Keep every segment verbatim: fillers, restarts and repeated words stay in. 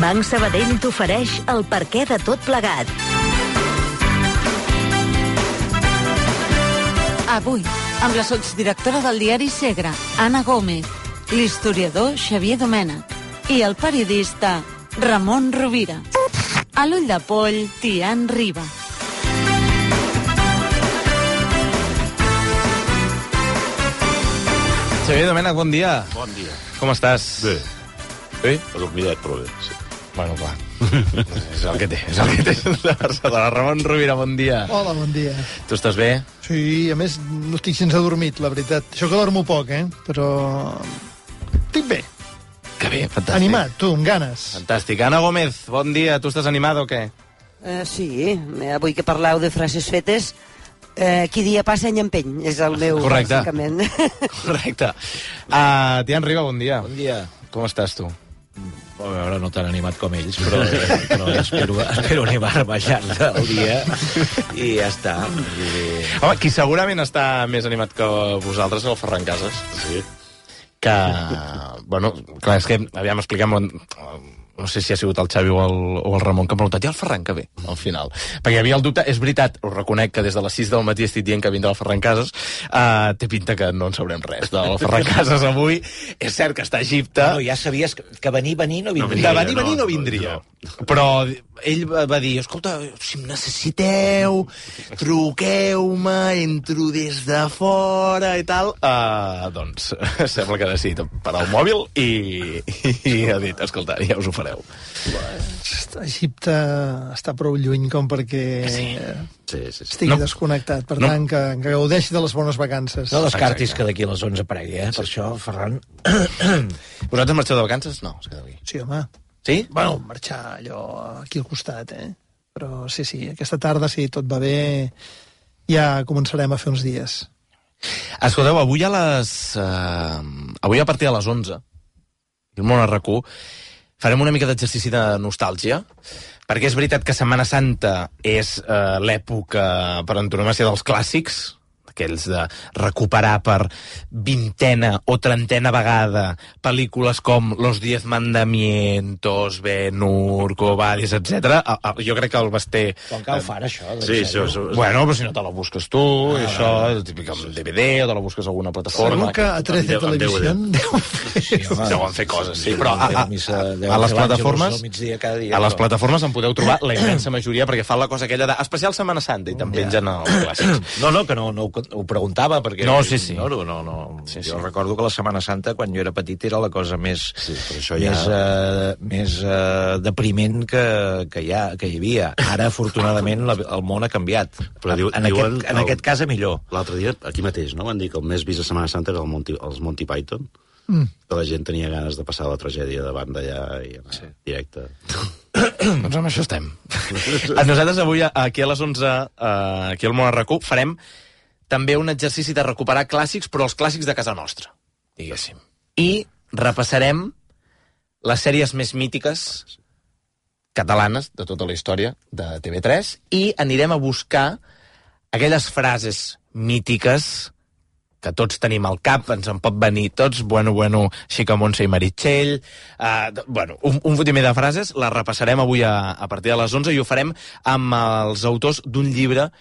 Banc Sabadell t'ofereix el perquè de tot plegat. Avui, amb la sotsdirectora del diari Segre, Anna Gómez, l'historiador Xavier Domènech i el periodista Ramon Rovira. A l'ull de poll, Tian Riba. Xavier Domènech, bon dia. Bon dia. Com estàs? Bé. Bé? Adormidet, però bé, sí. Bueno, clar. és el que té, és el que té. De Barcelona. Ramon Rovira, bon dia. Hola, bon dia. Tu estàs bé? Sí, a més, no estic sense adormit, la veritat. Això que dormo poc, eh? Però... estic bé. Que bé, fantàstic. Animat, tu, amb ganes. Fantàstic. Ana Gómez, bon dia. Tu estàs animada o què? Uh, sí, avui que parleu de frases fetes, uh, qui dia passa any empeny, és el meu, Correcte. bàsicament. Correcte. Uh, Tian Riba, bon dia. Bon dia. Com estàs, tu? A veure, no tan animat com ells, però, però espero, espero animar-me al llarg del dia i ja està. I... Home, qui segurament està més animat que vosaltres és el Ferran Casas. Sí. Que, bueno, clar, és que, aviam, expliquem... No sé si ha sigut el Xavi o el, o el Ramon que m'ha preguntat, i el Ferran que ve, al final? Perquè hi havia el dubte, és veritat, us reconec que des de les sis del matí estic dient que vindrà el Ferran Casas, uh, té pinta que no en sabrem res del Ferran Casas avui. És cert que està a Egipte. No, ja sabies que, que venir, venir no vindria. De venir, venir no vindria. Però ell va dir, escolta, si em necessiteu, truqueu-me, entro des de fora i tal. Uh, doncs sembla que ha decidit parar el mòbil i, i ha dit, escolta, ja us ho fareu. Egipte està prou lluny com perquè sí. Sí, sí, sí. estigui No. desconnectat. Per No. tant, que, que gaudeixi de les bones vacances. No descartis Exacte. que d'aquí a les onze aparegui, eh? Per això, Ferran... Vosaltres marxeu de vacances? No, es queda aquí. Sí, home. Sí? Bueno, marxar allò aquí al costat, eh? Però sí, sí, aquesta tarda, si tot va bé, ja començarem a fer uns dies. Escolteu, avui a les... Uh, avui a partir de les onze, el món R Q, farem una mica d'exercici de nostàlgia, perquè és veritat que Setmana Santa és eh, l'època per antonomàsia dels clàssics, aquells de recuperar per vintena o trentena vegada pel·lícules com Los Diez Mandamientos, Ben-Hur, Cobadis, etcètera. Jo crec que el Basté... Com cal far, això? Sí, això, això... Bueno, però si no te la busques tu, ah, això, el típic amb D V D, o te la busques a alguna plataforma. Segur que a trece Television deu fer... Sí, home, deuen fer coses, sí, però a, a, a, deuen a les fer plataformes l'Àngelus al migdia cada dia, a les però- plataformes en podeu trobar la immensa majoria, perquè fan la cosa aquella de especial Setmana Santa i també pengen els clàssics. No, no, que no, no ho, ho preguntava, perquè... No, sí, sí. No, no, no, no. Sí, jo sí. recordo que la Setmana Santa, quan jo era petit, era la cosa més, Sí, però això ja... més, uh, més uh, depriment que, que, hi ha, que hi havia. Ara, afortunadament, la, el món ha canviat. Però diu- en, diuen aquest, en el- aquest cas, a millor. L'altre dia, aquí mateix, no? Van dir que el més vist a Setmana Santa era el Monty, els Monty Python, mm. que la gent tenia ganes de passar la tragèdia davant d'allà i anar sí. directe. Doncs amb això estem. Nosaltres avui, aquí a les onze, uh, aquí al Món R Q, farem també un exercici de recuperar clàssics, però els clàssics de casa nostra, diguéssim. I repassarem les sèries més mítiques catalanes de tota la història de T V tres i anirem a buscar aquelles frases mítiques que tots tenim al cap, ens en pot venir tots, bueno, bueno, Xicamontse i Meritxell, uh, bueno, un, un fotimer de frases, les repassarem avui a, a partir de les onze i ho farem amb els autors d'un llibre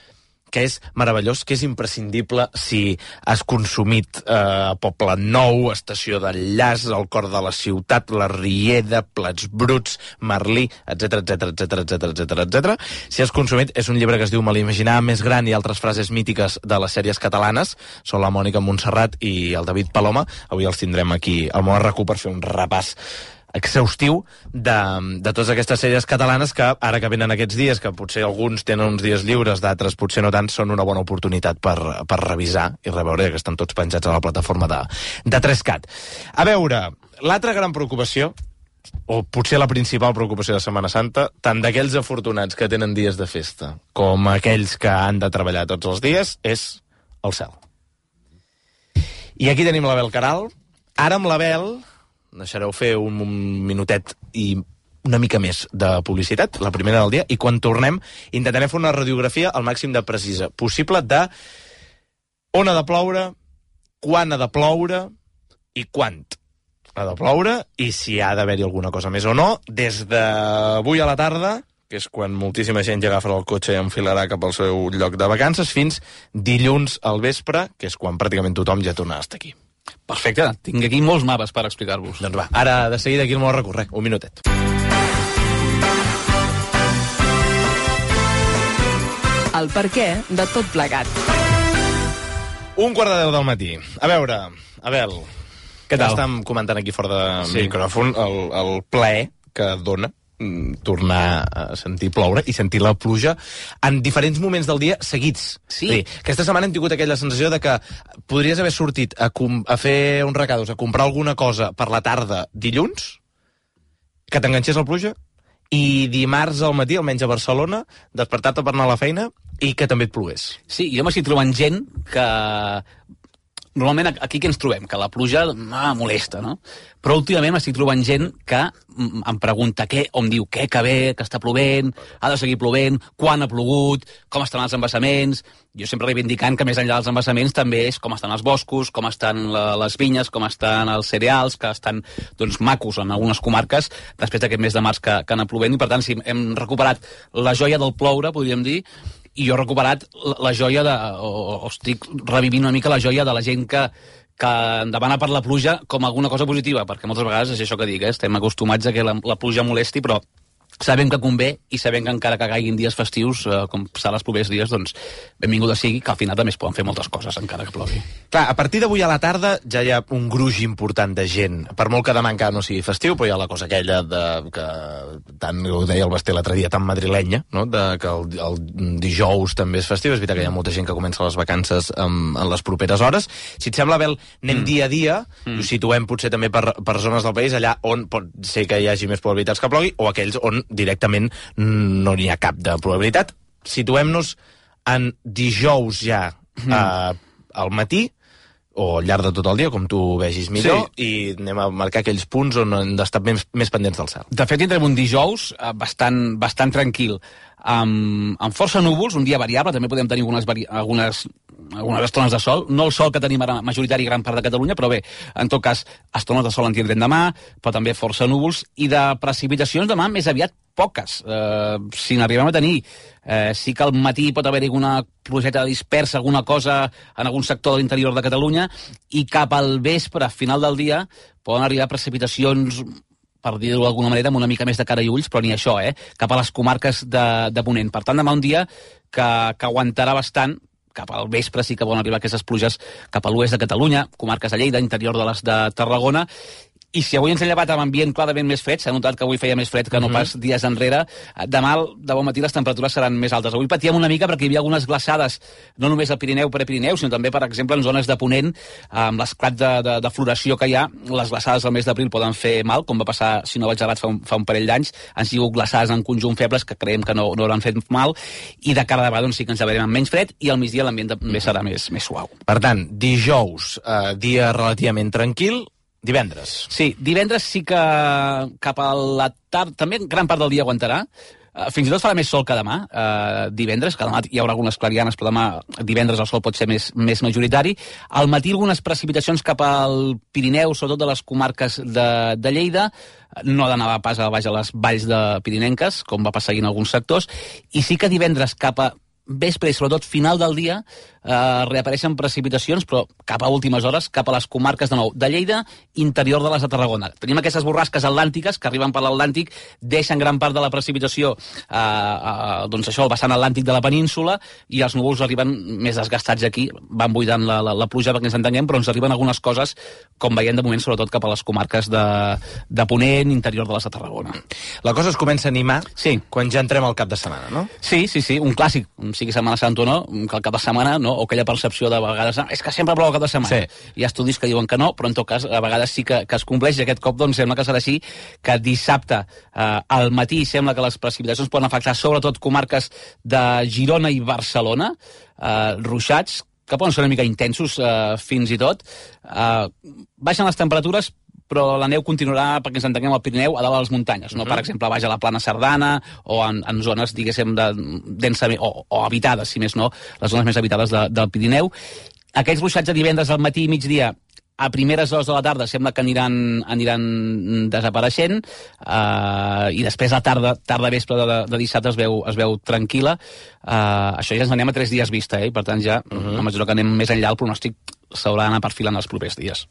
que és meravellós, que és imprescindible si has consumit eh, Poble Nou, Estació d'Enllaç, El cor de la ciutat, La Riera, Plats bruts, Merlí, etcètera, etcètera, etcètera, etcètera, etcètera, etcètera. Si has consumit, és un llibre que es diu Me l'imaginar més gran i altres frases mítiques de les sèries catalanes. Són la Mònica Montserrat i el David Paloma. Avui els tindrem aquí al Món R Q per fer un repàs exhaustiu de, de totes aquestes sèries catalanes que ara que venen aquests dies, que potser alguns tenen uns dies lliures, d'altres potser no tant, són una bona oportunitat per, per revisar i reveure, que estan tots penjats a la plataforma de, de tres cat. A veure, l'altra gran preocupació, o potser la principal preocupació de Setmana Santa, tant d'aquells afortunats que tenen dies de festa com aquells que han de treballar tots els dies, és el cel. I aquí tenim l'Abel Caral. Ara amb l'Abel deixareu fer un minutet i una mica més de publicitat, la primera del dia, i quan tornem intentarem fer una radiografia al màxim de precisa possible de on ha de ploure, quan ha de ploure i quant. ha de ploure, i si ha d'haver-hi alguna cosa més o no, des d'avui a la tarda, que és quan moltíssima gent ja agafarà el cotxe i enfilarà cap al seu lloc de vacances, fins dilluns al vespre, que és quan pràcticament tothom ja tornarà a estar aquí. Perfecte, tinc aquí molts mapes per explicar-vos. Doncs va, ara de seguida aquí el meu recorrer, un minutet. El perquè de tot plegat. Un quart de deu del matí. A veure, Abel, què tal? Estàvem comentant aquí fora de Sí. micròfon el, el plaer que dona mm, tornar a sentir ploure i sentir la pluja en diferents moments del dia seguits. Sí. És a dir, aquesta setmana hem tingut aquella sensació de que podries haver sortit a, com, a fer uns recados, a comprar alguna cosa per la tarda dilluns, que t'enganxés la pluja, i dimarts al matí, almenys a Barcelona, despertar-te per anar a la feina i que també et plogués. Sí, jo m'estic trobant gent que... Normalment aquí que ens trobem? Que la pluja ah, molesta, no? Però últimament m'estic trobant gent que em pregunta què, o em diu què, que bé, que està plovent, ha de seguir plovent, quan ha plogut, com estan els embassaments. Jo sempre reivindicant que més enllà dels embassaments també és com estan els boscos, com estan la, les vinyes, com estan els cereals, que estan doncs, macos en algunes comarques després d'aquest mes de març que, que ha anat plovent, i per tant sí, hem recuperat la joia del ploure, podríem dir, i jo he recuperat la, la joia de... O, o estic revivint una mica la joia de la gent que, que demana per la pluja com alguna cosa positiva, perquè moltes vegades és això que dic, eh? Estem acostumats a que la, la pluja molesti, però sabem que convé, i sabem que encara que caiguin dies festius, eh, com serà els propers dies, doncs benvinguda sigui, que al final també es poden fer moltes coses encara que plogui. Clar, a partir d'avui a la tarda ja hi ha un gruix important de gent. Per molt que demà encara no sigui festiu, però hi ha la cosa aquella de, que tant ho deia el Basté l'altre dia, tan madrilenya, no? De, que el, el dijous també és festiu. És veritat que hi ha molta gent que comença les vacances en, en les properes hores. Si et sembla, Abel, anem mm. dia a dia, mm. i ho situem potser també per, per zones del país, allà on pot ser que hi hagi més probabilitats que plogui, o aquells on directament no n'hi ha cap de probabilitat. Situem-nos en dijous ja mm. eh, al matí, o al llarg de tot el dia, com tu vegis millor, sí. I anem a marcar aquells punts on hem d'estar més, més pendents del cel. De fet, tindrem un dijous eh, bastant, bastant tranquil, amb, amb força núvols, un dia variable, també podem tenir algunes, vari... algunes, algunes estones de sol, no el sol que tenim ara majoritari gran part de Catalunya, però bé, en tot cas, estones de sol en tindrem demà, però també força núvols, i de precipitacions demà més aviat poques. Eh, si n'arribem a tenir, eh, sí que al matí pot haver-hi alguna plugeta dispersa, alguna cosa en algun sector de l'interior de Catalunya, i cap al vespre, final del dia, poden arribar precipitacions, per dir-ho d'alguna manera, amb una mica més de cara i ulls, però ni això, eh? Cap a les comarques de, de Ponent. Per tant, demà un dia que, que aguantarà bastant, cap al vespre sí que poden arribar aquestes pluges cap a l'oest de Catalunya, comarques de Lleida, interior de les de Tarragona. I si avui ens hem llevat amb ambient clarament més fred, s'ha notat que avui feia més fred que no pas dies enrere, demà de bon matí les temperatures seran més altes. Avui patíem una mica perquè hi havia algunes glaçades, no només al Pirineu per a Pirineu, sinó també, per exemple, en zones de Ponent, amb l'esclat de, de, de floració que hi ha, les glaçades al mes d'abril poden fer mal, com va passar, si no vaig errat, fa un, fa un parell d'anys. Han sigut glaçades en conjunt febles que creiem que no, no hauran fet mal, i de cara a demà doncs, sí que ens llevarem amb menys fred, i al migdia l'ambient també serà més, més suau. Per tant, dijous, eh, dia relativament tranquil. Divendres. Sí, divendres sí que cap a la tarda, també gran part del dia aguantarà. Uh, fins i tot farà més sol que demà, uh, divendres, que demà hi haurà algunes clarianes, però demà divendres el sol pot ser més, més majoritari. Al matí algunes precipitacions cap al Pirineu, sobretot de les comarques de, de Lleida, no ha d'anar pas a baix a les valls de pirinenques, com va passar en alguns sectors, i sí que divendres cap a vespre i sobretot final del dia eh, reapareixen precipitacions, però cap a últimes hores, cap a les comarques de nou de Lleida, interior de les de Tarragona. Tenim aquestes borrasques atlàntiques que arriben per l'Atlàntic, deixen gran part de la precipitació eh, eh, doncs això, el vessant atlàntic de la península, i els núvols arriben més desgastats aquí, van buidant la, la, la pluja perquè ens entenguem, però ens arriben algunes coses, com veiem de moment, sobretot cap a les comarques de, de Ponent, interior de les de Tarragona. La cosa es comença a animar sí. quan ja entrem al cap de setmana, no? Sí, sí, sí, un clàssic, sigui Setmana Santa o no, que el cap de setmana, no? O aquella percepció de vegades, és que sempre plou el cap de setmana. Sí. Hi ha estudis que diuen que no, però en tot cas a vegades sí que, que es compleix, i aquest cop doncs sembla que serà així, que dissabte eh, al matí sembla que les precipitacions poden afectar sobretot comarques de Girona i Barcelona, eh, ruixats, que poden ser una mica intensos eh, fins i tot. Eh, baixen les temperatures, però la neu continuarà, perquè ens entenguem, al Pirineu, a dalt de les muntanyes, no? Uh-huh. Per exemple, baix a la plana Cerdana, o en, en zones, diguéssim, de, densament, o, o habitades, si més no, les zones més habitades de, del Pirineu. Aquests ruixats de divendres al matí i migdia a primeres hores de la tarda sembla que aniran, aniran desapareixent, uh, i després la tarda, tarda vespre de, de dissabte es veu, es veu tranquil·la. Uh, això ja ens anem a tres dies vista, eh? Per tant, ja, uh -huh. a mesura que anem més enllà, el pronòstic s'haurà d'anar perfilant els propers dies.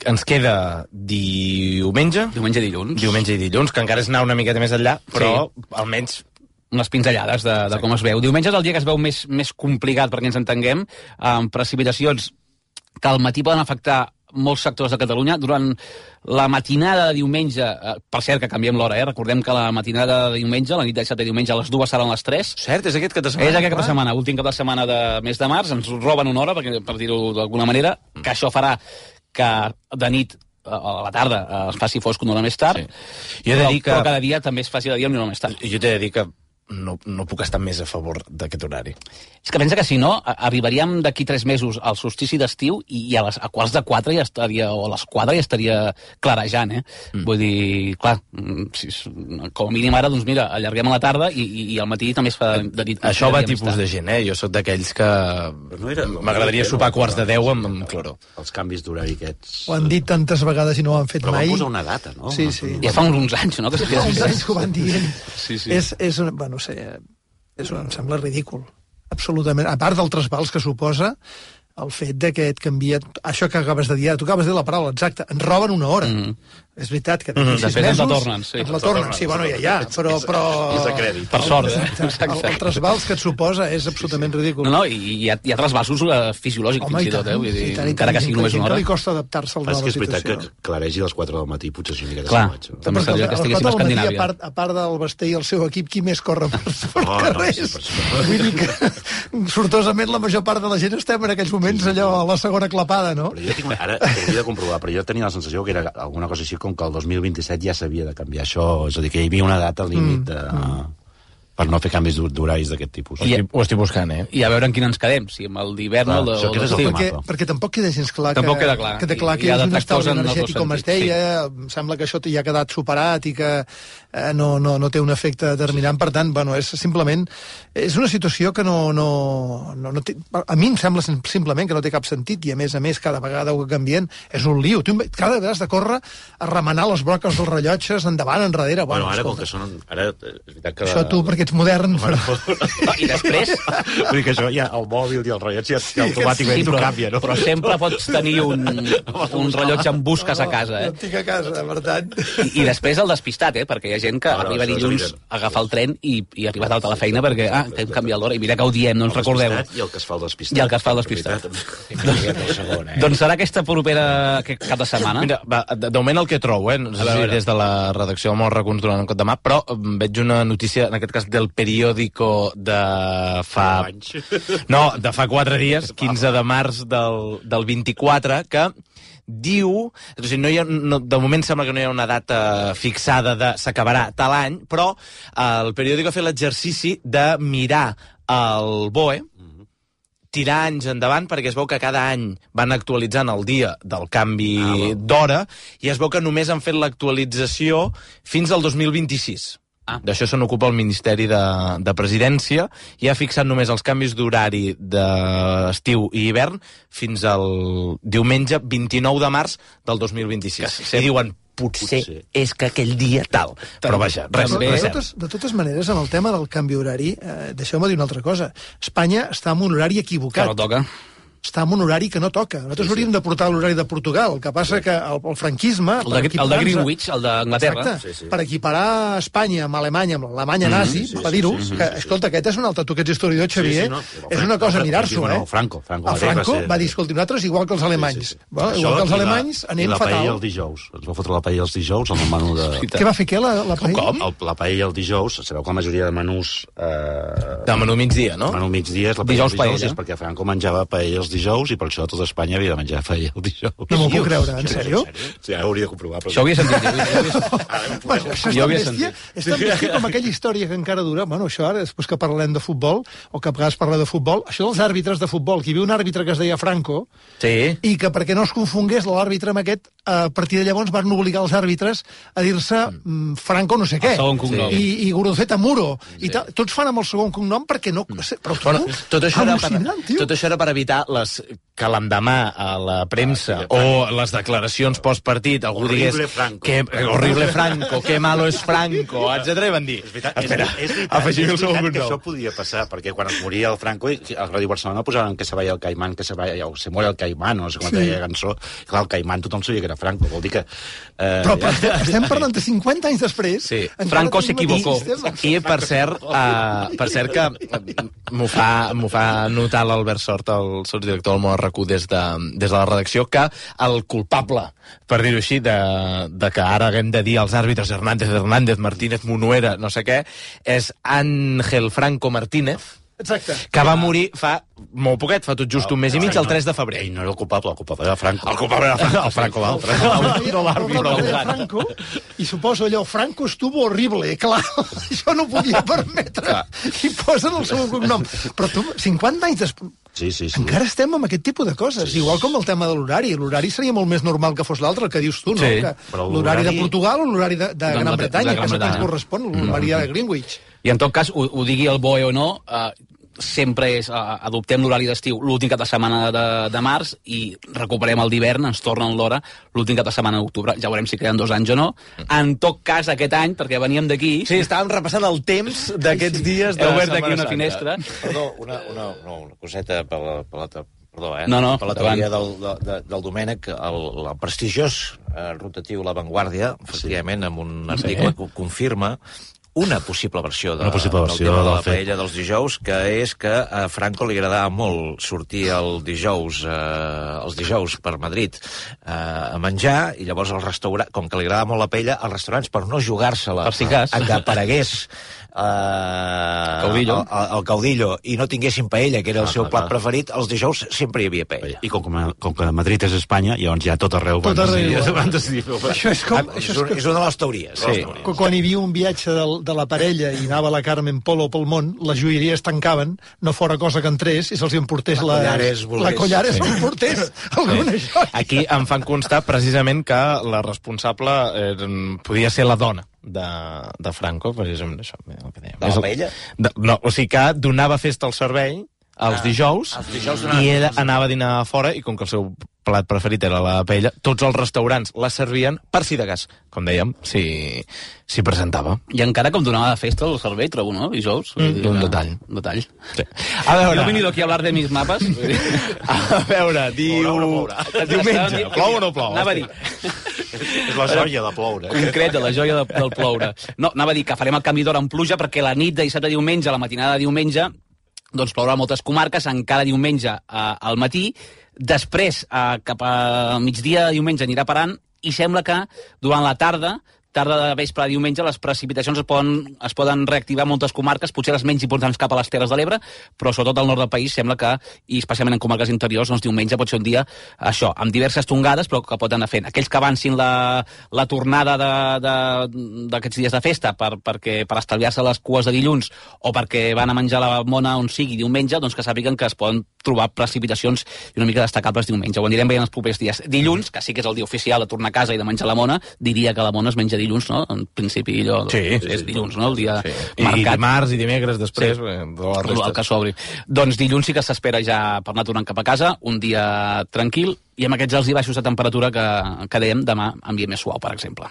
Ens queda diumenge. Diumenge i dilluns. Diumenge i dilluns, que encara és anar una miqueta més enllà, però sí. almenys unes pinzellades de, de com es veu. Diumenge és el dia que es veu més, més complicat, perquè ens entenguem, amb precipitacions que al matí poden afectar molts sectors de Catalunya. Durant la matinada de diumenge, eh, per cert, que canviem l'hora, eh? Recordem que la matinada de diumenge, la nit de dissabte i diumenge, a les dues seran les tres. Cert, és aquest cap de setmana. És aquest cap de setmana, últim cap de setmana de mes de març, ens roben una hora, perquè, per dir-ho d'alguna manera, que això farà que de nit a la tarda es faci fosc una hora més tard, sí. Jo he de dir que... però cada dia també es faci de dia una hora més tard. Jo t'he de dir que no, no puc estar més a favor d'aquest horari. És que pensa que si no, arribaríem d'aquí tres mesos al solstici d'estiu i, i a, les, a quarts de quatre ja estaria, o a les quatre ja estaria clarejant, eh? Mm. Vull dir, clar, si, com a mínim ara, doncs mira, allarguem a la tarda i, i, i al matí també es fa de nit. Això va tipus de gent, eh? Jo sóc d'aquells que no era, m'agradaria no sopar a quarts de deu amb, amb cloro. Els canvis d'horari aquests... Ho han dit tantes vegades i no ho han fet però mai. Però van posar una data, no? Sí, sí. Ja fa uns anys, no? Que fa uns anys que ho van dient. Sí, sí. És, és, bueno, no sé, és, em sembla ridícul. Absolutament. A part del trasbals que suposa el fet de que et canvia... Això que acabes de dir, tu acabes de dir la paraula exacta, ens roben una hora. Mm -hmm. És veritat que d'aquí mm -hmm. sis mesos... Després ens la tornen, sí. Ens la tornen, sí, bueno, ja, ja, però... però... És de crèdit. Per sort, eh? El, el trasbals que et suposa és absolutament ridícul. No, no, i hi ha, hi ha trasbalsos uh, fisiològics, home, fins i tot, eh? Vull dir, tant, encara que sigui només una hora. Que li costa adaptar-se a la nova situació. És que és veritat que claregi a les quatre del matí, potser és una mica de Clar, també seria que estiguéssim a Escandinàvia. A part, a part del Basté i el seu equip, qui més corre per, per oh, carrers? No, sí, vull dir que, sortosament, la major part de la gent estem en aquells moments allò a la segona clapada, no? Però jo tinc, ara hauria de comprovar, però jo tenia la sensació que era alguna cosa així com que el dos mil vint-i-set ja s'havia de canviar això, és a dir, que hi havia una data límit de... Mm. per no fer canvis d'horaris d'aquest tipus. I, ho estic buscant, eh? I a veure en quin ens quedem, si amb el d'hivern o el d'estiu. Perquè, perquè tampoc queda gens clar que, tampoc queda clar. que, que, clar, que hi ha un estalvi energètic, com es deia, sí. Sembla que això ja ha quedat superat i que eh, no, no, no té un efecte determinant, per tant, bueno, és simplement... És una situació que no... no, no, no té, a mi em sembla simplement que no té cap sentit i, a més a més, cada vegada ho canvien, és un lío. Tu cada vegada has de córrer a remenar les broques dels rellotges endavant, enrere... Bueno, bueno ara, com que són... Ara, és veritat que... Això tu, perquè ets modern, però... I després... Vull dir que això ja, el mòbil i el rellotge ja, ja automàticament sí, però, canvia, no? Però sempre pots tenir un, un rellotge amb busques a casa, eh? Jo tinc a casa, per tant... I, I després el despistat, eh? Perquè hi ha gent que no, no, arriba dilluns a agafar el tren i, i arriba tard a la feina perquè, ah, que hem canviat l'hora, i mira que ho diem, no ens recordeu. I el que es fa el despistat. I el que es fa el despistat. Segon, eh? Doncs serà aquesta propera cap de setmana. Mira, va, de, de moment el que trobo, eh? No sé si des de la redacció del Món Racons durant un cop de mà, però veig una notícia, en aquest cas, del periòdico de fa... No, de fa quatre dies, quinze de març del, del vint-i-quatre, que diu... O sigui, no hi ha, no, de moment sembla que no hi ha una data fixada de s'acabarà tal any, però el periòdico ha fet l'exercici de mirar el B O E, tirar anys endavant, perquè es veu que cada any van actualitzant el dia del canvi ah, d'hora, i es veu que només han fet l'actualització fins al dos mil vint-i-sis. Ah. D'això se n'ocupa el Ministeri de, de Presidència i ha fixat només els canvis d'horari d'estiu i hivern fins al diumenge vint-i-nou de març del dos mil vint-i-sis. I diuen, potser, potser és que aquell dia tal. Però vaja, res, de, res de, totes, de totes maneres, amb el tema del canvi horari, eh, deixeu-me dir una altra cosa. Espanya està en un horari equivocat. Que no toca. Està en un horari que no toca. Nosaltres sí, sí. hauríem de portar l'horari de Portugal. El que passa sí. que el, el franquisme... El de, el de Greenwich, el d'Anglaterra. Sí, sí. Per equiparar Espanya amb Alemanya, amb l'Alemanya nazi, mm -hmm, sí, per dir-ho, sí, sí, que, escolta, aquest és un altre... Tu que ets historiador, Xavier, sí, sí, no, és una cosa mirar-s'ho, eh? No, Franco. Franco, el Franco va, ser... va dir, escolta, nosaltres igual que els alemanys. Sí, sí, sí. Bueno, igual Això, que els alemanys la, anem la fatal. I la paella el dijous. Ens va fotre la paella els dijous amb el menú de... Què va fer, què, la, la paella? Com? El, la paella el dijous, sabeu que la majoria de menús... Eh... De menú migdia, no? El menú migdia és la paella els dijous, és perquè Franco menjava paella els dijous i per això tot Espanya havia de menjar paella el dijous. No m'ho puc creure, en sèrio? Sí, ara hauria de comprovar. Això ho havia sentit. Bueno, això és tan bèstia, és tan bèstia com aquella història que encara dura. Bueno, això ara, després que parlem de futbol, o que a vegades parlem de futbol, això dels àrbitres de futbol, que hi havia un àrbitre que es deia Franco, sí. i que perquè no es confongués l'àrbitre amb aquest, a partir de llavors van obligar els àrbitres a dir-se mm, Franco no sé què. I, i Guruceta Muro. Sí. I ta, tots fan amb el segon cognom perquè no... Però, bueno, tot, això era per, tot això era per evitar les que l'endemà a la premsa ah, o les declaracions postpartit algú horrible digués Franco. que, horrible Franco, que malo és Franco, etcètera, i van dir, és veritat, espera, és, és veritat, afegim el segon que nou. això podia passar, perquè quan es moria el Franco, a Ràdio Barcelona posaven que se vaya el Caimán, que se vaya, o se muere el Caimán, no sé com sí. deia la cançó. Clar, el Caimán tothom sabia que era Franco, vol dir que... Eh, però, però ja... estem parlant de cinquanta anys després. Sí. Franco s'equivocó. I, per cert, uh, per cert que m'ho fa, m'ho fa notar l'Albert Sort, el sotsdirector del Món R Q, des de, des de la redacció, que el culpable, per dir-ho així, de, de que ara haguem de dir als àrbitres Hernández, Hernández, Martínez, Munuera, no sé què, és Ángel Franco Martínez, exacte. Que va morir fa molt poquet, fa tot just un mes i mig, el tres de febrer. Ell no era el culpable, el culpable era Franco. El culpable era Franco. El Franco, l'altre. No l'àrbitre. Franco, i suposo allò, Franco estuvo horrible, clar, això no podia permetre. I posen el seu cognom. Però tu, cinquanta anys després... Sí, sí, sí. Encara estem amb aquest tipus de coses, sí, igual com el tema de l'horari. L'horari seria molt més normal que fos l'altre, el que dius tu, no? Sí, l'horari de Portugal o l'horari de, de Gran Bretanya, que és el que ens correspon, l'horari de Greenwich. I en tot cas, ho, ho digui el B O E o no, eh, sempre és, uh, adoptem l'horari d'estiu l'últim cap de setmana de, de març i recuperem el d'hivern, ens tornen l'hora l'últim cap de setmana d'octubre, ja veurem si queden dos anys o no. En tot cas, aquest any, perquè veníem d'aquí... Sí, estàvem repassant el temps d'aquests dies de He obert aquí Setmana una Santa. finestra. Perdó, una, una, no, una coseta per la, per la, perdó, eh? No, no, per la teoria del, de, del Domènec, el, el prestigiós eh, rotatiu La Vanguardia, efectivament, amb un article que confirma una possible versió, de, una possible versió del tema de la del fet. paella dels dijous, que és que a Franco li agradava molt sortir el dijous, eh, els dijous per Madrid eh, a menjar, i llavors el restaurant, com que li agradava molt la paella, els restaurants, per no jugar-se-la Per si cas. a que aparegués eh, Caudillo. El, el, el caudillo i no tinguessin paella, que era el Ah, seu clar, plat clar. preferit, els dijous sempre hi havia paella. I com, com, com que Madrid és Espanya, llavors ja tot arreu Tot van arreu. decidir... Van decidir Això és com... Ah, és, Això un, és és una de les teories. Sí. que quan hi havia un viatge del, de la parella i anava la Carmen Polo pel món, les joieries tancaven, no fora cosa que entrés, i se'ls hi emportés La la... Collares volgués. La Collares Sí. s'emportés alguna joia. Aquí em fan constar precisament que la responsable eh, podia ser la dona de, de Franco, precisament això. El que dèiem. De la paella? De, no, o sigui que donava festa al servei els Ah, dijous, els dijous donava i ella festa. anava a dinar a fora, i com que el seu plat preferit era la paella, tots els restaurants la servien per si de cas, com dèiem, si, si presentava. I encara com donava de festa el servei, trobo, no? Dijous. Mm, un detall. Un detall. Sí. A veure... No he venido aquí a hablar de mis mapas. A veure, diu... Plourà o no plourà? Diumenge, plou o no plou? Anava a dir, És la joia de ploure. concret, de la joia de, del ploure. No, anava a dir que farem el canvi d'hora en pluja perquè la nit de dissabte a diumenge, la matinada de diumenge, doncs plourà a moltes comarques, encara diumenge eh, al matí, després eh, cap a migdia de diumenge anirà parant, i sembla que durant la tarda, tarda de vespre a diumenge, les precipitacions es poden, es poden reactivar a moltes comarques, potser les menys importants cap a les Terres de l'Ebre, però sobretot al nord del país sembla que, i especialment en comarques interiors, doncs diumenge pot ser un dia, això, amb diverses tongades, però que pot anar fent. Aquells que avancin la, la tornada d'aquests dies de festa per, perquè, per estalviar-se les cues de dilluns o perquè van a menjar la mona on sigui diumenge, doncs que sàpiguen que es poden trobar precipitacions una mica destacables diumenge. Ho anirem veient els propers dies. Dilluns, que sí que és el dia oficial de tornar a casa i de menjar la mona, diria que la mona es menja dilluns, no? En principi, allò, Sí, és sí, sí, dilluns, no? El dia Sí. marcat. I dimarts i dimecres després, Sí. eh, de la El resta. que s'obri. Doncs dilluns sí que s'espera ja per anar tornant cap a casa, un dia tranquil, i amb aquests alts i baixos de temperatura que, que dèiem, demà ambient més suau, per exemple.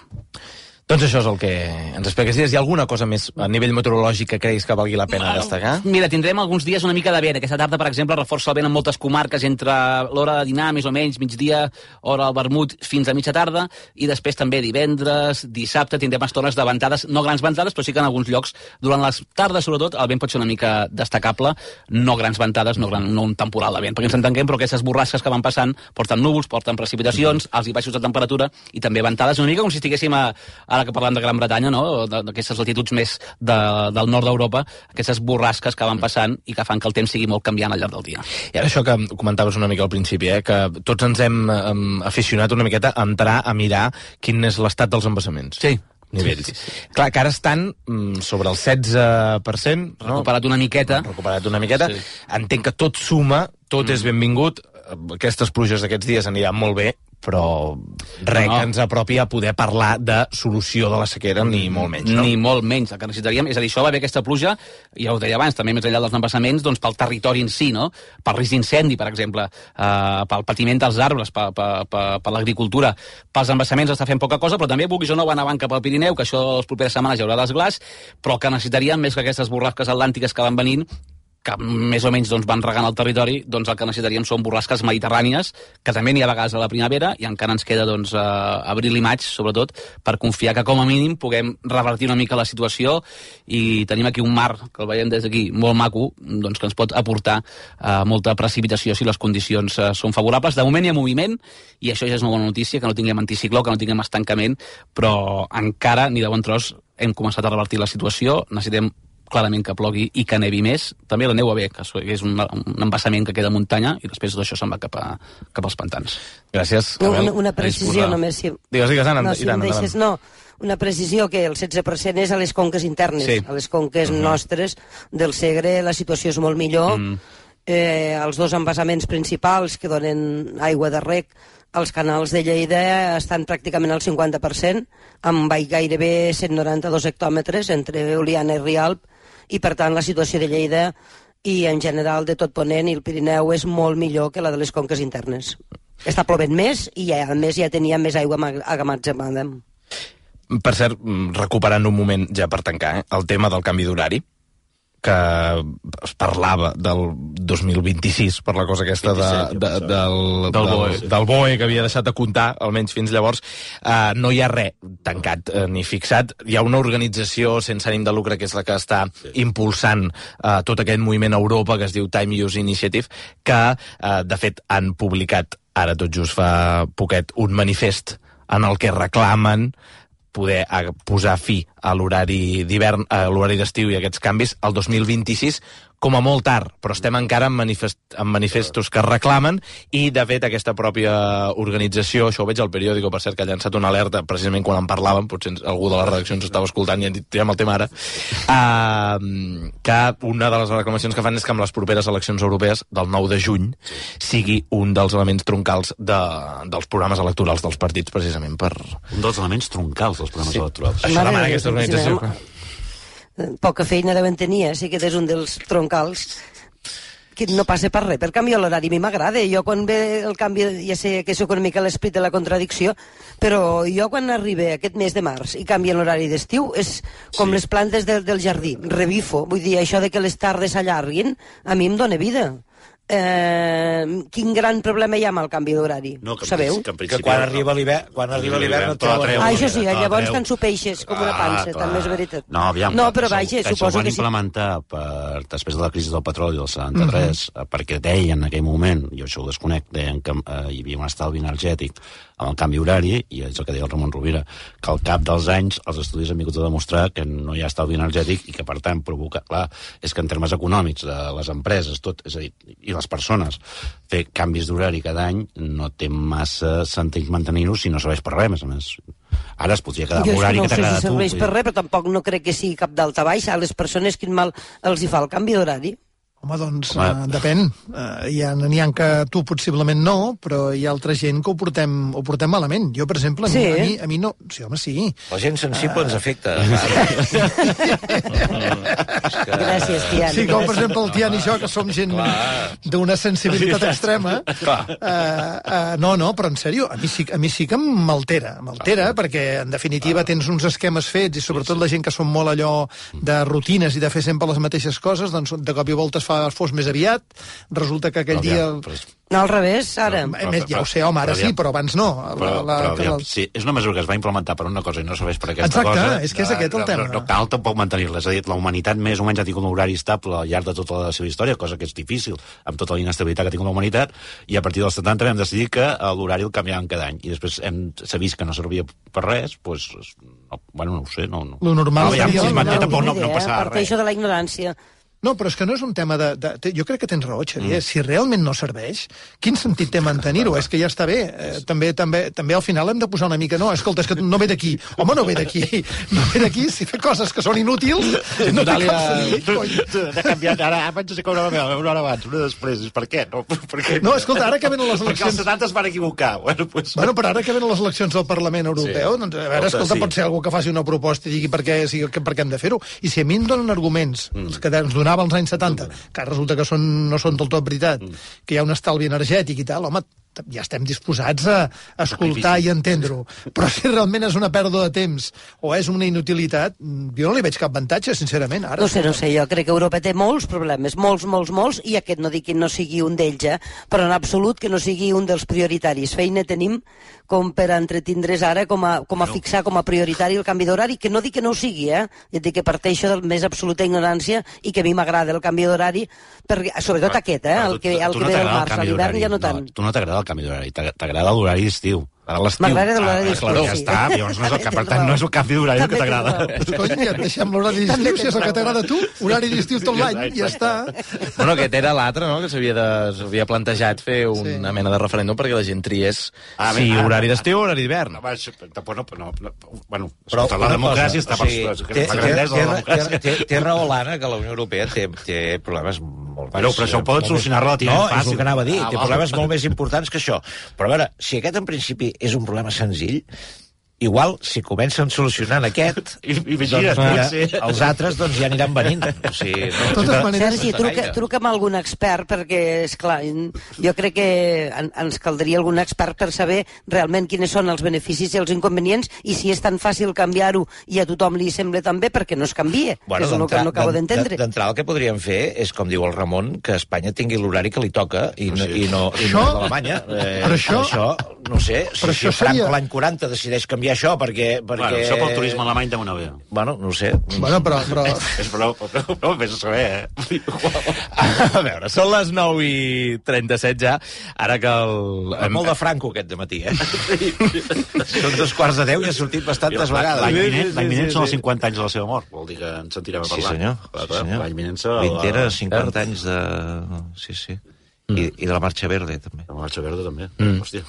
Doncs això és el que ens expliques. Hi ha alguna cosa més a nivell meteorològic que creguis que valgui la pena destacar? Mira, tindrem alguns dies una mica de vent. Aquesta tarda, per exemple, reforça el vent en moltes comarques entre l'hora de dinar, més o menys, migdia, hora al vermut, fins a mitja tarda, i després també divendres, dissabte, tindrem estones de ventades, no grans ventades, però sí que en alguns llocs, durant les tardes, sobretot, el vent pot ser una mica destacable, no grans ventades, no, gran, no un temporal de vent, perquè ens entenguem, però aquestes borrasques que van passant porten núvols, porten precipitacions, alts i baixos de temperatura, i també ventades, una mica com si estiguéssim a, ara que parlem de Gran Bretanya, no? D'aquestes latituds més de, del nord d'Europa, aquestes borrasques que van passant i que fan que el temps sigui molt canviant al llarg del dia. I ara això que comentaves una mica al principi, eh, que tots ens hem um, aficionat una miqueta a entrar a mirar quin és l'estat dels embassaments. Sí. Nivells. Sí, sí, sí. Clar, que ara estan mm, sobre el setze per cent. No? Recuperat una miqueta. Recuperat una miqueta. Sí. Entenc que tot suma, tot mm. és benvingut. Aquestes pluges d'aquests dies aniran molt bé, però res No. que ens apropi a poder parlar de solució de la sequera, ni molt menys, no? Ni molt menys. El que necessitaríem, és a dir, això va haver aquesta pluja, ja ho deia abans, també més enllà dels embassaments, doncs pel territori en si, no? Pel risc d'incendi, per exemple, eh, pel patiment dels arbres, per, per, per, per l'agricultura. Pels embassaments està fent poca cosa, però també, vulguis o no, van avant cap al Pirineu, que això les properes setmanes hi haurà desglàs, però que necessitaríem més que aquestes borrasques atlàntiques que van venint, que més o menys doncs, van regant el territori, doncs el que necessitaríem són borrasques mediterrànies, que també n'hi ha a vegades a la primavera, i encara ens queda doncs, a abril i maig, sobretot, per confiar que com a mínim puguem revertir una mica la situació, i tenim aquí un mar, que el veiem des d'aquí, molt maco, doncs, que ens pot aportar eh, molta precipitació si les condicions eh, són favorables. De moment hi ha moviment, i això ja és una bona notícia, que no tinguem anticicló, que no tinguem estancament, però encara, ni de bon tros, hem començat a revertir la situació, necessitem clarament que plogui i que nevi més. També la neu va bé, que és un, un embassament que queda a muntanya, i després tot això se'n va cap, a, cap als pantans. Gràcies, Abel. Abel. Una, una precisió només. Si... Digues, digues, Anna, no, si Iran, deixes, no, una precisió que el setze per cent és a les conques internes. Sí. A les conques mm-hmm. nostres del Segre la situació és molt millor. Mm. Eh, els dos embassaments principals que donen aigua de rec, els canals de Lleida estan pràcticament al cinquanta per cent, amb gairebé cent noranta-dos hectòmetres entre Oliana i Rialp, i per tant la situació de Lleida i en general de tot Ponent i el Pirineu és molt millor que la de les conques internes. Està plovent més i ja, a més ja tenia més aigua amagatzemada. Per cert, recuperant un moment ja per tancar, eh, el tema del canvi d'horari, que es parlava del dos mil vint-i-sis per la cosa aquesta de, de, del, del, B O E, del B O E que havia deixat de comptar, almenys fins llavors. Uh, no hi ha res tancat uh, ni fixat. Hi ha una organització sense ànim de lucre que és la que està sí. impulsant uh, tot aquest moviment a Europa que es diu Time Use Initiative, que uh, de fet han publicat ara tot just fa poquet un manifest en el que reclamen poder posar fi a l'horari d'hivern, a l'horari d'estiu i aquests canvis el dos mil vint-i-sis com a molt tard, però estem encara en, manifest, en manifestos que reclamen, i de fet aquesta pròpia organització, això ho veig al periòdico, per cert, que ha llançat una alerta precisament quan en parlàvem, potser algú de les redaccions estava escoltant i han dit, tirem el tema ara, uh, que una de les reclamacions que fan és que amb les properes eleccions europees del nou de juny sigui un dels elements troncals de, dels programes electorals dels partits, precisament per... Un dels elements troncals dels programes sí. electorals. Això demana aquesta organització. Poca feina deuen tenir, eh? Sí que és un dels troncals que no passa per res. Per canvi, l'horari a mi m'agrada. Jo quan ve el canvi, ja sé que sóc una mica l'esperit de la contradicció, però jo quan arriba aquest mes de març i canvia l'horari d'estiu, és com sí. les plantes del, del jardí. Revifo. Vull dir, això de que les tardes s'allarguin, a mi em dóna vida. Eh, quin gran problema hi ha amb el canvi d'horari? No, que sabeu? Que, que quan arriba l'hivern quan arriba l'hivern no treuen. Ah, això sí, llavors te'n sopeixes com una pansa, ah, també és veritat. No, aviam, no però vaja, suposo que sí. Ho van implementar per, després de la crisi del petroli del setanta-tres, uh-huh. perquè deien en aquell moment, jo això ho desconec, deien que eh, hi havia un estalvi energètic amb el canvi horari, i és el que deia el Ramon Rovira, que al cap dels anys els estudis han vingut a demostrar que no hi ha estalvi energètic i que, per tant, provoca... Clar, és que en termes econòmics de les empreses, tot, és a dir, i les persones, fer canvis d'horari cada any no té massa sentit mantenir-ho si no serveix per res, més a més. Ara es podria quedar amb l'horari que t'agrada si a tu. serveix per res, però tampoc no crec que sigui cap d'alta baixa. A les persones quin mal els hi fa el canvi d'horari? Home, doncs, Home. Uh, depèn. Uh, hi ha, n'hi ha que tu possiblement no, però hi ha altra gent que ho portem, ho portem malament. Jo, per exemple, a, sí. mi, a, mi, a mi no... Sí, home, sí. La gent sensible uh... ens afecta. Gràcies, Tian. Sí, com per exemple el Tian i jo, que som gent d'una sensibilitat extrema. Uh, uh, no, no, però en sèrio, a mi sí, a mi sí que m'altera. M'altera, ah, perquè, en definitiva, ah. tens uns esquemes fets, i sobretot sí, sí. la gent que són molt allò de rutines i de fer sempre les mateixes coses, doncs de cop i volta es fa fos més aviat, resulta que aquell no, dia... Però... No, al revés, ara. No, però, ja ho sé, home, ara però, sí, però abans no. Però, la, la, però, la... sí, és una mesura que es va implementar per una cosa i no serveix per aquesta Exacte, cosa. Exacte, és que és aquest el no, tema. No, no cal tampoc mantenir-la. És a dir, la humanitat més o menys ha tingut un horari estable al llarg de tota la seva història, cosa que és difícil, amb tota la inestabilitat que ha tingut la humanitat, i a partir dels setanta vam decidir que l'horari el canviàvem cada any. I després s'ha vist que no servia per res, doncs... No, bueno, no ho sé, no... no. Lo normal no, ja, seria... Si es manté, tampoc no, no idea, passarà res. Parteixo de la ignorància. No, però és que no és un tema de... de jo crec que tens raó, Xavier. Mm. Si realment no serveix, quin sentit té mantenir-ho? És que ja està bé. Eh, també, també, també al final hem de posar una mica... No, escolta, és que no ve d'aquí. Home, no ve d'aquí. No ve d'aquí. Si fa coses que són inútils, no té cap sentit, cony. Ha canviat. Ara abans no sé com una hora, una hora abans, una després. Per què? No, per què? No, escolta, ara que venen les eleccions... Perquè els setanta es van equivocar. Bueno, pues... bueno, però ara que venen les eleccions del Parlament Europeu, sí. Doncs, a veure, escolta, sí. Pot ser algú que faci una proposta i digui per què, sí, per què hem de fer-ho. I si a mi em donen arguments, mm. els que ens donava als anys setanta, mm. que resulta que són, no són del tot veritat, mm. que hi ha un estalvi energètic i tal, home, ja estem disposats a escoltar i entendre-ho. Però si realment és una pèrdua de temps o és una inutilitat, jo no li veig cap avantatge, sincerament. Ara, no sé, no sé, jo crec que Europa té molts problemes, molts, molts, molts, i aquest no dic que no sigui un d'ells, eh? Però en absolut que no sigui un dels prioritaris. Feina tenim com per entretindre's ara, com a, com a fixar com a prioritari el canvi d'horari, que no dic que no ho sigui, eh? Jo dic que parteixo de la més absoluta ignorància i que a mi m'agrada el canvi d'horari, sobretot aquest, eh? El que, el que ve al març, a l'hivern ja no tant. Tu no t'agrada el canvi d'horari, t'agrada l'horari d'estiu. Ara l'estiu. M'agrada l'horari d'estiu, ah, ja està, llavors no és el que, per tant, no és el canvi d'horari que t'agrada. Cony, ja et deixem l'horari d'estiu, si és el que t'agrada a tu, horari d'estiu tot l'any, ja està. Bueno, aquest era l'altre, no?, que s'havia plantejat fer una mena de referèndum perquè la gent triés si horari d'estiu o horari d'hivern. Bueno, la democràcia està per la grandesa de la democràcia. Té raó l'Anna que la Unió Europea té problemes molt més... Però això ho poden solucionar relativament fàcil. No, és el que anava a dir, té problemes molt més importants que això. Però a veure, si aquest en principi és un problema senzill, igual, si comencen solucionant aquest, I, i doncs, mira, sí. els altres doncs, ja aniran venint. O sigui, no, no, maneres, Sergi, truca, truca amb algun expert, perquè, esclar, jo crec que en, ens caldria algun expert per saber realment quines són els beneficis i els inconvenients, i si és tan fàcil canviar-ho i a tothom li sembla tan bé, perquè no es canvia, bueno, que és el que no acabo d'entendre. D'entrada, el que podríem fer és, com diu el Ramon, que Espanya tingui l'horari que li toca i no, sí. i no, i no d'Alemanya. Eh, per això, això, no sé, si, si Franco l'any quaranta decideix canviar això perquè... perquè... Bueno, això pel turisme alemany de una vegada. Bueno, no ho sé. Bueno, però... però... és prou, prou, prou, vés a saber, eh? A veure, són les nou i trenta-set ja, ara que el... És molt de Franco aquest de matí, eh? Són dos quarts de deu i ha sortit bastantes vegades. L'any vinent, l'any vinent són els cinquanta anys de la seva mort, vol dir que ens sentirem a parlar. Sí, senyor. Sí, senyor. L'any vinent serà... Vintera, cinquanta anys de... Sí, sí. I, i de la Marxa Verde, també. De la Marxa Verde, també. Mm. Hòstia.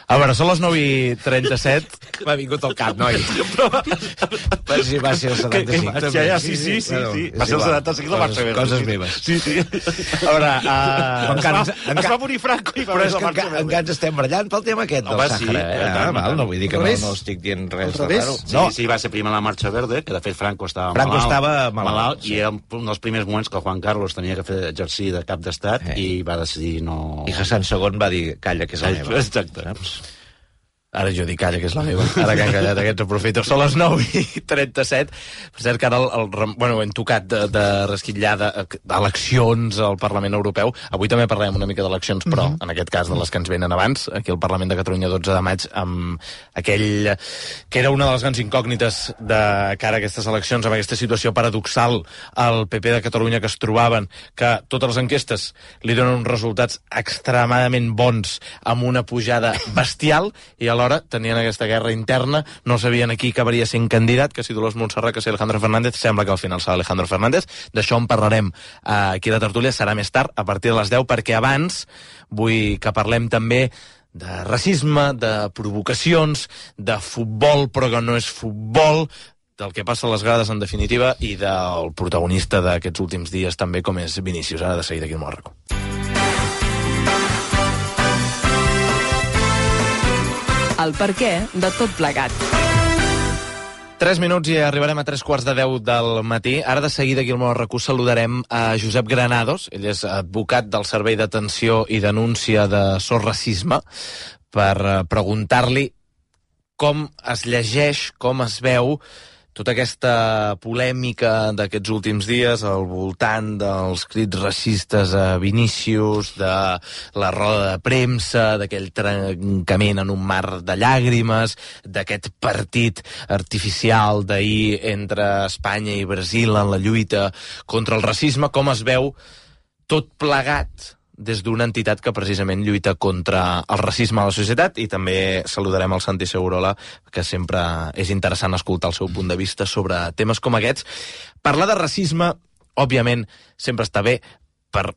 A veure, són les nou i trenta-set. M'ha vingut al cap, noi. Va ser, va ser el setanta-cinc. Ja, ja, sí, sí, sí. sí. Va ser el setanta-cinc de Marxa Verde. Coses meves. Sí, sí. A veure... Uh... Encara, es, va, es va morir Franco i va però és que encara, encara ens estem barallant pel tema aquest del Sàhara. Sí, eh? ah, mal, no vull dir que no, no estic dient res de raro. Sí, no. sí, va ser primer la Marxa Verde, que de fet Franco estava Franco malalt. estava malalt, malalt sí. I era un dels primers moments que el Juan Carlos tenia que fer exercir de cap d'estat eh. i va decidir no... I Hassan segon va dir, calla, que és la meva. Exacte. Saps? Ara jo dic calla, que és la meva. Ara que han callat aquests aprofito. Són les nou i trenta-set. Per cert, que ara el, el, bueno, hem tocat de, de resquitllar d'eleccions al Parlament Europeu. Avui també parlem una mica d'eleccions, però mm-hmm. en aquest cas de les que ens venen abans, aquí al Parlament de Catalunya, dotze de maig, amb aquell que era una de les grans incògnites de cara a aquestes eleccions, amb aquesta situació paradoxal al P P de Catalunya que es trobaven, que totes les enquestes li donen uns resultats extremadament bons, amb una pujada bestial, i alhora tenien aquesta guerra interna, no sabien a qui acabaria sent candidat, que si Dolors Montserrat, que si Alejandro Fernández. Sembla que al final serà Alejandro Fernández. D'això en parlarem aquí a la tertúlia, serà més tard, a partir de les deu, perquè abans vull que parlem també de racisme, de provocacions, de futbol, però que no és futbol, del que passa a les grades en definitiva, i del protagonista d'aquests últims dies també, com és Vinícius. Ara de seguida aquí al Mòrraco. El perquè de tot plegat. Tres minuts i arribarem a tres quarts de deu del matí. Ara de seguida aquí al Mòrraco saludarem a Josep Granados. Ell és advocat del Servei d'Atenció i Denúncia de Sos Racisme, per preguntar-li com es llegeix, com es veu tota aquesta polèmica d'aquests últims dies al voltant dels crits racistes a Vinícius, de la roda de premsa, d'aquell trencament en un mar de llàgrimes, d'aquest partit artificial d'ahir entre Espanya i Brasil en la lluita contra el racisme. Com es veu tot plegat des d'una entitat que precisament lluita contra el racisme a la societat. I també saludarem el Santi Segurola, que sempre és interessant escoltar el seu punt de vista sobre temes com aquests. Parlar de racisme òbviament, sempre està bé per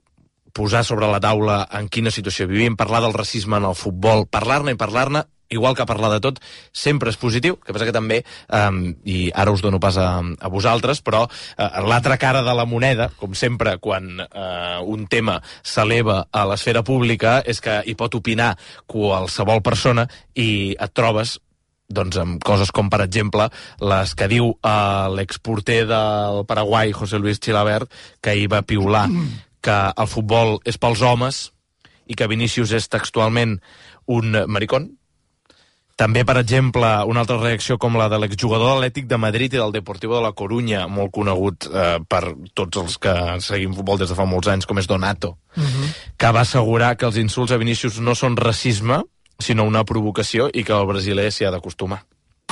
posar sobre la taula en quina situació vivim, parlar del racisme en el futbol, parlar-ne i parlar-ne, igual que parlar de tot, sempre és positiu, que passa que també, um, i ara us dono pas a, a vosaltres, però uh, l'altra cara de la moneda, com sempre, quan uh, un tema s'eleva a l'esfera pública, és que hi pot opinar qualsevol persona i et trobes doncs amb coses com, per exemple, les que diu uh, l'exporter del Paraguai, José Luis Chilabert, que hi va piular que el futbol és pels homes i que Vinícius és textualment un maricón. També, per exemple, una altra reacció com la de l'exjugador de l'Atlètic de Madrid i del Deportivo de la Coruña, molt conegut eh, per tots els que seguim futbol des de fa molts anys, com és Donato, uh-huh. que va assegurar que els insults a Vinícius no són racisme, sinó una provocació i que el brasiler s'hi ha d'acostumar.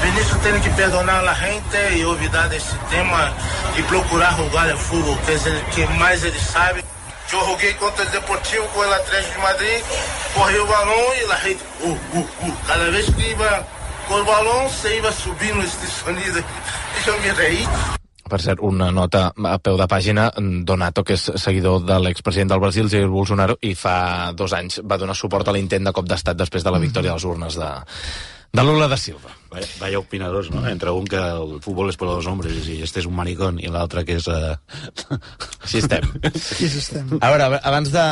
Vinícius tem que perdonar a gente e olvidar desse tema e procurar jogar o futebol, que é o que mais ele sabe. Eu joguei contra o Deportivo com o Atlético de Madrid, corri o balão e la gente, uh, uh, uh. Cada vez que iba com o balão, se iba subindo este sonido e eu me reí. Per cert, una nota a peu de pàgina, Donato, que és seguidor de l'expresident del Brasil, Jair Bolsonaro, i fa dos anys va donar suport a l'intent de cop d'estat després de la victòria a les urnes de, de Lula da Silva. Vaya, vaya opinadors, no? Entre un que el futbol és per als homes i este és un maricón i l'altre que és... Uh... Així estem. Així estem. A veure, abans de,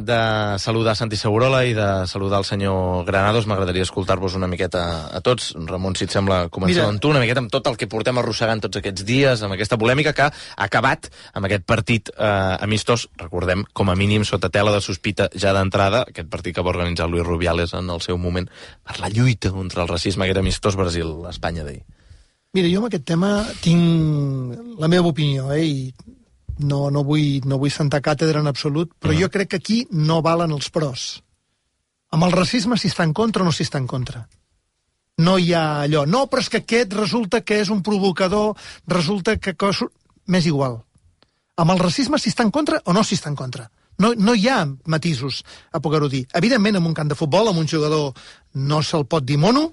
de saludar Santi Segurola i de saludar el senyor Granados, m'agradaria escoltar-vos una miqueta a tots. Ramon, si et sembla, començar amb tu, una miqueta amb tot el que portem arrossegant tots aquests dies, amb aquesta polèmica que ha acabat amb aquest partit eh, amistós, recordem, com a mínim sota tela de sospita ja d'entrada, aquest partit que va organitzar Luis Rubiales en el seu moment per la lluita contra el racisme, aquest amistós Brasil-Espanya d'ahir. Mira, jo amb aquest tema tinc la meva opinió, eh, i no, no, vull, no vull sentar càtedra en absolut, però uh-huh. jo crec que aquí no valen els pros. Amb el racisme si està en contra o no si està en contra. No hi ha allò, no, però és que aquest resulta que és un provocador, resulta que... M'és igual. Amb el racisme si està en contra o no si està en contra. No, no hi ha matisos a poder-ho dir. Evidentment, en un camp de futbol, amb un jugador no se'l pot dir mono,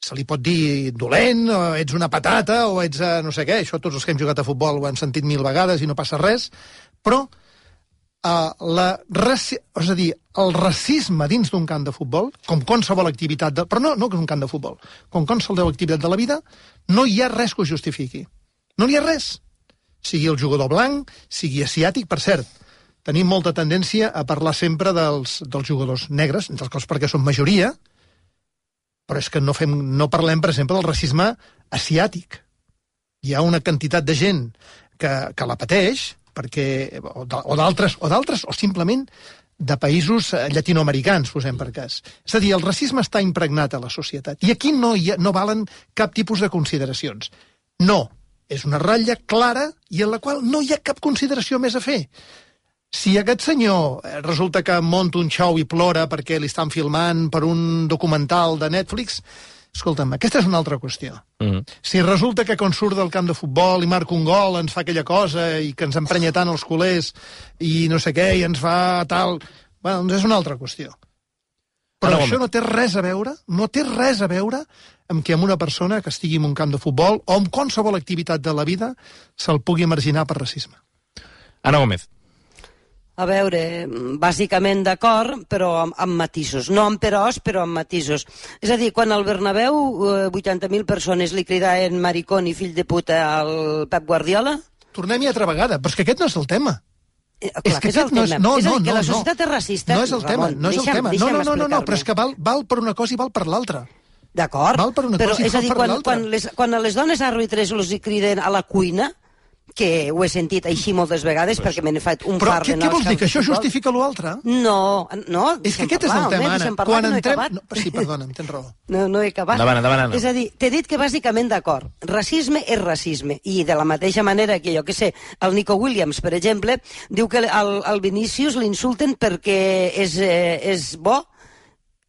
se li pot dir dolent, o ets una patata, o ets uh, no sé què, això tots els que hem jugat a futbol ho han sentit mil vegades i no passa res, però uh, la raci... és a dir, el racisme dins d'un camp de futbol, com qualsevol activitat, de... però no, no que és un camp de futbol, com qualsevol activitat de la vida, no hi ha res que ho justifiqui. No hi ha res. Sigui el jugador blanc, sigui asiàtic, per cert, tenim molta tendència a parlar sempre dels, dels jugadors negres, entre els quals perquè són majoria, però és que no, fem, no parlem, per exemple, del racisme asiàtic. Hi ha una quantitat de gent que, que la pateix, perquè, o d'altres, o d'altres, o simplement de països llatinoamericans, posem per cas. És a dir, el racisme està impregnat a la societat. I aquí no, hi ha, no valen cap tipus de consideracions. No, és una ratlla clara i en la qual no hi ha cap consideració més a fer. Si aquest senyor resulta que monta un show i plora perquè li estan filmant per un documental de Netflix, escolta'm, aquesta és una altra qüestió. Mm. Si resulta que quan surt del camp de futbol i marca un gol ens fa aquella cosa i que ens emprenya tant els culers i no sé què, i ens fa tal... Bueno, doncs és una altra qüestió. Però això no té res a veure, no té res a veure amb que amb una persona que estigui en un camp de futbol o en qualsevol activitat de la vida se'l pugui marginar per racisme. Ana Gómez. A veure, bàsicament d'acord, però amb, amb matisos. No amb peròs, però amb matisos. És a dir, quan al Bernabéu vuitanta mil persones li cridaven maricón i fill de puta al Pep Guardiola... Tornem-hi altra vegada, però és que aquest no és el tema. Eh, clar, és que, que és el tema. És, no, és a dir, que la societat no. és racista. No és el tema, Ramon, no és el deixa'm, tema. No, no, no, no, no, però és que val, val per una cosa i val per l'altra. D'acord, val per una però cosa i és a val dir, per quan, l'altra. quan, les, quan a les dones àrbitres els hi criden a la cuina, que ho he sentit així moltes vegades pues, perquè m'he fet un però far què, de què vols dir, que això justifica l'altre? No, no. És que aquest és el tema, Anna. Quan entrem... No, sí, perdona'm, tens raó. No, no he acabat. Davant, davant, és a dir, t'he dit que bàsicament d'acord. Racisme és racisme. I de la mateixa manera que jo que sé, el Nico Williams, per exemple, diu que al, al Vinícius l'insulten perquè és, eh, és bo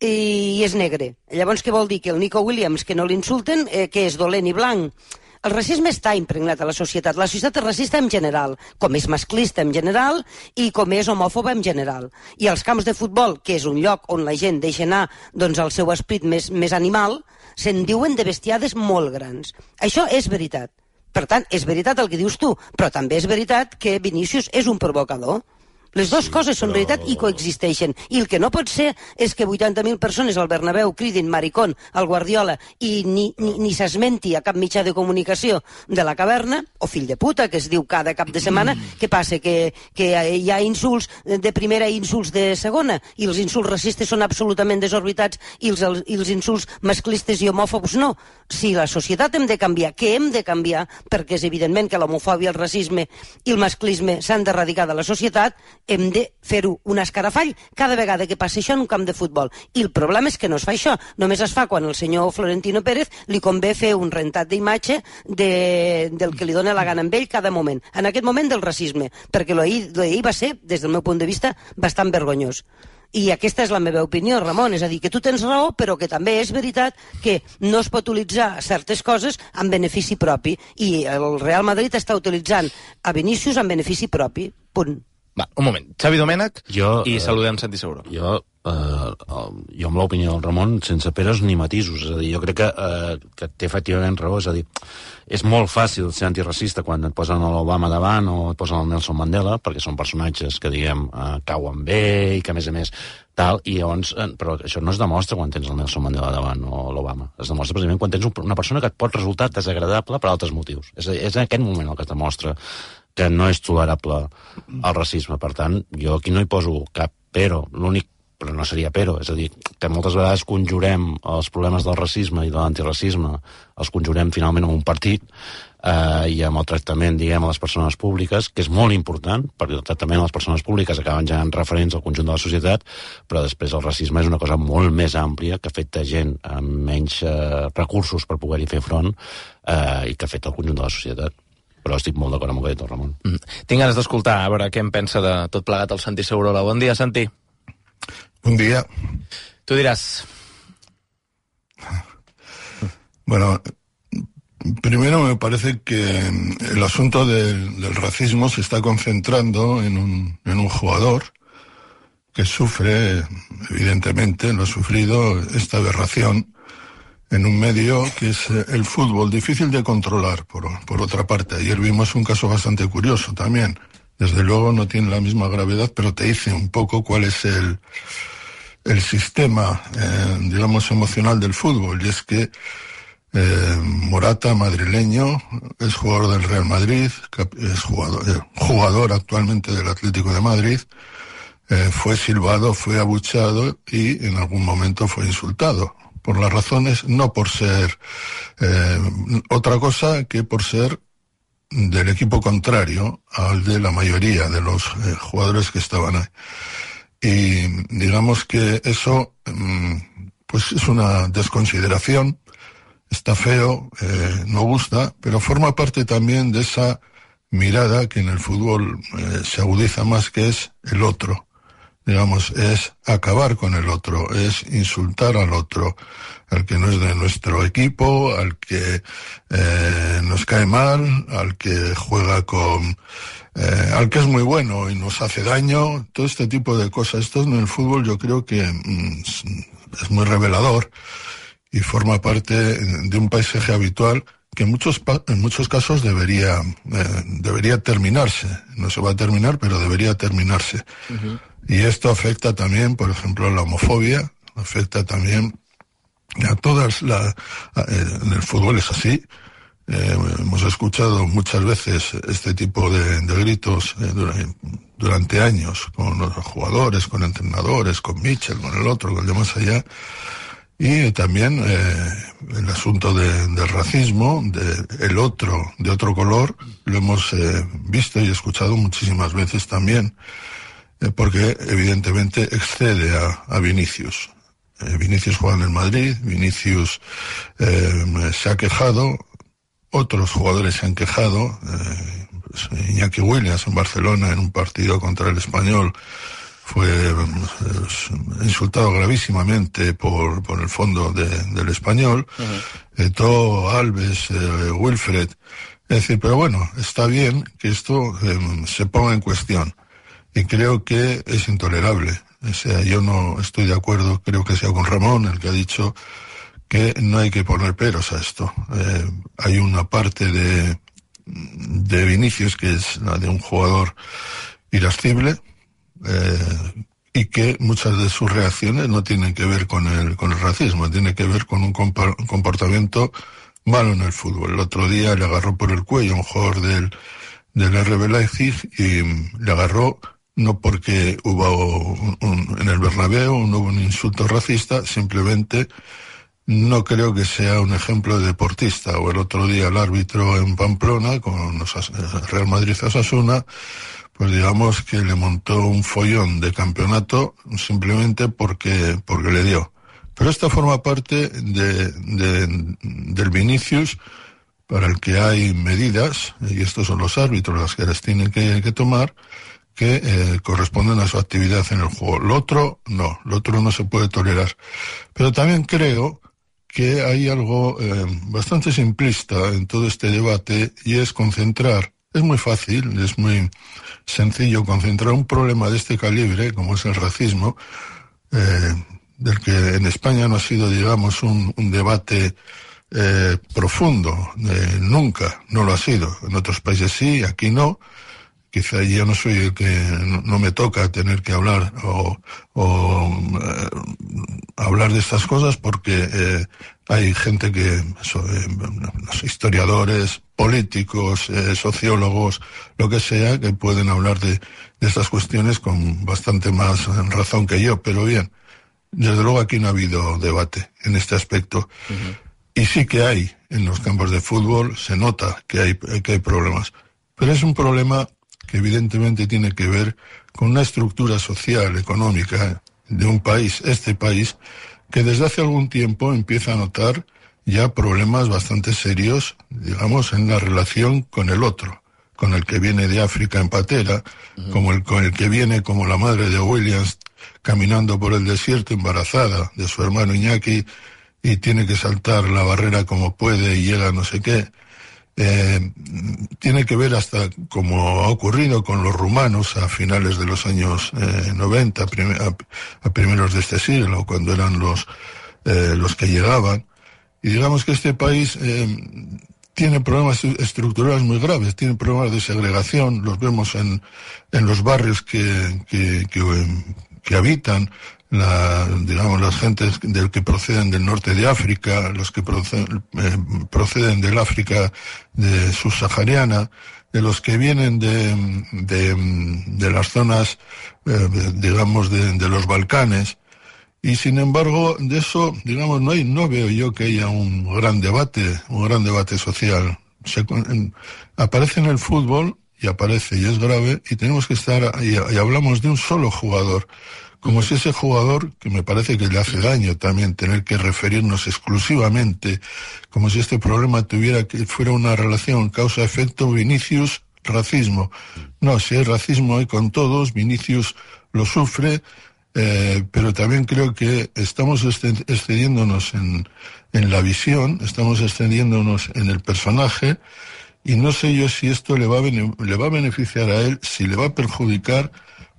i és negre. Llavors què vol dir? Que el Nico Williams, que no l'insulten, eh, que és dolent i blanc. El racisme està impregnat a la societat. La societat és racista en general, com és masclista en general i com és homòfoba en general. I els camps de futbol, que és un lloc on la gent deixa anar doncs, el seu esperit més, més animal, se'n diuen de bestiades molt grans. Això és veritat. Per tant, és veritat el que dius tu, però també és veritat que Vinícius és un provocador. Les dues sí, coses són però... veritat i coexisteixen. I el que no pot ser és que vuitanta mil persones al Bernabéu cridin maricón al Guardiola i ni, ni, ni s'esmenti a cap mitjà de comunicació de la caverna, o fill de puta, que es diu cada cap de setmana. Mm. Què passa? Que, que hi ha insults de primera i insults de segona, i els insults racistes són absolutament desorbitats i els, els, i els insults masclistes i homòfobs no. Si la societat hem de canviar, què hem de canviar? Perquè és evidentment que l'homofòbia, el racisme i el masclisme s'han d'erradicar de la societat, hem de fer-ho un escarafall cada vegada que passi això en un camp de futbol. I el problema és que no es fa això. Només es fa quan el senyor Florentino Pérez li convé fer un rentat d'imatge de, del que li dona la gana amb ell cada moment. En aquest moment del racisme, perquè l'ahir va ser, des del meu punt de vista, bastant vergonyós. I aquesta és la meva opinió, Ramon, és a dir, que tu tens raó, però que també és veritat que no es pot utilitzar certes coses en benefici propi, i el Real Madrid està utilitzant a Vinícius en benefici propi, punt. Va, un moment. Xavi Domènech jo, i saludem Santi Seguro. Jo, eh, jo amb l'opinió del Ramon, sense peres ni matisos. És a dir, jo crec que, eh, que té efectivament raó. És a dir, és molt fàcil ser antiracista quan et posen l'Obama davant o et posen el Nelson Mandela, perquè són personatges que, diguem, eh, cauen bé i que, a més a més, tal, i llavors, eh, però això no es demostra quan tens el Nelson Mandela davant o l'Obama. Es demostra precisament quan tens una persona que et pot resultar desagradable per altres motius. És, és en aquest moment el que es demostra que no és tolerable el racisme. Per tant, jo aquí no hi poso cap però. L'únic, però no seria però, és a dir, que moltes vegades conjurem els problemes del racisme i de l'antiracisme, els conjurem finalment en un partit eh, i amb el tractament, diguem, a les persones públiques, que és molt important, perquè el tractament a les persones públiques acaben generant referents al conjunt de la societat, però després el racisme és una cosa molt més àmplia que afecta gent amb menys eh, recursos per poder-hi fer front eh, i que afecta el conjunt de la societat. Però estic molt d'acord amb el que ha dit el Ramon. Mm. Tinc ganes d'escoltar, a veure què em pensa de tot plegat el Santi Segurola. Bon dia, Santi. Bon dia. Tú dirás. Bueno, primero me parece que el asunto del, del racismo se está concentrando en un, en un jugador que sufre, evidentemente, lo ha sufrido, esta aberración en un medio que es el fútbol, difícil de controlar, por, por otra parte. Ayer vimos un caso bastante curioso también. Desde luego no tiene la misma gravedad, pero te dice un poco cuál es el, el sistema, eh, digamos, emocional del fútbol. Y es que eh, Morata, madrileño, es jugador del Real Madrid, es jugador, eh, jugador actualmente del Atlético de Madrid, eh, fue silbado, fue abucheado y en algún momento fue insultado. Por las razones, no por ser eh, otra cosa que por ser del equipo contrario al de la mayoría de los eh, jugadores que estaban ahí. Y digamos que eso mm, pues es una desconsideración, está feo, eh, no gusta, pero forma parte también de esa mirada que en el fútbol eh, se agudiza más, que es el otro. Digamos, es acabar con el otro, es insultar al otro, al que no es de nuestro equipo, al que eh, nos cae mal, al que juega con... Eh, al que es muy bueno y nos hace daño, todo este tipo de cosas. Esto en el fútbol yo creo que mm, es muy revelador y forma parte de un paisaje habitual que en muchos, en muchos casos debería, eh, debería terminarse. No se va a terminar, pero debería terminarse. Uh-huh. Y esto afecta también, por ejemplo, a la homofobia, afecta también a todas las... Eh, en el fútbol es así. Eh, hemos escuchado muchas veces este tipo de, de gritos eh, durante, durante años, con los jugadores, con entrenadores, con Mitchell, con el otro, con el de más allá. Y también eh, el asunto de, del racismo, de el otro, de otro color, lo hemos eh, visto y escuchado muchísimas veces también, eh, porque evidentemente excede a, a Vinícius. Eh, Vinícius juega en el Madrid, Vinícius eh, se ha quejado, otros jugadores se han quejado, eh, pues Iñaki Williams en Barcelona en un partido contra el Español fue pues, insultado gravísimamente por, por el fondo de, del Español. Uh-huh. Eto'o, Alves, eh, Wilfred. Es decir, pero bueno, está bien que esto eh, se ponga en cuestión. Y creo que es intolerable. O sea, yo no estoy de acuerdo, creo que sea con Ramón, el que ha dicho que no hay que poner peros a esto. Eh, hay una parte de, de Vinicius, que es la de un jugador irascible, eh, y que muchas de sus reacciones no tienen que ver con el, con el racismo, tienen que ver con un comportamiento malo en el fútbol. El otro día le agarró por el cuello a un jugador del, del R B Leipzig y le agarró no porque hubo un, un, en el Bernabéu no hubo un insulto racista, simplemente no creo que sea un ejemplo de deportista. O el otro día el árbitro en Pamplona con los Real Madrid-Osasuna, pues digamos que le montó un follón de campeonato simplemente porque, porque le dio. Pero esta forma parte de, de, del Vinicius, para el que hay medidas, y estos son los árbitros las que las tienen que, que tomar, que eh, corresponden a su actividad en el juego. Lo otro, no, lo otro no se puede tolerar. Pero también creo que hay algo eh, bastante simplista en todo este debate, y es concentrar. Es muy fácil, es muy sencillo concentrar un problema de este calibre, como es el racismo, eh, del que en España no ha sido, digamos, un, un debate eh, profundo. Eh, nunca, no lo ha sido. En otros países sí, aquí no. Quizá yo no soy el que, no, no me toca tener que hablar o, o eh, hablar de estas cosas porque eh, hay gente que, so, eh, los historiadores, políticos, eh, sociólogos, lo que sea, que pueden hablar de, de estas cuestiones con bastante más razón que yo. Pero bien, desde luego aquí no ha habido debate en este aspecto. Uh-huh. Y sí que hay, en los campos de fútbol, se nota que hay, que hay problemas. Pero es un problema que evidentemente tiene que ver con una estructura social, económica de un país, este país, que desde hace algún tiempo empieza a notar ya problemas bastante serios, digamos, en la relación con el otro, con el que viene de África en patera, uh-huh. como el, con el que viene como la madre de Williams caminando por el desierto embarazada de su hermano Iñaki y tiene que saltar la barrera como puede y llega no sé qué. Eh, tiene que ver hasta como ha ocurrido con los rumanos a finales de los años eh, noventa, prim a, a primeros de este siglo, cuando eran los, eh, los que llegaban. Y digamos que este país eh, tiene problemas estructurales muy graves, tiene problemas de segregación, los vemos en, en los barrios que, que, que, que habitan. La, digamos, las gentes del que proceden del norte de África, los que proceden, eh, proceden del África de subsahariana, de los que vienen de, de, de las zonas, eh, digamos, de, de los Balcanes. Y sin embargo, de eso, digamos, no hay, no veo yo que haya un gran debate, un gran debate social. Se, en, aparece en el fútbol y aparece y es grave, y tenemos que estar, y, y hablamos de un solo jugador. Como si ese jugador, que me parece que le hace daño también tener que referirnos exclusivamente, como si este problema tuviera que fuera una relación causa-efecto Vinicius-racismo. No, si hay racismo hay con todos, Vinicius lo sufre, eh, pero también creo que estamos excediéndonos en, en la visión, estamos excediéndonos en el personaje, y no sé yo si esto le va a, le va a beneficiar a él, si le va a perjudicar,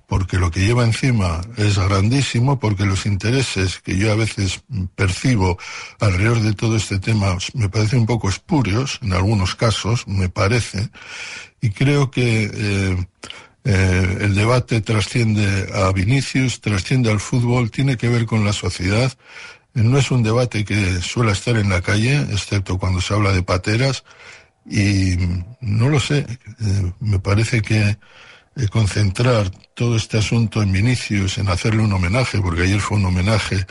porque lo que lleva encima es grandísimo, porque los intereses que yo a veces percibo alrededor de todo este tema me parecen un poco espurios, en algunos casos, me parece, y creo que eh, eh, el debate trasciende a Vinicius, trasciende al fútbol, tiene que ver con la sociedad. No es un debate que suele estar en la calle, excepto cuando se habla de pateras, y no lo sé, eh, me parece que Eh, concentrar todo este asunto en Vinicius, en hacerle un homenaje, porque ayer fue un homenaje,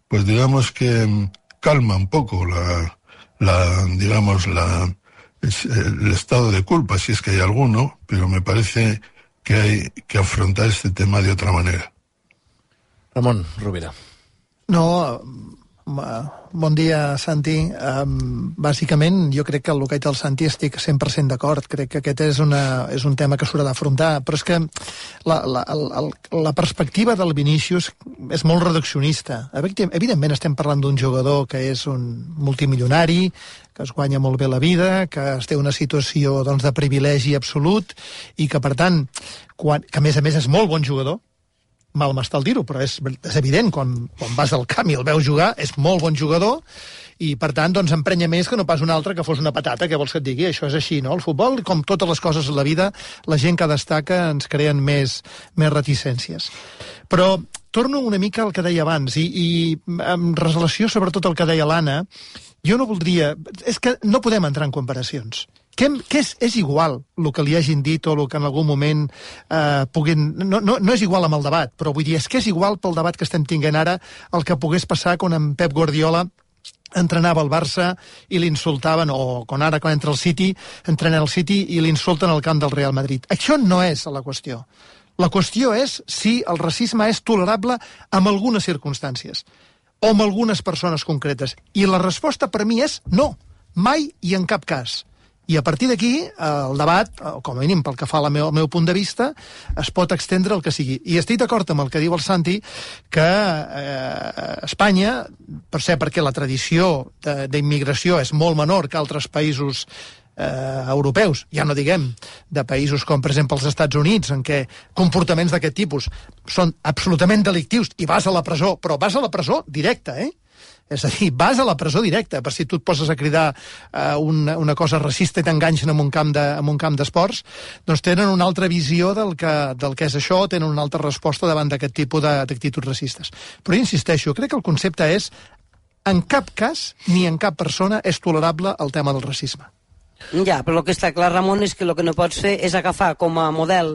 pues digamos que um, calma un poco la, la digamos, la, el estado de culpa, si es que hay alguno, pero me parece que hay que afrontar este tema de otra manera. Ramon Rovira. No, bon dia, Santi. Um, bàsicament, jo crec que el que ha dit el Santi estic cent per cent d'acord. Crec que aquest és, una, és un tema que s'haurà d'afrontar, però és que la, la, la, la perspectiva del Vinícius és molt reduccionista. Evidentment estem parlant d'un jugador que és un multimilionari, que es guanya molt bé la vida, que es té una situació doncs, de privilegi absolut i que, per tant, quan, que a més a més és molt bon jugador, mal m'està el dir-ho, però és, és evident, quan, quan vas al camp i el veus jugar, és molt bon jugador, i per tant doncs emprenya més que no pas un altre que fos una patata, què vols que et digui? Això és així, no? El futbol, com totes les coses a la vida, la gent que destaca ens creen més, més reticències. Però torno una mica al que deia abans, i, i en relació sobretot al que deia l'Anna, jo no voldria... És que no podem entrar en comparacions. Què, què és, és igual el que li hagin dit o el que en algun moment eh, puguin... No, no, no és igual amb el debat, però vull dir, és que és igual pel debat que estem tinguent ara el que pogués passar quan en Pep Guardiola entrenava el Barça i l'insultaven, o quan ara quan entra el City, entrena el City i l'insulten al camp del Real Madrid. Això no és la qüestió. La qüestió és si el racisme és tolerable en algunes circumstàncies o en algunes persones concretes. I la resposta per mi és no, mai i en cap cas. I a partir d'aquí, el debat, com a mínim pel que fa al meu, al meu punt de vista, es pot extendre el que sigui. I estic d'acord amb el que diu el Santi, que eh, Espanya, per ser perquè la tradició d'immigració és molt menor que altres països eh, europeus, ja no diguem de països com, per exemple, els Estats Units, en què comportaments d'aquest tipus són absolutament delictius i vas a la presó, però vas a la presó directa, eh? És a dir, vas a la presó directa, per si tu et poses a cridar eh, una, una cosa racista i t'enganxen en un camp de, en un camp d'esports, doncs tenen una altra visió del que, del que és això, tenen una altra resposta davant d'aquest tipus d'actituds racistes. Però jo insisteixo, crec que el concepte és en cap cas ni en cap persona és tolerable el tema del racisme. Ja, però el que està clar, Ramon, és que el que no pots fer és agafar com a model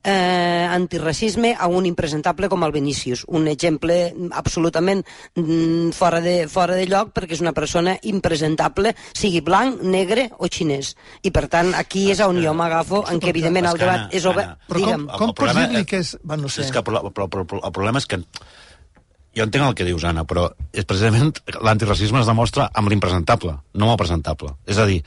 eh, antiracisme a un impresentable com el Vinícius. Un exemple absolutament mm, fora, de, fora de lloc, perquè és una persona impresentable, sigui blanc, negre o xinès. I per tant, aquí és on jo m'agafo, en què evidentment el debat és obert. Però com, com pots dir-li que és... Bueno, no sé. És que el, el, el, el problema és que... Jo entenc el que dius, Anna, però és precisament l'antiracisme es demostra amb l'impresentable, no amb el presentable. És a dir,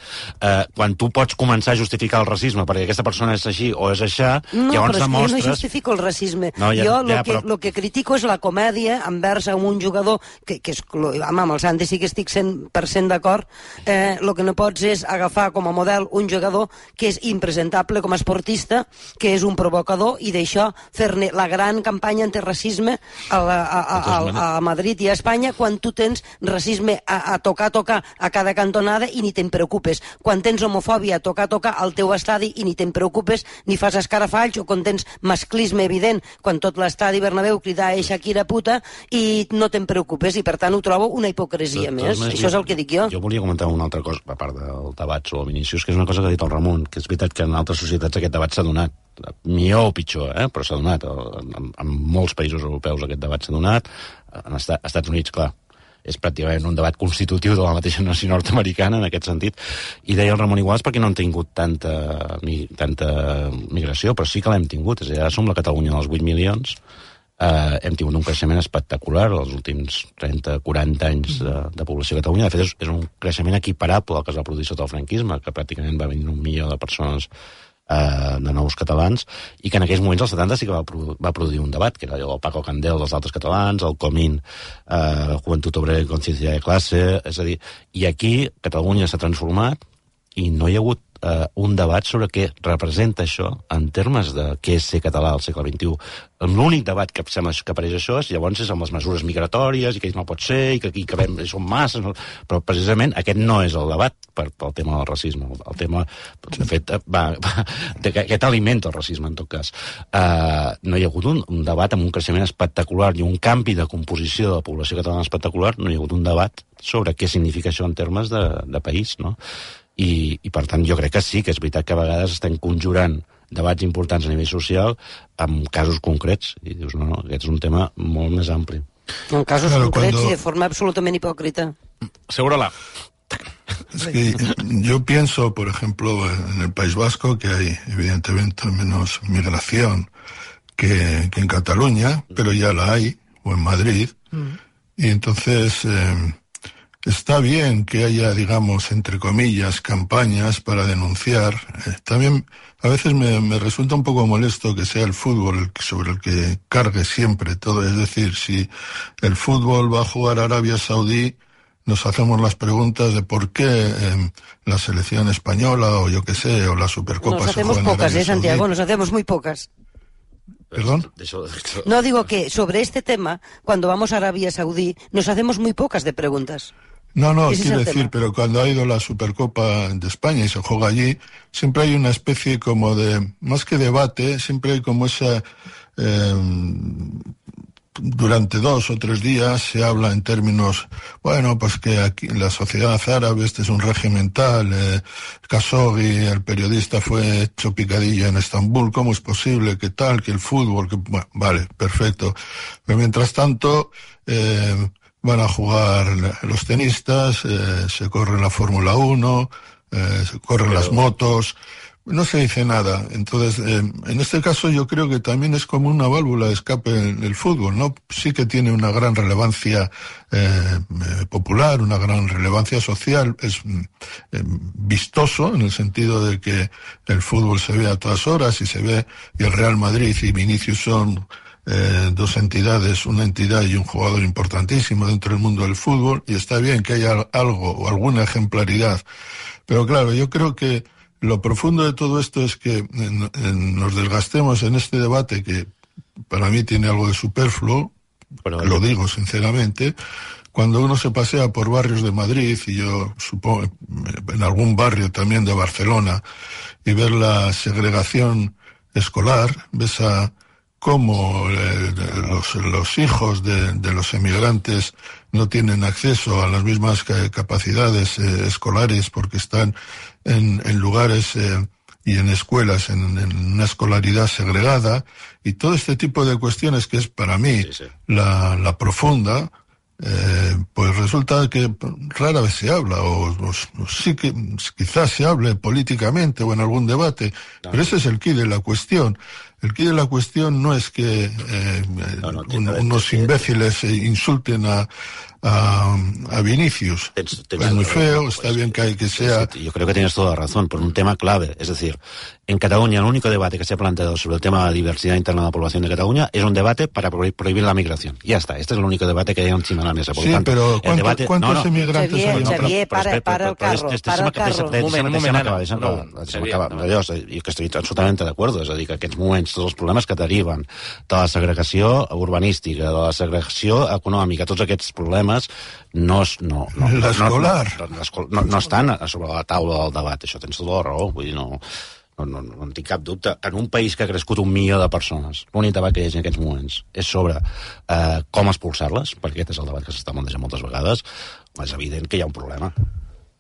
eh, quan tu pots començar a justificar el racisme perquè aquesta persona és així o és aixà, no, llavors demostres... demostres... No, no justifico el racisme. No, ja, jo el ja, que, però... lo que critico és la comèdia envers a un jugador que, que és... Home, amb el Santi sí que estic cent per cent d'acord. Eh, el que no pots és agafar com a model un jugador que és impresentable com a esportista, que és un provocador, i d'això fer-ne la gran campanya antirracisme a, la, a, a, a, a a Madrid i a Espanya, quan tu tens racisme a, a tocar, tocar a cada cantonada i ni te'n preocupes. Quan tens homofòbia a tocar, tocar al teu estadi i ni te'n preocupes, ni fas escarafalls, o quan tens masclisme evident, quan tot l'estadi Bernabéu crida a Shakira puta i no te'n preocupes, i per tant ho trobo una hipocresia tot, més. Això és el que dic jo. Jo volia comentar una altra cosa, a part del debat sobre el Vinícius, que és una cosa que ha dit el Ramon, que és veritat que en altres societats aquest debat s'ha donat, millor o pitjor, eh? Però s'ha donat. En, en molts països europeus aquest debat s'ha donat. En Estat, Estats Units, clar, és pràcticament un debat constitutiu de la mateixa nació nord-americana en aquest sentit. I deia el Ramon Iguals perquè no han tingut tanta, mi, tanta migració, però sí que l'hem tingut. És a dir, ara som la Catalunya dels vuit milions, eh, hem tingut un creixement espectacular els últims trenta quaranta anys de, de població a Catalunya. De fet, és, és un creixement equiparable al que es va produir sota el franquisme, que pràcticament va venir un milió de persones Uh, de nous catalans, i que en aquells moments, als setanta, sí que va, produ va produir un debat, que era el Paco Candel dels altres catalans, el Comín, uh, Juventud Obrera i Consciencia de Classe, és a dir, i aquí Catalunya s'ha transformat i no hi ha hagut uh, un debat sobre què representa això en termes de què és ser català al segle vint-i-u. L'únic debat que sembla que apareix això és, llavors, és amb les mesures migratòries i que ells no pot ser i que aquí que vam, són masses, no? Però precisament aquest no és el debat per, pel tema del racisme. El tema, de fet, va, va, aquest alimenta el racisme, en tot cas. Uh, no hi ha hagut un, un debat amb un creixement espectacular i un canvi de composició de la població catalana espectacular, no hi ha hagut un debat sobre què significa això en termes de, de país, no? I, i per tant jo crec que sí, que és veritat que a vegades estem conjurant debats importants a nivell social amb casos concrets, i dius, no, no, aquest és un tema molt més ampli. En casos claro, concrets cuando... y de forma absolutamente hipócrita. Seguro-la. Es que yo pienso, por ejemplo, en el País Vasco, que hay evidentemente menos migración que, que en Cataluña, pero ya la hay, o en Madrid, mm. y entonces... Eh, está bien que haya, digamos, entre comillas, campañas para denunciar. Eh, también a veces me, me resulta un poco molesto que sea el fútbol el, sobre el que cargue siempre todo. Es decir, si el fútbol va a jugar a Arabia Saudí, nos hacemos las preguntas de por qué eh, la selección española, o yo qué sé, o la Supercopa nos se juega en Arabia Saudí. Nos hacemos pocas, ¿eh, Santiago? Nos hacemos muy pocas. ¿Perdón? No, digo que sobre este tema, cuando vamos a Arabia Saudí, nos hacemos muy pocas de preguntas. No, no, quiero decir, pero cuando ha ido la Supercopa de España y se juega allí, siempre hay una especie como de, más que debate, siempre hay como esa, eh, durante dos o tres días se habla en términos, bueno, pues que aquí en la sociedad árabe este es un régimen tal, eh, Khashoggi, el periodista, fue hecho picadilla en Estambul, ¿cómo es posible que tal, que el fútbol, que, bueno, vale, perfecto. Pero mientras tanto, eh, van a jugar los tenistas, eh, se corre la Fórmula uno, eh, se corren Pero... las motos, no se dice nada. Entonces, eh, en este caso yo creo que también es como una válvula de escape en el fútbol, ¿no? Sí que tiene una gran relevancia eh, popular, una gran relevancia social, es eh, vistoso en el sentido de que el fútbol se ve a todas horas y se ve, y el Real Madrid y Vinicius son Eh, dos entidades, una entidad y un jugador importantísimo dentro del mundo del fútbol, y está bien que haya algo o alguna ejemplaridad, pero claro, yo creo que lo profundo de todo esto es que en, en, nos desgastemos en este debate que para mí tiene algo de superfluo, bueno, lo digo sinceramente, cuando uno se pasea por barrios de Madrid, y yo supongo en algún barrio también de Barcelona, y ver la segregación escolar, ves a cómo eh, los, los hijos de, de los emigrantes no tienen acceso a las mismas capacidades eh, escolares porque están en, en lugares eh, y en escuelas en, en una escolaridad segregada, y todo este tipo de cuestiones que es para mí sí, sí. La, la profunda, eh, pues resulta que rara vez se habla, o, o, o sí que quizás se hable políticamente o en algún debate, no, pero ese es el quid de la cuestión. El quid de la cuestión no es que eh, no, no, un, unos imbéciles insulten a, a, a Vinicius. Tens, tens es muy feo, razón, está pues, bien que hay que sea... Yo creo que tienes toda la razón, por un tema clave. Es decir, en Cataluña el único debate que se ha planteado sobre el tema de la diversidad interna de la población de Cataluña es un debate para prohibir la migración. Ya está, este es el único debate que hay encima de la mesa. Por sí, tanto, pero ¿cuánto, debate, ¿cuántos no, no, emigrantes Xavier, hay? No, Xavier, para, para, para el carro, para el carro. Un moment, un moment. Jo que estic absolutament d'acord, és a dir, que aquests moments, tots els problemes que deriven de la segregació urbanística, de la segregació econòmica, tots aquests problemes no, no, no, no, no, no, no estan sobre la taula del debat. Això tens tota la raó, vull dir, no... No, no, no en tinc cap dubte. En un país que ha crescut un milió de persones, l'únic debat que hi ha en aquests moments és sobre eh, com expulsar-les, perquè aquest és el debat que s'està plantejant moltes vegades. És evident que hi ha un problema.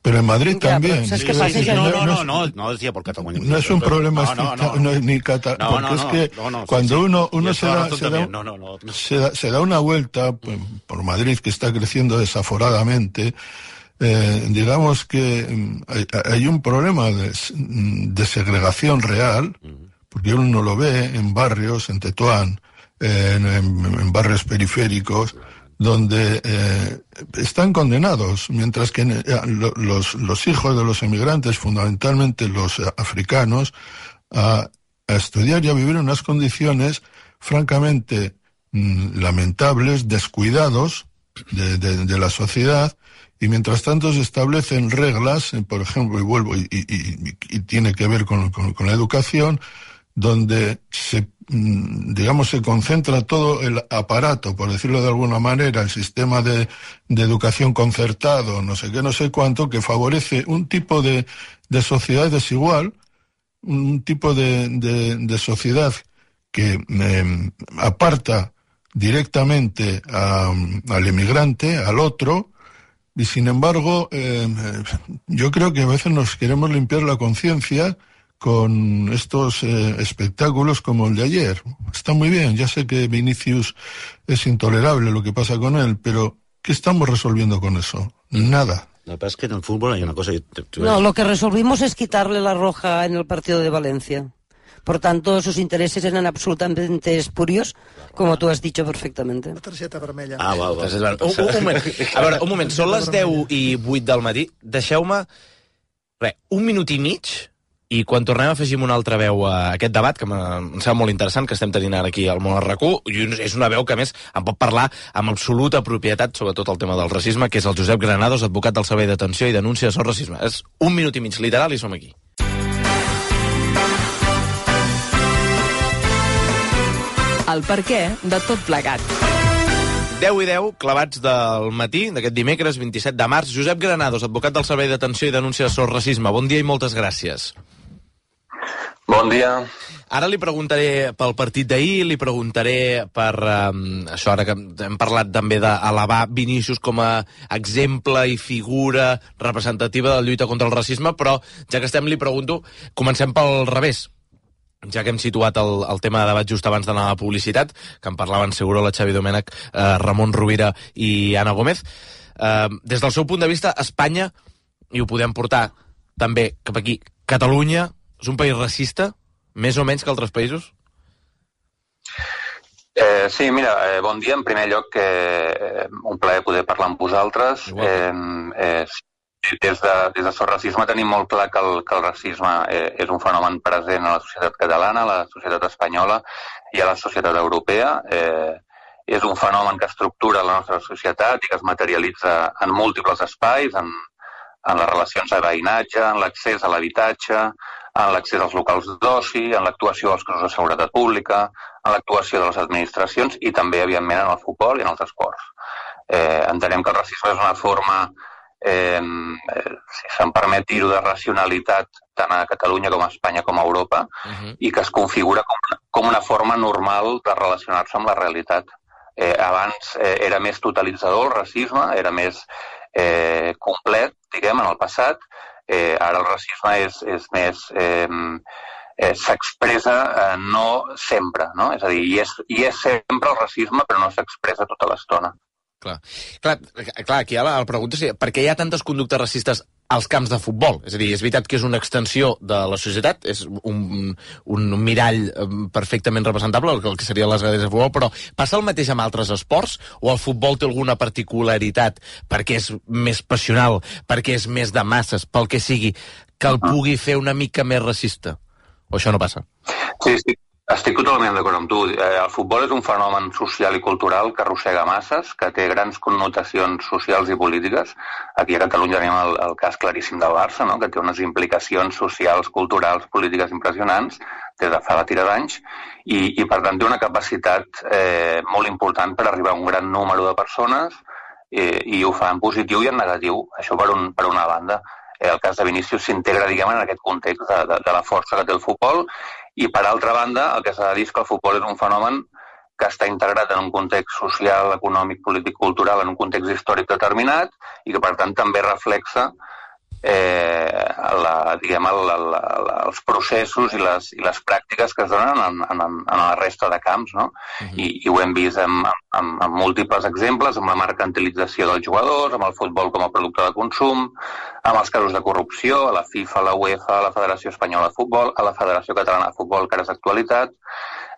Pero en Madrid ya, también. ¿Sabes qué pasa? No, no, no, no, no decía por Cataluña. No es un problema no, no, no, no, ni Cataluña, no, porque no, es que no, no, cuando sí, uno, uno se, da, se, da, no, no, no, no. Se, da, se da una vuelta pues, por Madrid, que está creciendo desaforadamente, eh, digamos que hay, hay un problema de, de segregación real, porque uno lo ve en barrios, en Tetuán, eh, en, en, en barrios periféricos, donde eh, están condenados, mientras que eh, los, los hijos de los emigrantes, fundamentalmente los eh, africanos, a, a estudiar y a vivir en unas condiciones francamente mmm, lamentables, descuidados de, de, de la sociedad, y mientras tanto se establecen reglas, eh, por ejemplo, y vuelvo, y, y, y, y tiene que ver con, con, con la educación, donde se, digamos, se concentra todo el aparato, por decirlo de alguna manera, el sistema de, de educación concertado, no sé qué, no sé cuánto, que favorece un tipo de, de sociedad desigual, un tipo de, de, de sociedad que eh, aparta directamente a, al emigrante, al otro, y sin embargo, eh, yo creo que a veces nos queremos limpiar la conciencia con estos eh, espectáculos como el de ayer. Está muy bien, ya sé que Vinicius es intolerable lo que pasa con él, pero ¿qué estamos resolviendo con eso? Nada. Lo que pasa es que en el fútbol hay una cosa... No, lo que resolvimos es quitarle la roja en el partido de Valencia. Por tanto, sus intereses eran absolutamente espurios, como tú has dicho perfectamente. La targeta vermella. Ah, val, val. Un, un moment. A veure, un moment. Són les deu i vuit del matí. Deixeu-me, res, un minut i mig, i quan tornem afegim una altra veu a aquest debat, que em sembla molt interessant, que estem tenint ara aquí al Món al RAC u, i és una veu que, a més, em pot parlar amb absoluta propietat sobre tot el tema del racisme, que és el Josep Granados, advocat del Servei d'Atenció i Denúncia sobre Racisme. És un minut i mig literal i som aquí. El perquè de tot plegat. deu i deu, clavats del matí, d'aquest dimecres, vint-i-set de març. Josep Granados, advocat del Servei d'Atenció i Denúncia sobre Racisme. Bon dia i moltes gràcies. Bon dia. Ara li preguntaré pel partit d'ahir, li preguntaré per um, això, ara que hem parlat també d'elevar Vinícius com a exemple i figura representativa de la lluita contra el racisme, però ja que estem li pregunto, comencem pel revés. Ja que hem situat el, el tema de debat just abans d'anar a la publicitat, que en parlaven segur la Xavi Domènech, eh, Ramon Rovira i Anna Gómez, eh, des del seu punt de vista, Espanya, i ho podem portar també cap aquí, Catalunya, és un país racista, més o menys que altres països? Eh, sí, mira, eh, bon dia. En primer lloc, eh, un plaer poder parlar amb vosaltres. Eh, eh, Des de, des de So Racisme tenim molt clar que el, que el racisme eh, és un fenomen present a la societat catalana, a la societat espanyola i a la societat europea. Eh, és un fenomen que estructura la nostra societat i que es materialitza en múltiples espais, en, en les relacions de veïnatge, en l'accés a l'habitatge, en l'accés als locals d'oci, en l'actuació dels cossos de seguretat pública, en l'actuació de les administracions i també, evidentment, en el futbol i en els esports. Eh, entenem que el racisme és una forma Eh, si se'm permet dir-ho, de racionalitat tant a Catalunya com a Espanya com a Europa, uh-huh. i que es configura com, com una forma normal de relacionar-se amb la realitat. Eh, abans eh, era més totalitzador el racisme, era més eh, complet, diguem, en el passat. Eh, ara el racisme és, és més... Eh, eh, s'expressa eh, no sempre, no? És a dir, hi és, hi és sempre el racisme, però no s'expressa tota l'estona. Clar. Clar, clar, aquí la, la pregunta és per què hi ha tantes conductes racistes als camps de futbol? És a dir, és veritat que és una extensió de la societat, és un, un mirall perfectament representable, el que serien les grades de futbol, però passa el mateix amb altres esports? O el futbol té alguna particularitat perquè és més passional, perquè és més de masses, pel que sigui, que el pugui fer una mica més racista? O això no passa? Sí, sí. Estic totalment d'acord amb tu. El futbol és un fenomen social i cultural que arrossega masses, que té grans connotacions socials i polítiques. Aquí a Catalunya tenim el, el cas claríssim del Barça, no? Que té unes implicacions socials, culturals, polítiques impressionants des de fa la tira d'anys, i, i per tant té una capacitat eh, molt important per arribar a un gran número de persones, eh, i ho fa en positiu i en negatiu. Això per, un, per una banda. Eh, el cas de Vinícius s'integra, diguem, en aquest context de, de, de la força que té el futbol. I, per altra banda, el que s'ha de dir és que el futbol és un fenomen que està integrat en un context social, econòmic, polític, cultural, en un context històric determinat i que, per tant, també reflexa eh, la, diguem, el, el, el, els processos i les, i les pràctiques que es donen en, en, en la resta de camps, no? Uh-huh. I, I ho hem vist amb, amb, amb múltiples exemples, amb la mercantilització dels jugadors, amb el futbol com a producte de consum, amb els casos de corrupció, a la FIFA, a la UEFA, a la Federació Espanyola de Futbol, a la Federació Catalana de Futbol, que ara és d'actualitat,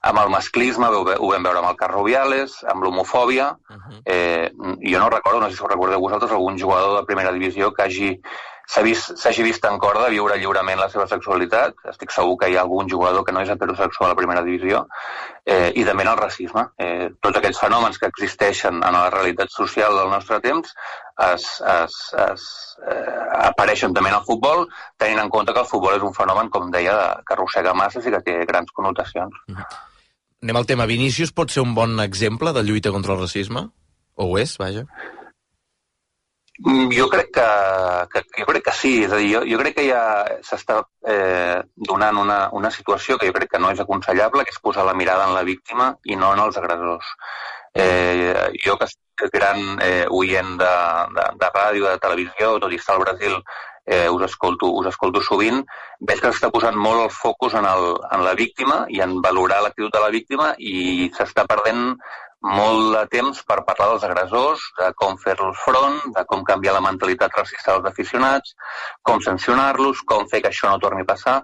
amb el masclisme, ho vam veure amb el cas Rubiales, amb l'homofòbia. Uh-huh. eh, jo no recordo, no sé si ho recordeu vosaltres, algun jugador de primera divisió que hagi s'hagi vist, vist en cor de viure lliurement la seva sexualitat. Estic segur que hi ha algun jugador que no és heterosexual a la primera divisió. Eh, I també en el racisme. Eh, tots aquests fenòmens que existeixen en la realitat social del nostre temps es, es, es, eh, apareixen també en el futbol, tenint en compte que el futbol és un fenomen, com deia, que arrossega masses i que té grans connotacions. Anem al tema. Vinícius pot ser un bon exemple de lluita contra el racisme? O ho és, vaja? Jo crec que, que, jo crec que sí, és a dir, jo, jo crec que ja s'està eh, donant una, una situació que jo crec que no és aconsellable, que és posar la mirada en la víctima i no en els agressors. Eh, jo que soc gran eh, oient de, de, de ràdio, de televisió, tot i estar al Brasil, eh, us, escolto, us escolto sovint, veig que s'està posant molt el focus en, el, en la víctima i en valorar l'actitud de la víctima i s'està perdent molt de temps per parlar dels agressors, de com fer-los front, de com canviar la mentalitat racista dels aficionats, com sancionar-los, com fer que això no torni a passar.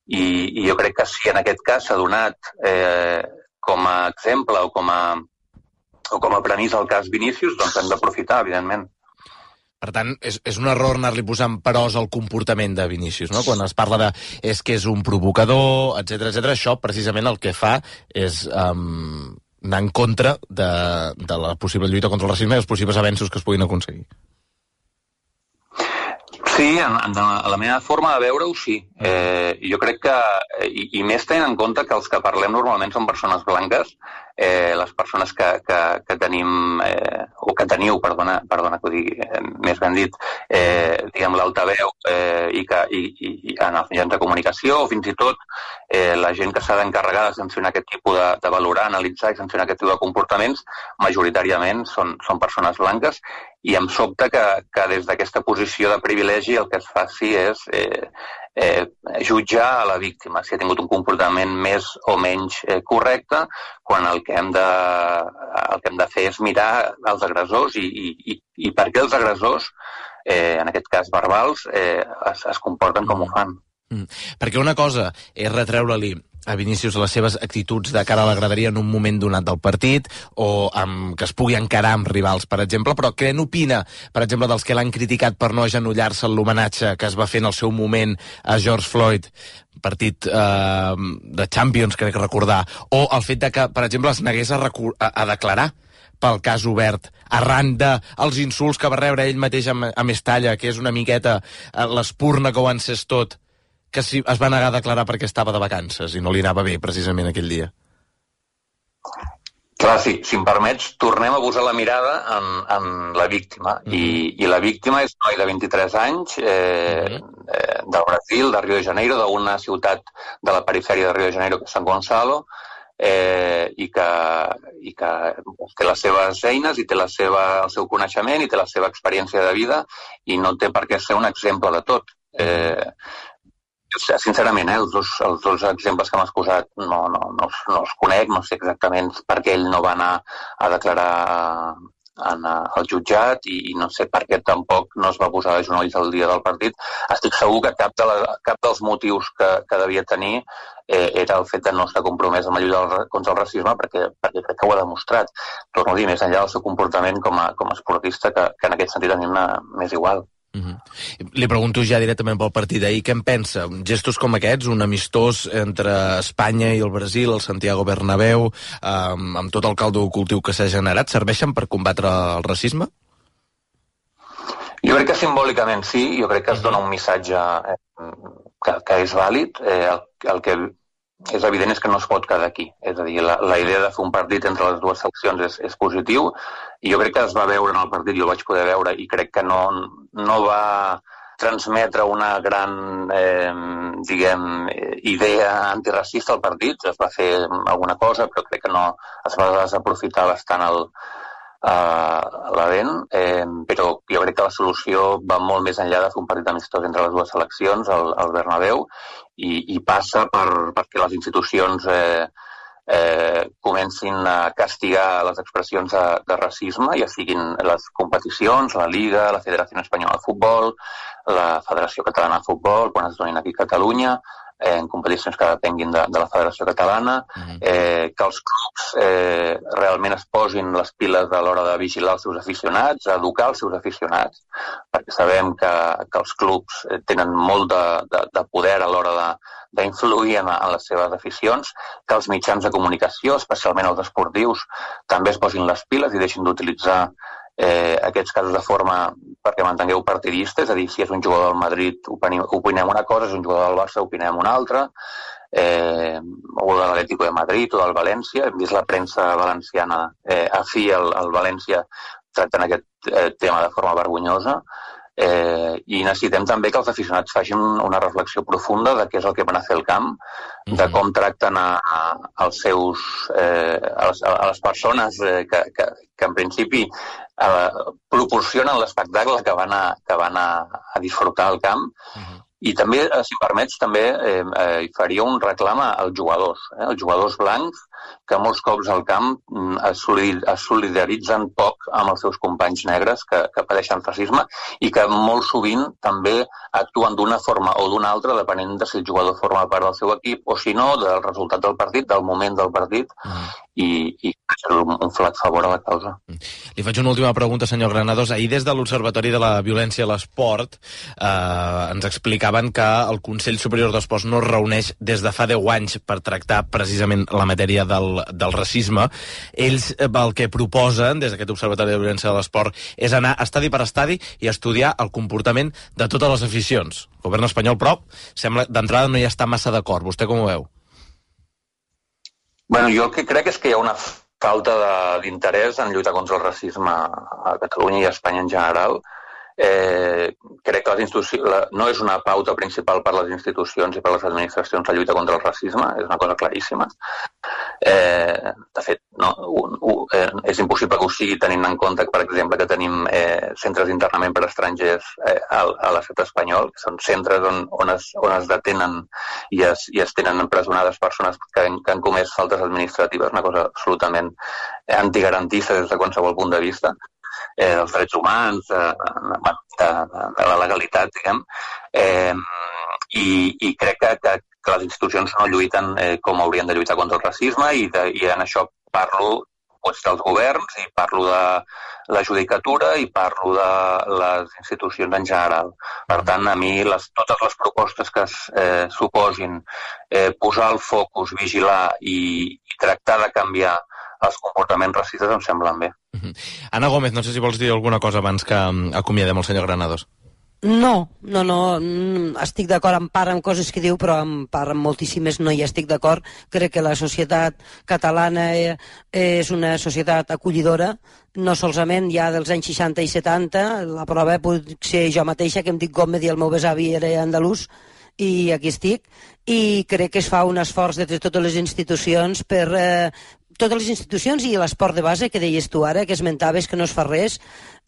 I, i jo crec que si en aquest cas s'ha donat eh, com a exemple o com a, o com a premissa el cas Vinícius, doncs hem d'aprofitar, evidentment. Per tant, és, és un error anar-li posant peròs al comportament de Vinícius, no? Quan es parla de és que és un provocador, etcètera, etcètera, això precisament el que fa és Um, anar en contra de, de la possible lluita contra el racisme i els possibles avenços que es puguin aconseguir. Sí, en, en la meva forma de veure-ho, sí. Eh, jo crec que, i, i més tenint en compte que els que parlem normalment són persones blanques, eh, les persones que, que, que tenim, eh, o que teniu, perdona, perdona que ho digui eh, més ben dit, eh, diguem l'altaveu eh, i, que, i, i en els mitjans de comunicació, o fins i tot eh, la gent que s'ha d'encarregar de sancionar aquest tipus de, de valorar, analitzar i sancionar aquest tipus de comportaments, majoritàriament són, són persones blanques, i em sobta que, que des d'aquesta posició de privilegi el que es faci és eh, eh, jutjar a la víctima si ha tingut un comportament més o menys eh, correcte, quan el que, hem de, el que hem de fer és mirar els agressors i, i, i per què els agressors, eh, en aquest cas verbals, eh, es, es comporten com ho fan. Mm. Perquè una cosa és retreure-li a Vinícius les seves actituds de cara a la graderia en un moment donat del partit, o amb, que es pugui encarar amb rivals, per exemple, però què n'opina, per exemple, dels que l'han criticat per no agenollar-se en l'homenatge que es va fer en el seu moment a George Floyd, partit eh, de Champions, crec recordar, o el fet de que, per exemple, es negués a, a, a declarar pel cas obert, arran dels insults que va rebre ell mateix a, a Mestalla, que és una miqueta eh, l'espurna que ho encés tot, que si es va negar a declarar perquè estava de vacances i no li anava bé precisament aquell dia. Clar, sí, si em permets, tornem a posar la mirada en, en la víctima. Mm. I, I la víctima és un noi de vint-i-tres anys, eh, mm. eh, del Brasil, de Rio de Janeiro, d'una ciutat de la perifèria de Rio de Janeiro, que és San Gonzalo, eh, i, que, i que té les seves eines, i té la seva, el seu coneixement, i té la seva experiència de vida, i no té per què ser un exemple de tot. Eh, Sincerament, eh, els, dos, els dos exemples que m'has posat no, no, no, no els conec, no sé exactament per què ell no va anar a declarar en, al jutjat i, i no sé per què tampoc no es va posar de genolls el dia del partit. Estic segur que cap, de la, cap dels motius que, que devia tenir eh, era el fet de no estar compromès amb la lluita contra el racisme, perquè, perquè crec que ho ha demostrat. Torno a dir, més enllà del seu comportament com a, com a esportista, que, que en aquest sentit a mi m'és igual. Uh-huh. Li pregunto ja directament pel partit d'ahir, què en pensa? Gestos com aquests, un amistós entre Espanya i el Brasil, el Santiago Bernabéu, eh, amb tot el caldo cultiu que s'ha generat, serveixen per combatre el racisme? Jo crec que simbòlicament sí, jo crec que es dona un missatge eh, que, que és vàlid, eh, el, el que és evident és que no es pot quedar aquí. És a dir, la, la idea de fer un partit entre les dues seccions és, és positiu, i jo crec que es va veure en el partit, jo el vaig poder veure, i crec que no, no va transmetre una gran, eh, diguem, idea antiracista al partit. Es va fer alguna cosa, però crec que no es va desaprofitar bastant el, uh, l'event, eh, però jo crec que la solució va molt més enllà de fer un partit amistós entre les dues seleccions, el, el Bernabéu, i, i passa per, perquè les institucions eh, eh, comencin a castigar les expressions de, de racisme, ja siguin les competicions, la Liga, la Federació Espanyola de Futbol, la Federació Catalana de Futbol, quan es donin aquí a Catalunya, eh, en competicions que depenguin de, de la Federació Catalana, eh, que els clubs eh, realment es posin les piles a l'hora de vigilar els seus aficionats, a educar els seus aficionats, perquè sabem que, que els clubs tenen molt de, de, de poder a l'hora de d'influir en, en les seves aficions, que els mitjans de comunicació, especialment els esportius, també es posin les piles i deixin d'utilitzar eh, aquests casos de forma perquè mantingueu partidista, és a dir, si és un jugador del Madrid opinem, opinem una cosa, si és un jugador del Barça opinem una altra, eh, o de l'Atlético de Madrid o del València. Hem vist la premsa valenciana eh, afí al, al València tractant aquest eh, tema de forma vergonyosa. Eh, i necessitem també que els aficionats facin una reflexió profunda de què és el que van a fer al camp, de com tracten a, a, als seus, eh, a, les, a les persones eh, que, que, que en principi eh, proporcionen l'espectacle que van, a, que van a, a disfrutar al camp. Uh-huh. I també, si em permets, també eh, eh, faria un reclam als jugadors, eh, els jugadors blancs, que molts cops al camp es, solid, es solidaritzen poc amb els seus companys negres que, que pateixen racisme i que molt sovint també actuen d'una forma o d'una altra, depenent de si el jugador forma part del seu equip o si no, del resultat del partit, del moment del partit, mm. i, i un, un flac favor a la causa. Li faig una última pregunta, senyor Granados. Ahir des de l'Observatori de la Violència a l'Esport eh, ens explicaven que el Consell Superior d'Esports no es reuneix des de fa deu anys per tractar precisament la matèria del, del racisme. Ells el que proposen des d'aquest Observatori de Violència de l'Esport és anar estadi per estadi i estudiar el comportament de totes les aficions. El govern espanyol, però, sembla d'entrada no hi està massa d'acord. Vostè com ho veu? Bueno, jo el que crec és que hi ha una falta d'interès en lluitar contra el racisme a Catalunya i a Espanya en general. Eh, crec que les institucions, la, no és una pauta principal per les institucions i per les administracions la lluita contra el racisme, és una cosa claríssima. Eh, de fet, no, un, un, eh, és impossible que ho sigui tenint en compte, per exemple, que tenim eh, centres d'internament per estrangers eh, a, a l'estat espanyol, que són centres on, on, es, on es detenen i es, i es tenen empresonades persones que han, que han comès faltes administratives, una cosa absolutament antigarantista des de qualsevol punt de vista. Eh, dels drets humans, de, de, de, de la legalitat, diguem, eh, i, i crec que, que, que les institucions no lluiten eh, com haurien de lluitar contra el racisme i, de, i en això parlo doncs, dels governs i parlo de la judicatura i parlo de les institucions en general. Per tant, a mi les, totes les propostes que es eh, suposin eh, posar el focus, vigilar i, i tractar de canviar els comportaments racistes em semblen bé. Uh-huh. Ana Gómez, no sé si vols dir alguna cosa abans que acomiadem el senyor Granados. No, no, no, estic d'acord en part amb coses que diu, però en part amb moltíssimes no hi estic d'acord. Crec que la societat catalana és una societat acollidora, no solament ja dels anys seixanta i setanta, la prova pot ser jo mateixa, que em dic Gómez i el meu besavi era andalús, i aquí estic, i crec que es fa un esforç des de totes les institucions per... Eh, totes les institucions i l'esport de base, que deies tu ara, que esmentaves que no es fa res.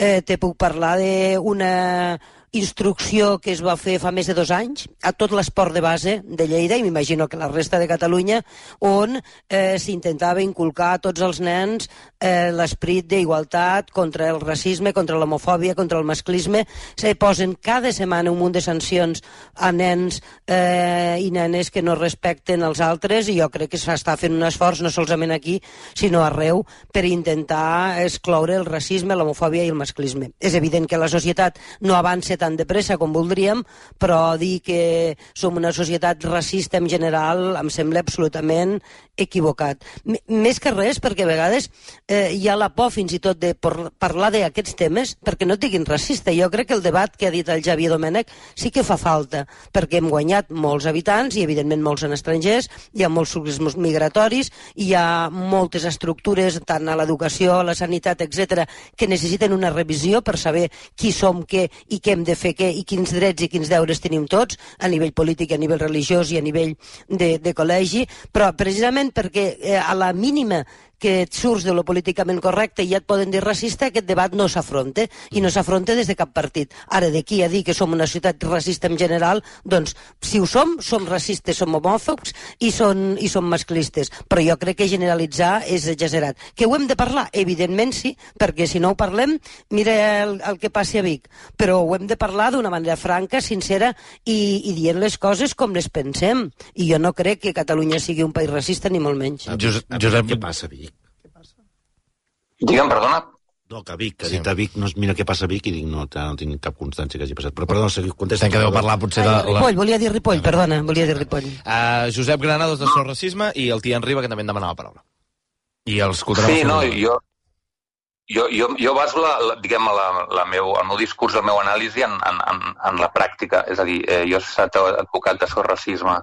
Eh, te puc parlar d'una instrucció que es va fer fa més de dos anys a tot l'esport de base de Lleida, i m'imagino que la resta de Catalunya, on eh, s'intentava inculcar a tots els nens eh, l'esprit d'igualtat contra el racisme, contra l'homofòbia, contra el masclisme. Se posen cada setmana un munt de sancions a nens eh, i nenes que no respecten els altres, i jo crec que s'està fent un esforç no solament aquí, sinó arreu, per intentar excloure el racisme, l'homofòbia i el masclisme. És evident que la societat no avança tan de pressa com voldríem, però dir que som una societat racista en general em sembla absolutament equivocat. M més que res, perquè a vegades eh, hi ha la por fins i tot de parlar d'aquests temes perquè no et diguin racista. Jo crec que el debat que ha dit el Xavier Domènech sí que fa falta, perquè hem guanyat molts habitants i evidentment molts en estrangers, hi ha molts fluxos migratoris, hi ha moltes estructures, tant a l'educació, a la sanitat, etcètera, que necessiten una revisió per saber qui som, què i què hem de fer què i quins drets i quins deures tenim tots a nivell polític, a nivell religiós i a nivell de, de col·legi, però precisament perquè eh, a la mínima que et surts de lo políticament correcte i ja et poden dir racista, aquest debat no s'afronta, i no s'afronta des de cap partit. Ara, d'aquí a dir que som una societat racista en general, doncs, si ho som, som racistes, som homòfobs i som, i som masclistes, però jo crec que generalitzar és exagerat. Que ho hem de parlar? Evidentment sí, perquè si no ho parlem, mira el, el que passi a Vic, però ho hem de parlar d'una manera franca, sincera i, i dient les coses com les pensem, i jo no crec que Catalunya sigui un país racista, ni molt menys. Josep, Josep què passa a Vic? Digue'm, perdona. No, que Vic, que ha dit a Vic, no, mira què passa a Vic, i dic, no, no tinc cap constància que hagi passat. Però, perdona, seguiu, contesta. Que deu parlar potser de... La... Ripoll, volia dir Ripoll, perdona, volia dir Ripoll. Uh, Josep Granados, de Sos Racisme, i el Tian Riba, que també en demanava paraula. I els escoltarem... Sí, no, jo... Jo, jo, jo baso la, la, diguem, la, la meu, el meu discurs, el meu anàlisi en, en, en, en la pràctica. És a dir, eh, jo he estat advocat de Sos Racisme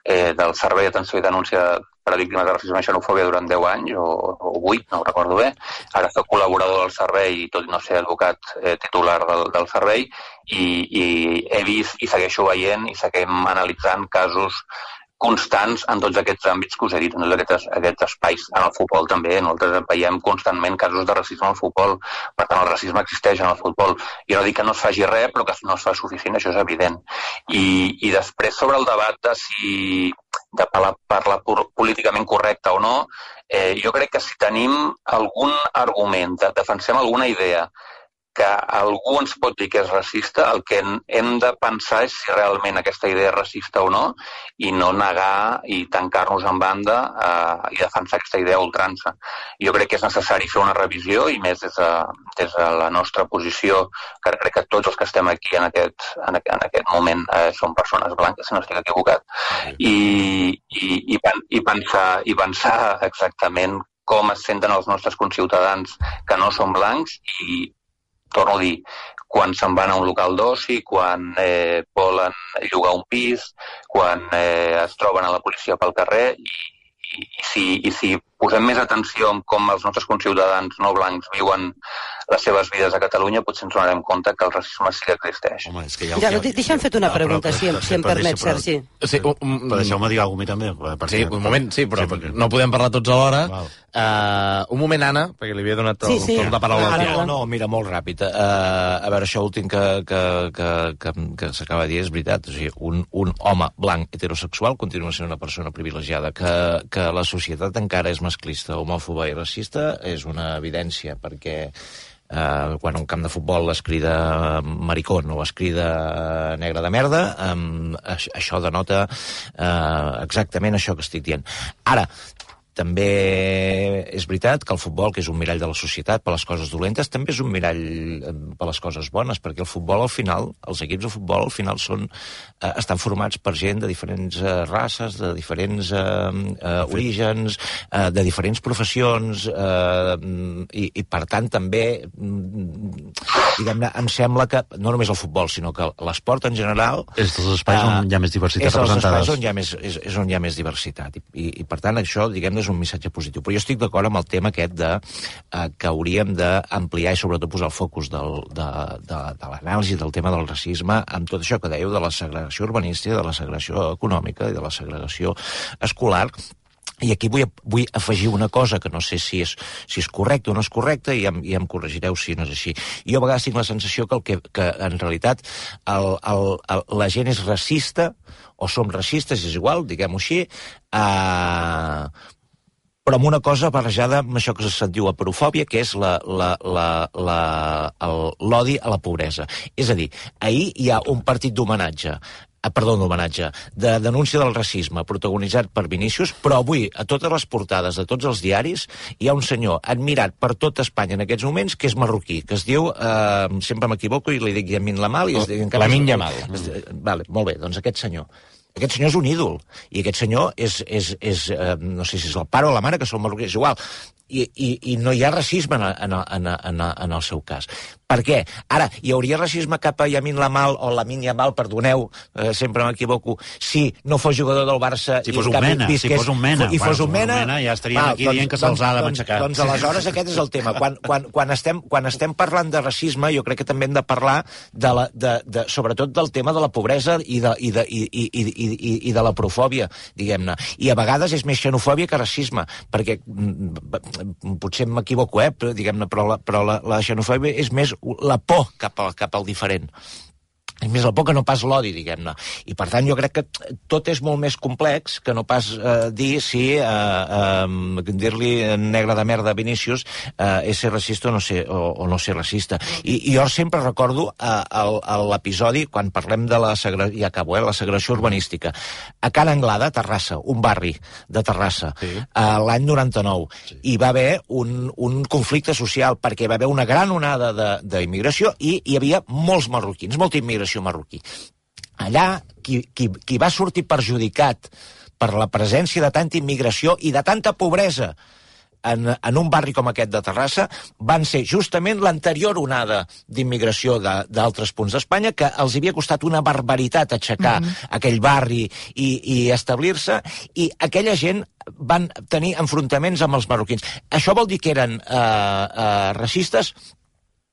eh, del Servei d'Atenció i Denúncia per a Víctimes de Racisme i Xenofòbia durant deu anys, o, o vuit, no ho recordo bé. Ara soc col·laborador del servei, tot i no ser advocat eh, titular del, del servei, i, i he vist i segueixo veient i seguim analitzant casos constants en tots aquests àmbits que us he dit, en tots aquests, aquests espais. En el futbol també, nosaltres veiem constantment casos de racisme al futbol, per tant el racisme existeix en el futbol. Jo no dic que no es faci res, però que no es fa suficient, això és evident. I, i després sobre el debat de si de parlar, parlar políticament correcte o no, eh, jo crec que si tenim algun argument, defensem alguna idea que algú ens pot dir que és racista, el que hem de pensar és si realment aquesta idea és racista o no, i no negar i tancar-nos en banda eh, i defensar aquesta idea a ultrança. Jo crec que és necessari fer una revisió, i més des de, des de la nostra posició, que crec que tots els que estem aquí en aquest, en aquest, en aquest moment eh, són persones blanques, si no estic equivocat, i, i, i, i, pensar, i pensar exactament com es senten els nostres conciutadans que no són blancs, i torno a dir, quan se'n van a un local d'oci, quan eh, volen llogar un pis, quan eh, es troben a la policia pel carrer, i, i, i, si, i si posem més atenció en com els nostres conciutadans no blancs viuen les seves vides a Catalunya, potser ens donarem compte que el racisme sí que existeix. Home, és que ja... Ja, ja, deixa'm fet una pregunta, si, si em permet, Sergi. Sí, un, un, però deixeu-me dir alguna cosa també. Sí, un moment, sí, però sí, perquè... no podem parlar tots alhora. Uh, un moment, Anna, perquè li havia donat el, sí, sí. torn de paraula al Tiago. No, mira, molt ràpid. Uh, a veure, això últim que, que, que, que, que s'acaba de dir és veritat. O sigui, un, un home blanc heterosexual continua sent una persona privilegiada. Que, que la societat encara és masclista, homòfoba i racista és una evidència, perquè Uh, quan a un camp de futbol es crida maricón o es crida negre de merda, um, això, això denota uh, exactament això que estic dient. Ara, també és veritat que el futbol, que és un mirall de la societat per les coses dolentes, també és un mirall per les coses bones, perquè el futbol al final, els equips de futbol al final són, eh, estan formats per gent de diferents eh, races, de diferents eh, eh, orígens, eh, de diferents professions, eh, i, i per tant també, diguem-ne, em sembla que no només el futbol, sinó que l'esport en general... És dels espais on hi ha més diversitat representada. És dels espais on hi ha més, és, és on hi ha més diversitat. I, i, i per tant, això, diguem-ne, és un missatge positiu. Però jo estic d'acord amb el tema aquest de eh, que hauríem d'ampliar i sobretot posar el focus del, de, de, de l'anàlisi del tema del racisme amb tot això que dèieu de la segregació urbanística, de la segregació econòmica i de la segregació escolar. I aquí vull, vull afegir una cosa que no sé si és, si és correcta o no és correcta i em, i em corregireu si no és així. Jo a vegades tinc la sensació que, el que, que en realitat el, el, el, la gent és racista o som racistes, és igual, diguem-ho així, eh, però amb una cosa barrejada amb això que se'n diu aporofòbia, que és la, la, la, la, l'odi a la pobresa. És a dir, ahir hi ha un partit d'homenatge perdó, d'homenatge, de denúncia del racisme protagonitzat per Vinícius, però avui a totes les portades de tots els diaris hi ha un senyor admirat per tot Espanya en aquests moments que és marroquí, que es diu, eh, sempre m'equivoco i li dic Yamin Lamal, i es diu... Lamin Yamal. Vale, molt bé, doncs aquest senyor. Aquest senyor és un ídol, i aquest senyor és, és, és eh, no sé si és el pare o la mare, que són marroquins, és igual, i, i, i no hi ha racisme en, en, en, en, en el seu cas. Per què? Ara, hi hauria racisme cap a Yamin Lamal o Lamin Yamal, perdoneu, eh, sempre m'equivoco, si no fos jugador del Barça... Si fos un mena, si fos un mena. I fos un mena, ja estaríem ah, aquí doncs, dient que se'ls ha de matxacar. Doncs, doncs aleshores aquest és el tema. Quan, quan, quan, estem, quan estem parlant de racisme, jo crec que també hem de parlar de la, de, de, sobretot del tema de la pobresa i de, i de, i, i, i, i, i de la profòbia, diguem-ne. I a vegades és més xenofòbia que racisme, perquè potser m'equivoco, eh, però, diguem-ne, però, la, però la, la xenofòbia és més la por cap, a, cap al diferent. És més la por que no pas l'odi, diguem-ne. I per tant jo crec que tot és molt més complex que no pas eh, dir si eh, eh, dir-li negre de merda a Vinícius eh, és ser racista o no ser, o, o no ser racista. I, i jo sempre recordo eh, l'episodi quan parlem de la segregació, ja acabo, eh, la segregació urbanística. A Can Anglada, Terrassa, un barri de Terrassa, sí. eh, l'any noranta-nou, sí. Hi va haver un, un conflicte social perquè hi va haver una gran onada d'immigració i hi havia molts marroquins, molta immigració marroquí. Allà, qui, qui, qui va sortir perjudicat per la presència de tanta immigració i de tanta pobresa en, en un barri com aquest de Terrassa van ser justament l'anterior onada d'immigració d'altres punts d'Espanya, que els havia costat una barbaritat aixecar mm-hmm. aquell barri i, i establir-se, i aquella gent van tenir enfrontaments amb els marroquins. Això vol dir que eren eh, eh, racistes?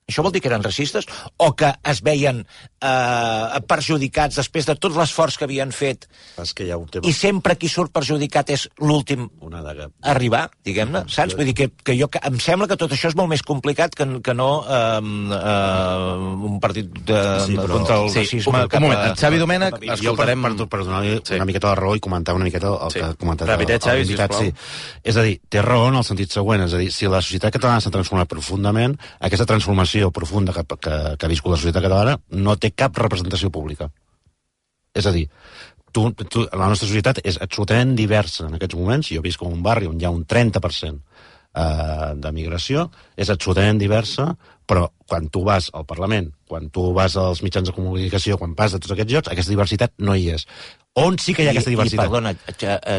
Això vol dir que eren racistes o que es veien eh, perjudicats després de tot l'esforç que havien fet que hi ha un tema. I sempre qui surt perjudicat és l'últim a arribar, diguem-ne, saps? Vull dir que, que jo que, em sembla que tot això és molt més complicat que, que no eh, eh, un partit de, sí, però, contra el sí, racisme. Un, un moment, a, Xavi Domènech, escoltarem... Per, per, per donar-li sí. una miqueta la raó i comentar una miqueta el sí. que ha comentat Repitet, el, el, el invitat. Sí. És a dir, té raó en el sentit següent, és a dir, si la societat catalana s'ha transformat profundament, aquesta transformació profunda que, que, que ha viscut la societat catalana no té cap representació pública. És a dir, tu, tu, la nostra societat és absolutament diversa en aquests moments. Jo visc en un barri on hi ha un trenta per cent eh, de migració, és absolutament diversa, però quan tu vas al Parlament, quan tu vas als mitjans de comunicació, quan vas a tots aquests llocs, aquesta diversitat no hi és. On sí que hi ha aquesta diversitat? I, perdona,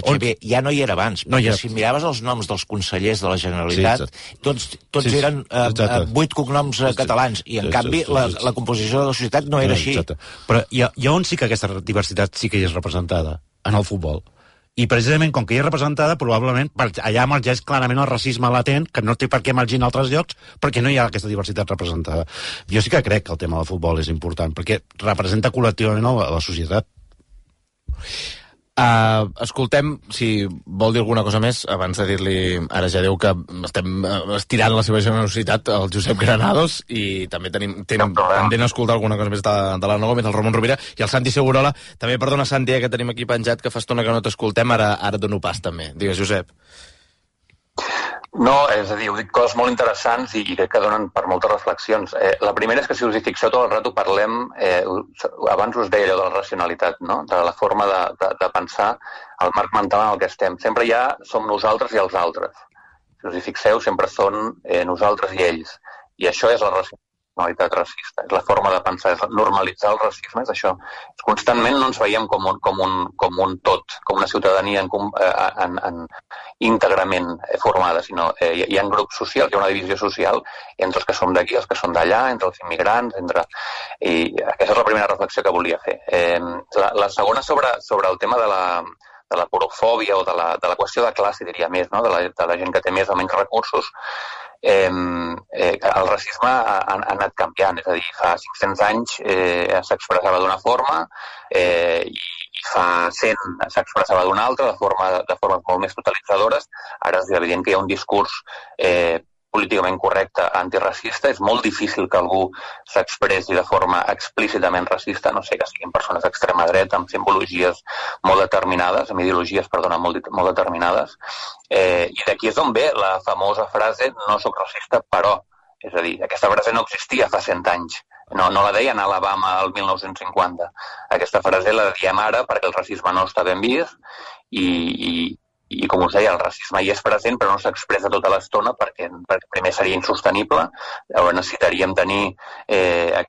Xavier, ja no hi era abans, no perquè era... si miraves els noms dels consellers de la Generalitat, sí, tots, tots sí, eren eh, vuit cognoms eh, catalans, i en sí, canvi sí, sí, la, la composició de la societat no era així. Exacte. Però hi ha, hi ha on sí que aquesta diversitat sí que hi és representada? En el futbol. I precisament, com que hi és representada, probablement allà emergeix clarament el racisme latent, que no té per què emergir en altres llocs, perquè no hi ha aquesta diversitat representada. Jo sí que crec que el tema del futbol és important, perquè representa col·lectivament la, la societat. Uh, escoltem, si vol dir alguna cosa més, abans de dir-li, ara ja diu que estem estirant la seva generositat al Josep Granados, i també tenim, tenim pendent escoltar alguna cosa més de, de l'Anna Gómez, el Ramon Rovira i el Santi Segurola. També, perdona, Santi, eh, que tenim aquí penjat, que fa estona que no t'escoltem, ara, ara dono pas també. Digues, Josep. No, és a dir, heu dit coses molt interessants i, i crec que donen per moltes reflexions. Eh, la primera és que si us hi fixeu tot el rato parlem, eh, abans us deia allò de la racionalitat, no? De la forma de, de, de pensar, el marc mental en el que estem. Sempre ja som nosaltres i els altres. Si us hi fixeu, sempre són eh, nosaltres i ells. I això és la racionalitat racista, és la forma de pensar, és normalitzar el racisme, és això. Constantment no ens veiem com un, com un, com un tot, com una ciutadania en, en, en, íntegrament formada, sinó eh, hi ha grups socials, hi ha una divisió social entre els que som d'aquí, els que són d'allà, entre els immigrants, entre... I aquesta és la primera reflexió que volia fer. Eh, la, la segona sobre, sobre el tema de la, de la porofòbia o de la, de la qüestió de classe, diria més, no? de, la, de la gent que té més o menys recursos. Eh, eh, el racisme ha, ha anat canviant, és a dir, fa cinc-cents anys eh, s'expressava d'una forma eh, i, i fa cent s'expressava d'una altra, de, forma, de formes molt més totalitzadores. Ara és evident que hi ha un discurs eh, políticament correcte antiracista. És molt difícil que algú s'expressi de forma explícitament racista, no sé, que siguin persones d'extrema dreta amb simbologies molt determinades, amb ideologies, perdona, molt, molt determinades. Eh, I d'aquí és on ve la famosa frase no soc racista, però. És a dir, aquesta frase no existia fa cent anys. No, no la deien a Alabama el mil nou-cents cinquanta. Aquesta frase la diem ara perquè el racisme no està ben vist i, i, i com us deia, el racisme hi és present però no s'expressa tota l'estona perquè, perquè primer seria insostenible. Llavors necessitaríem tenir eh,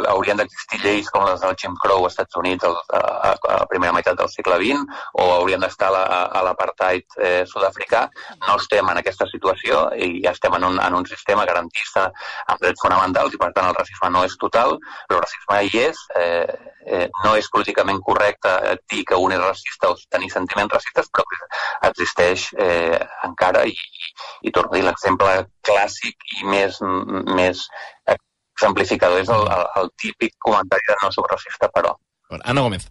haurien d'existir lleis com les del Jim Crow als Estats Units a, a, a la primera meitat del segle vint, o haurien d'estar a, a l'apartheid eh, sud-africà. No estem en aquesta situació i ja estem en un, en un sistema garantista amb drets fonamentals i per tant el racisme no és total, però el racisme hi és. eh, eh, no és políticament correcte dir que un és racista o tenir sentiments racistes, però existeix eh, encara i, i, i torno a dir, l'exemple clàssic i més, més exemplificador és el, el, el típic comentari de no soc racista, però. Anna Gómez.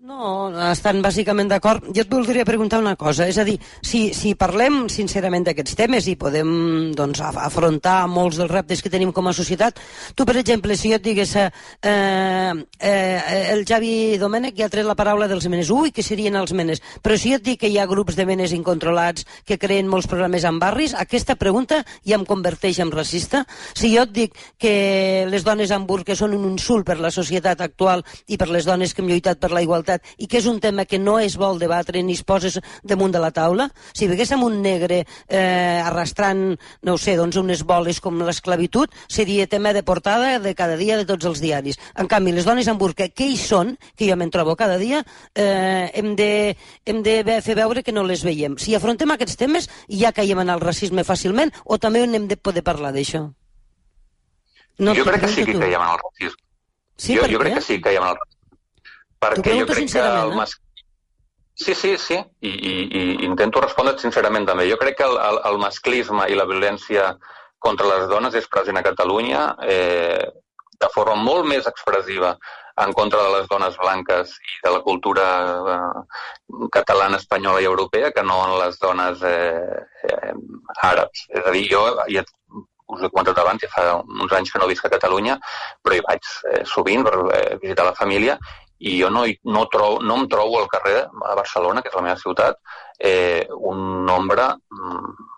No, estan bàsicament d'acord. Jo et voldria preguntar una cosa, és a dir, si, si parlem sincerament d'aquests temes i podem doncs, afrontar molts dels reptes que tenim com a societat, tu, per exemple, si jo et digués eh, eh, el Xavi Domènech ja ha tret la paraula dels menes, ui, que serien els menes, però si jo et dic que hi ha grups de menes incontrolats que creen molts problemes en barris, aquesta pregunta ja em converteix en racista. Si jo et dic que les dones amb burca són un insult per la societat actual i per les dones que hem lluitat per la igualtat i que és un tema que no es vol debatre ni es poses damunt de la taula, si veiéssim un negre eh, arrastrant, no ho sé, doncs unes boles com l'esclavitud, seria tema de portada de cada dia de tots els diaris. En canvi, les dones amb burca, què hi són, que jo me'n trobo cada dia, eh, hem, de, hem de fer veure que no les veiem. Si afrontem aquests temes, ja caiem en el racisme fàcilment o també n'hem de poder parlar d'això? No, jo crec que sí que caiem en el racisme. Sí, jo, jo crec que sí que caiem en el racisme. Perquè jo crec que el mas... Sí, sí, sí, I, i, i intento respondre sincerament també. Jo crec que el, el, el masclisme i la violència contra les dones és present a Catalunya eh, de forma molt més expressiva en contra de les dones blanques i de la cultura eh, catalana, espanyola i europea que no en les dones eh, eh, àrabs. És a dir, jo ja us he comentat abans, ja fa uns anys que no visc a Catalunya, però hi vaig eh, sovint per eh, visitar la família i jo no, no, trobo, no em trobo al carrer a Barcelona, que és la meva ciutat, eh, un nombre mm,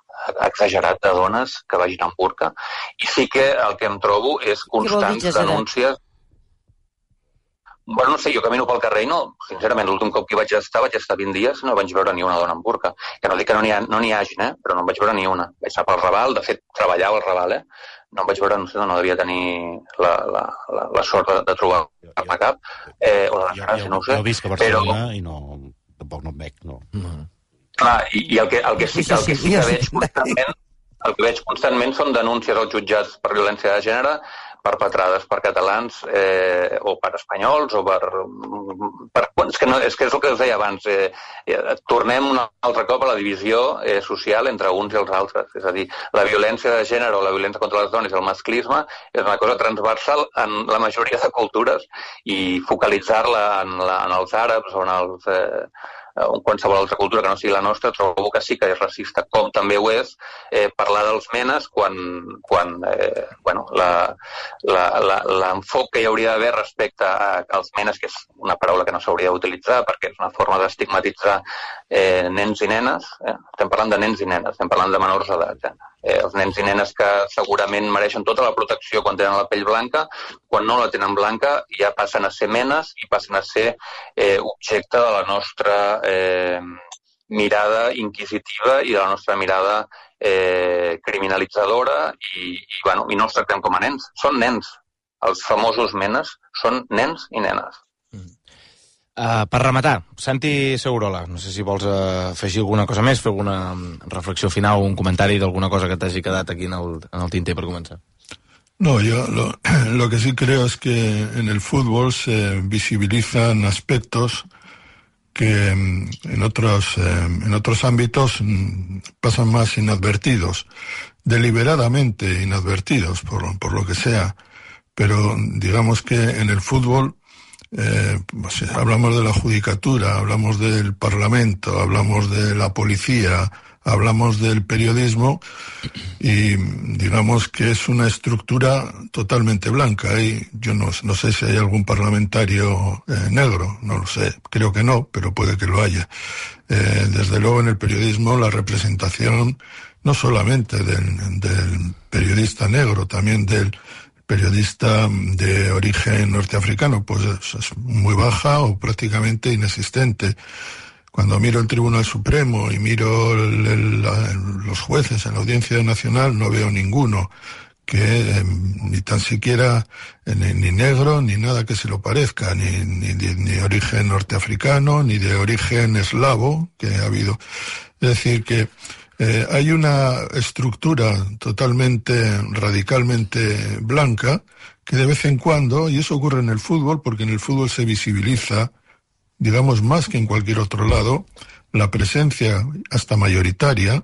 exagerat de dones que vagin amb burca. I sí que el que em trobo és constants denúncies. Bueno, no sé, jo camino pel carrer i no, sincerament, l'últim cop que vaig estar, vaig estar vint dies, no vaig veure ni una dona amb burca. Que no dic que no n'hi ha, no n'hi hagi, eh? Però no en vaig veure ni una. Vaig estar pel Raval, de fet, treballava al Raval, eh? No em vaig veure, no sé, no devia tenir la, la, la, la sort de, de trobar cap a cap, eh, o la desgràcia, no ho sé. Jo visc a Barcelona però... i no, tampoc no em veig, no. Mm. Clar, i, i el que, el que sí, el que, sí que veig constantment, el que veig constantment són denúncies als jutjats per violència de gènere perpetrades per catalans eh, o per espanyols o per... per és, que no, és que és el que us deia abans. Eh, eh, tornem un altre cop a la divisió eh, social entre uns i els altres. És a dir, la violència de gènere o la violència contra les dones i el masclisme és una cosa transversal en la majoria de cultures i focalitzar-la en, la, en els àrabs o en els... Eh, o qualsevol altra cultura que no sigui la nostra, trobo que sí que és racista, com també ho és eh, parlar dels menes quan, quan eh, bueno, l'enfoc que hi hauria d'haver respecte a, als menes, que és una paraula que no s'hauria d'utilitzar perquè és una forma d'estigmatitzar eh, nens i nenes, eh? Estem parlant de nens i nenes, estem parlant de menors d'edat, eh? Eh, els nens i nenes que segurament mereixen tota la protecció quan tenen la pell blanca, quan no la tenen blanca ja passen a ser menes i passen a ser eh, objecte de la nostra eh, mirada inquisitiva i de la nostra mirada eh, criminalitzadora i, i, bueno, i no els tractem com a nens. Són nens. Els famosos menes són nens i nenes. Uh, per rematar, Santi Segurola, no sé si vols uh, afegir alguna cosa més, fer alguna reflexió final o un comentari d'alguna cosa que t'hagi quedat aquí en el, en el tinter per començar. No, yo lo, lo que sí creo es que en el fútbol se visibilizan aspectos que en otros, eh, en otros ámbitos pasan más inadvertidos, deliberadamente inadvertidos, por, por lo que sea, pero digamos que en el fútbol Eh, pues, hablamos de la judicatura, hablamos del Parlamento, hablamos de la policía, hablamos del periodismo y digamos que es una estructura totalmente blanca. Y yo no, no sé si hay algún parlamentario eh, negro, no lo sé, creo que no, pero puede que lo haya. Eh, desde luego en el periodismo la representación no solamente del, del periodista negro, también del periodista de origen norteafricano, pues es, es muy baja o prácticamente inexistente. Cuando miro el Tribunal Supremo y miro el, el, los jueces en la Audiencia Nacional, no veo ninguno que eh, ni tan siquiera eh, ni, ni negro ni nada que se lo parezca, ni, ni, ni de origen norteafricano, ni de origen eslavo, que ha habido. Es decir, que Eh, hay una estructura totalmente, radicalmente blanca, que de vez en cuando, y eso ocurre en el fútbol, porque en el fútbol se visibiliza, digamos más que en cualquier otro lado, la presencia hasta mayoritaria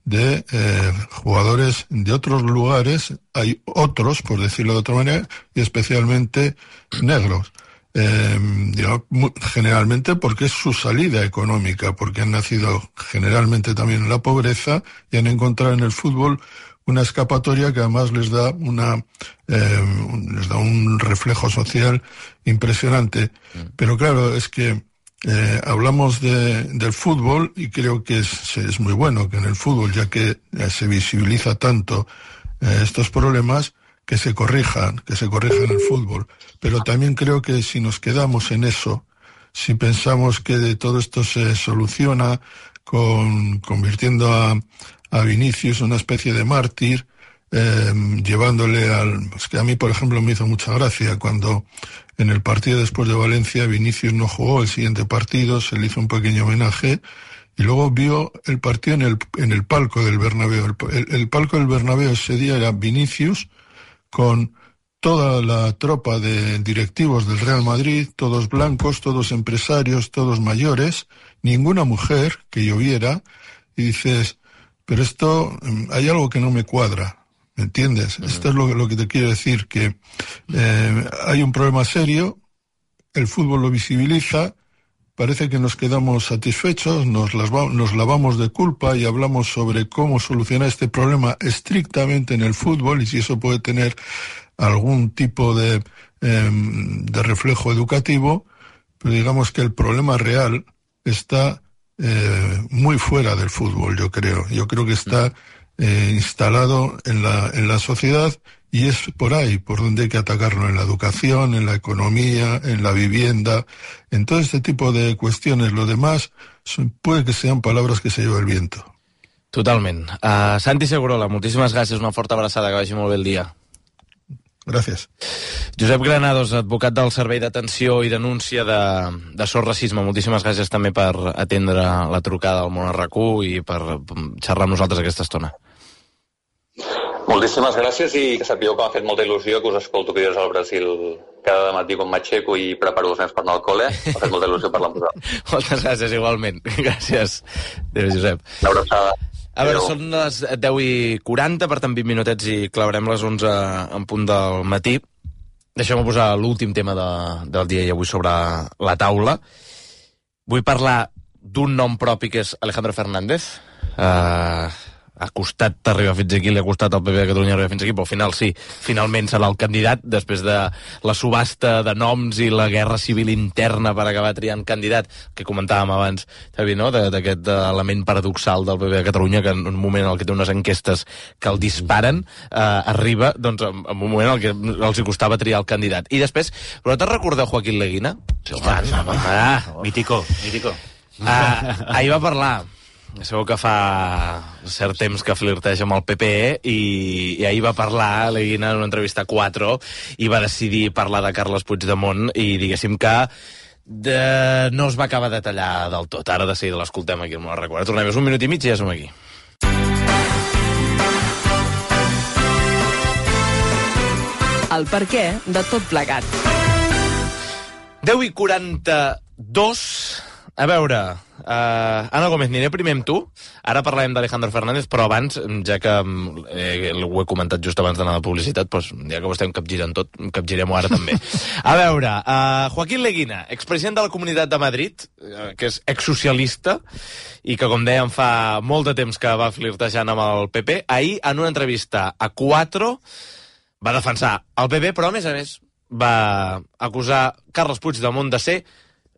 de eh, jugadores de otros lugares, hay otros, por decirlo de otra manera, y especialmente negros. Eh, digamos, generalmente porque es su salida económica, porque han nacido generalmente también en la pobreza y han encontrado en el fútbol una escapatoria que además les da una eh, les da un reflejo social impresionante. Pero claro, es que eh, hablamos de, del fútbol y creo que es, es muy bueno que en el fútbol, ya que eh, se visibiliza tanto eh, estos problemas, que se corrijan, que se corrijan el fútbol. Pero también creo que si nos quedamos en eso, si pensamos que de todo esto se soluciona con convirtiendo a, a Vinicius una especie de mártir, eh, llevándole al... Es que a mí, por ejemplo, me hizo mucha gracia cuando en el partido después de Valencia Vinicius no jugó el siguiente partido, se le hizo un pequeño homenaje y luego vio el partido en el, en el palco del Bernabéu. El, el, el palco del Bernabéu ese día era Vinicius con toda la tropa de directivos del Real Madrid, todos blancos, todos empresarios, todos mayores, ninguna mujer que yo viera, y dices, pero esto, hay algo que no me cuadra, ¿me entiendes? Uh-huh. Esto es lo, lo que te quiero decir, que eh, hay un problema serio, el fútbol lo visibiliza, parece que nos quedamos satisfechos, nos, las va, nos lavamos de culpa y hablamos sobre cómo solucionar este problema estrictamente en el fútbol y si eso puede tener algún tipo de, eh, de reflejo educativo, pero digamos que el problema real está eh, muy fuera del fútbol, yo creo. Yo creo que está eh, instalado en la, en la sociedad y es por ahí por donde hay que atacarlo, en la educación, en la economía, en la vivienda, en todo este tipo de cuestiones. Lo demás son, puede que sean palabras que se lleva el viento. Totalment. Uh, Santi Segurola, moltíssimes gràcies, una forta abraçada, que vagi molt bé el dia. Gràcies. Josep Granados, advocat del Servei d'Atenció i Denúncia de, de Sort Racisme, moltíssimes gràcies també per atendre la trucada al Món R Q i per xerrar amb nosaltres aquesta estona. Moltíssimes gràcies i que sapigueu que m'ha fet molta il·lusió que us escolto vídeos al Brasil cada matí quan m'aixeco i preparo els nens per anar al col·le. M'ha fet molta il·lusió parlar amb vosaltres. Moltes gràcies, igualment. Gràcies. Adéu, Josep. Una abraçada. A veure, són les deu i quaranta, per tant vint minutets i clavarem les onze en punt del matí. Deixeu-me posar l'últim tema de, del dia i avui sobre la taula. Vull parlar d'un nom propi que és Alejandro Fernández. Uh, ha costat arribar fins aquí, li ha costat al P P de Catalunya arribar fins aquí, però al final sí, finalment serà el candidat, després de la subhasta de noms i la guerra civil interna per acabar triant candidat, que comentàvem abans, Xavi, no?, d'aquest element paradoxal del P P de Catalunya, que en un moment en què té unes enquestes que el disparen, eh, arriba, doncs, en un moment en què els hi costava triar el candidat. I després, vosaltres recordeu Joaquín Leguina? Sí, home, home, ah, mítico, mítico. Ah, ahir va parlar. Sabeu que fa cert temps que flirteja amb el P P i, i ahir va parlar Leguina en una entrevista a quatre i va decidir parlar de Carles Puigdemont i diguéssim que de... no es va acabar de tallar del tot. Ara de seguida l'escoltem aquí, no me'l recordo. Tornem un minut i mig i ja som aquí. El perquè de tot plegat. deu i quaranta-dos. A veure, uh, Anna Gómez, aniré primer amb tu. Ara parlarem d'Alejandro Fernández, però abans, ja que eh, ho he comentat just abans d'anar a la publicitat, doncs, ja que ho estem capgirant tot, capgirem-ho ara també. A veure, uh, Joaquín Leguina, expresident de la Comunitat de Madrid, uh, que és exsocialista, i que, com dèiem, fa molt de temps que va flirtejant amb el P P, ahir, en una entrevista a quatre, va defensar el P P, però, a més a més, va acusar Carles Puigdemont de ser...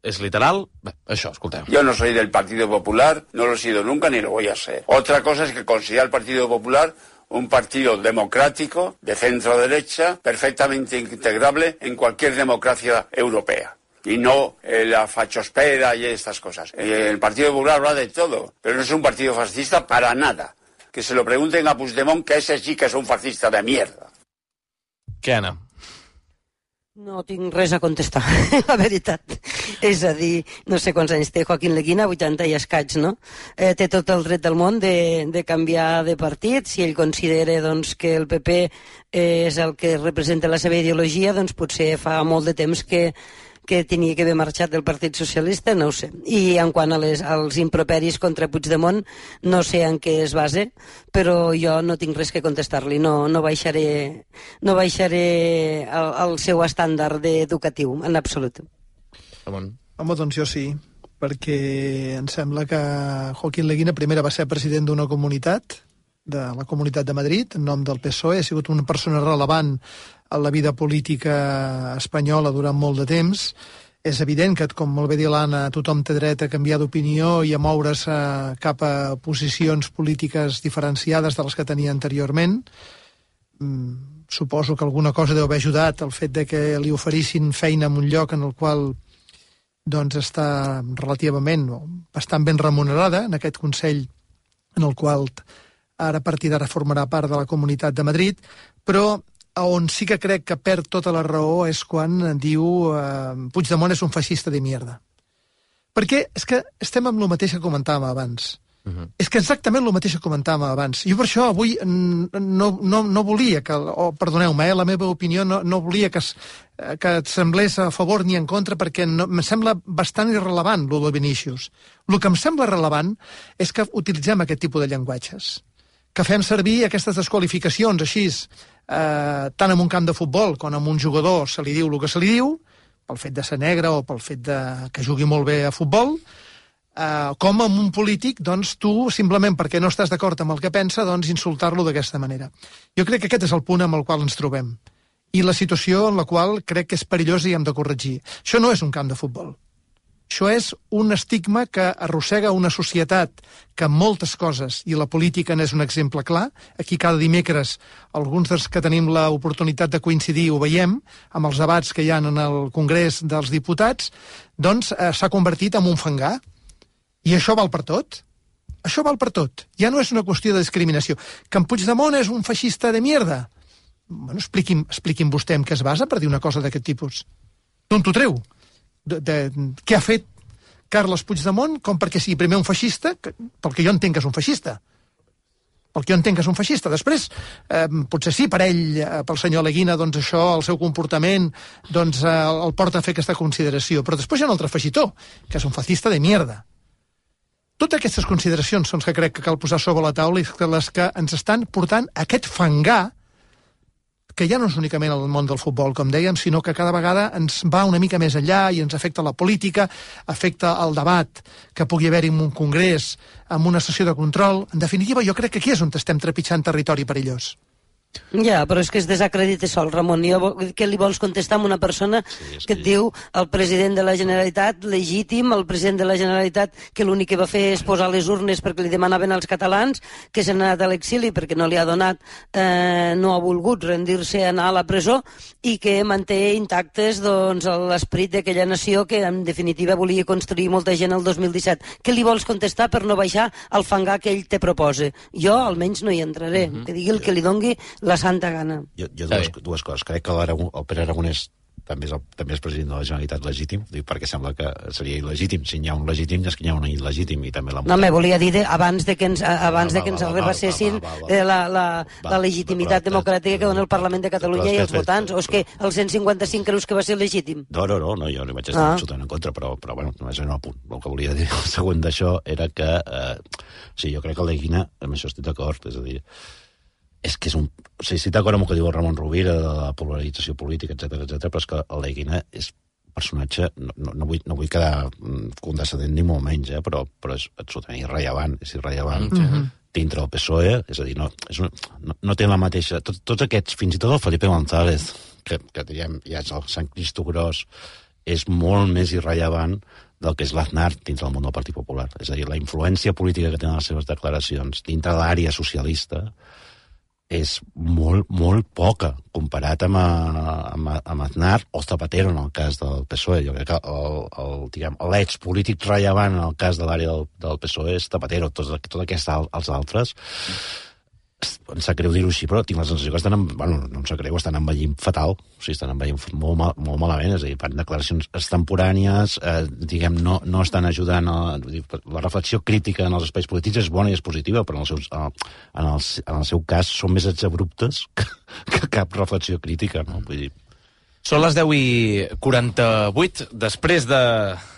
es literal. Això, escolteu. Yo no soy del Partido Popular, no lo he sido nunca ni lo voy a ser. Otra cosa es que considera el Partido Popular un partido democrático, de centro-derecha, perfectamente integrable en cualquier democracia europea. Y no eh, la fachospera y estas cosas. Eh, el Partido Popular habla de todo, pero no es un partido fascista para nada. Que se lo pregunten a Puigdemont, que ese sí que es un fascista de mierda. Què, Anna? No tinc res a contestar, la veritat. És a dir, no sé quants anys té Joaquín Leguina, vuitanta i escaig, no? Eh, té tot el dret del món de, de canviar de partit. Si ell considera doncs, que el P P eh, és el que representa la seva ideologia, doncs potser fa molt de temps que que tenia que haver marxat del Partit Socialista, no ho sé. I en quant a les, als improperis contra Puigdemont, no sé en què es base, però jo no tinc res que contestar-li, no, no baixaré, no baixaré el, el seu estàndard educatiu, en absolut. Ramon. Home, doncs jo sí, perquè em sembla que Joaquín Leguina primera va ser president d'una comunitat, de la Comunitat de Madrid, en nom del P S O E, ha sigut una persona relevant a la vida política espanyola durant molt de temps. És evident que, com molt bé dir l'Anna, tothom té dret a canviar d'opinió i a moure's cap a posicions polítiques diferenciades de les que tenia anteriorment. Mm, suposo que alguna cosa deu haver ajudat el fet de que li oferissin feina en un lloc en el qual doncs, està relativament o bastant ben remunerada, en aquest Consell en el qual ara a partir d'ara formarà part de la Comunitat de Madrid, però on sí que crec que perd tota la raó és quan diu eh, Puigdemont és un feixista de mierda. Perquè és que estem amb el mateix que comentàvem abans. Uh-huh. És que exactament el mateix que comentàvem abans. Jo per això avui no, no, no volia que, o perdoneu-me, eh, la meva opinió no, no volia que, es, que et semblés a favor ni en contra, perquè no, em sembla bastant irrelevant el de Vinícius. El que em sembla rellevant és que utilitzem aquest tipus de llenguatges, que fem servir aquestes desqualificacions així, eh, tant en un camp de futbol com en un jugador se li diu el que se li diu, pel fet de ser negre o pel fet de que jugui molt bé a futbol, eh, com en un polític, doncs tu, simplement perquè no estàs d'acord amb el que pensa, doncs insultar-lo d'aquesta manera. Jo crec que aquest és el punt amb el qual ens trobem. I la situació en la qual crec que és perillosa i hem de corregir. Això no és un camp de futbol. Això és un estigma que arrossega una societat que en moltes coses, i la política n'és un exemple clar, aquí cada dimecres alguns dels que tenim l'oportunitat de coincidir ho veiem, amb els debats que hi ha en el Congrés dels Diputats, doncs eh, s'ha convertit en un fangar. I això val per tot. Això val per tot. Ja no és una qüestió de discriminació. Que en Puigdemont és un feixista de mierda? Bueno, expliqui'm, expliqui'm vostè en què es basa per dir una cosa d'aquest tipus. D'on t'ho treu? De, de, què ha fet Carles Puigdemont com perquè sigui primer un feixista, que, pel que jo entenc que és un feixista. perquè jo entenc que és un feixista. Després, eh, potser sí, per ell, eh, pel senyor Leguina, doncs això, el seu comportament, doncs eh, el porta a fer aquesta consideració. Però després hi ha un altre feixitó, que és un fascista de mierda. Totes aquestes consideracions són les que crec que cal posar sobre la taula i les que ens estan portant a aquest fangar que ja no és únicament el món del futbol, com dèiem, sinó que cada vegada ens va una mica més enllà i ens afecta la política, afecta el debat que pugui haver-hi en un congrés, en una sessió de control. En definitiva, jo crec que aquí és on estem trepitjant territori perillós. Ja, però és que es desacredita sol, Ramon. Jo, què li vols contestar a una persona sí, que et diu el president de la Generalitat legítim, el president de la Generalitat que l'únic que va fer és posar les urnes perquè li demanaven als catalans, que s'ha anat a l'exili perquè no li ha donat, eh, no ha volgut rendir-se a anar a la presó i que manté intactes doncs, l'esperit d'aquella nació que en definitiva volia construir molta gent el dos mil disset. Què li vols contestar per no baixar al fangar que ell te proposa? Jo almenys no hi entraré, uh-huh. que digui el que li dongui la santa gana. Jo, jo dues, dues coses. Crec que el Pere Aragonès també és, el, també és president de la Generalitat legítim, perquè sembla que seria il·legítim. Si n'hi ha un legítim, és que n'hi ha un il·legítim. I també la no, me volia dir de, abans de que ens, abans va, de que ens va, va, rebassessin va, va, va, la, la, va, la legitimitat però, democràtica que dona el Parlament de Catalunya i els fet, votants. O és que el cent cinquanta-cinc creus que va ser legítim? No, no, no, no jo no hi vaig estar ah. absolutament en contra, però, però bueno, només era un apunt. El que volia dir el següent d'això era que eh, sí, jo crec que el Leguina, amb això estic d'acord, és a dir, és que és un... O sigui, estic d'acord amb el que diu el Ramon Rovira de la polarització política, etcètera, etcètera, però és que el Leguina és un personatge... No, no, no, vull, no vull quedar condescendent ni molt menys, eh, però, però és absolutament irrellevant, és irrellevant mm-hmm. dintre del P S O E, és a dir, no, és una, no, no té la mateixa... Tot, tots aquests, fins i tot el Felipe González, que, que diguem, ja és el Sant Cristo Gros, és molt més irrellevant del que és l'Aznar dintre del món del Partit Popular. És a dir, la influència política que tenen les seves declaracions dintre de l'àrea socialista és molt, molt poca comparat amb, amb, amb Aznar o Zapatero en el cas del P S O E. Jo crec que el, el, diguem, l'eix polític rellevant en el cas de l'àrea del, del P S O E és Zapatero. Tots tot aquests els altres, em sap greu dir-ho així, però tinc la sensació que estan, en, bueno, no em sap greu, estan envellint fatal, o sigui, estan envellint molt, mal, molt malament, és a dir, fan declaracions extemporànies, eh, diguem, no, no estan ajudant a, la reflexió crítica en els espais polítics és bona i és positiva, però en el, seus, en el, en el seu cas són més exabruptes que, que cap reflexió crítica, no? Vull dir... Són les deu i quaranta-vuit, després de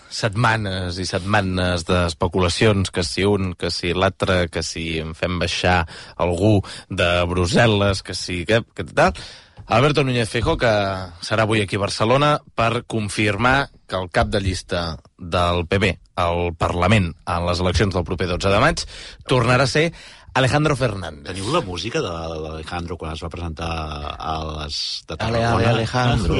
setmanes i setmanes d'especulacions, que si un, que si l'altre, que si en fem baixar algú de Brussel·les, que si... que, que tal... Alberto Núñez Feijóo, que serà avui aquí a Barcelona per confirmar que el cap de llista del P B al Parlament en les eleccions del proper dotze de maig tornarà a ser Alejandro Fernández. Teniu la música de l'Alejandro quan es va presentar a les de Tarragona? Ale, ale, Alejandro.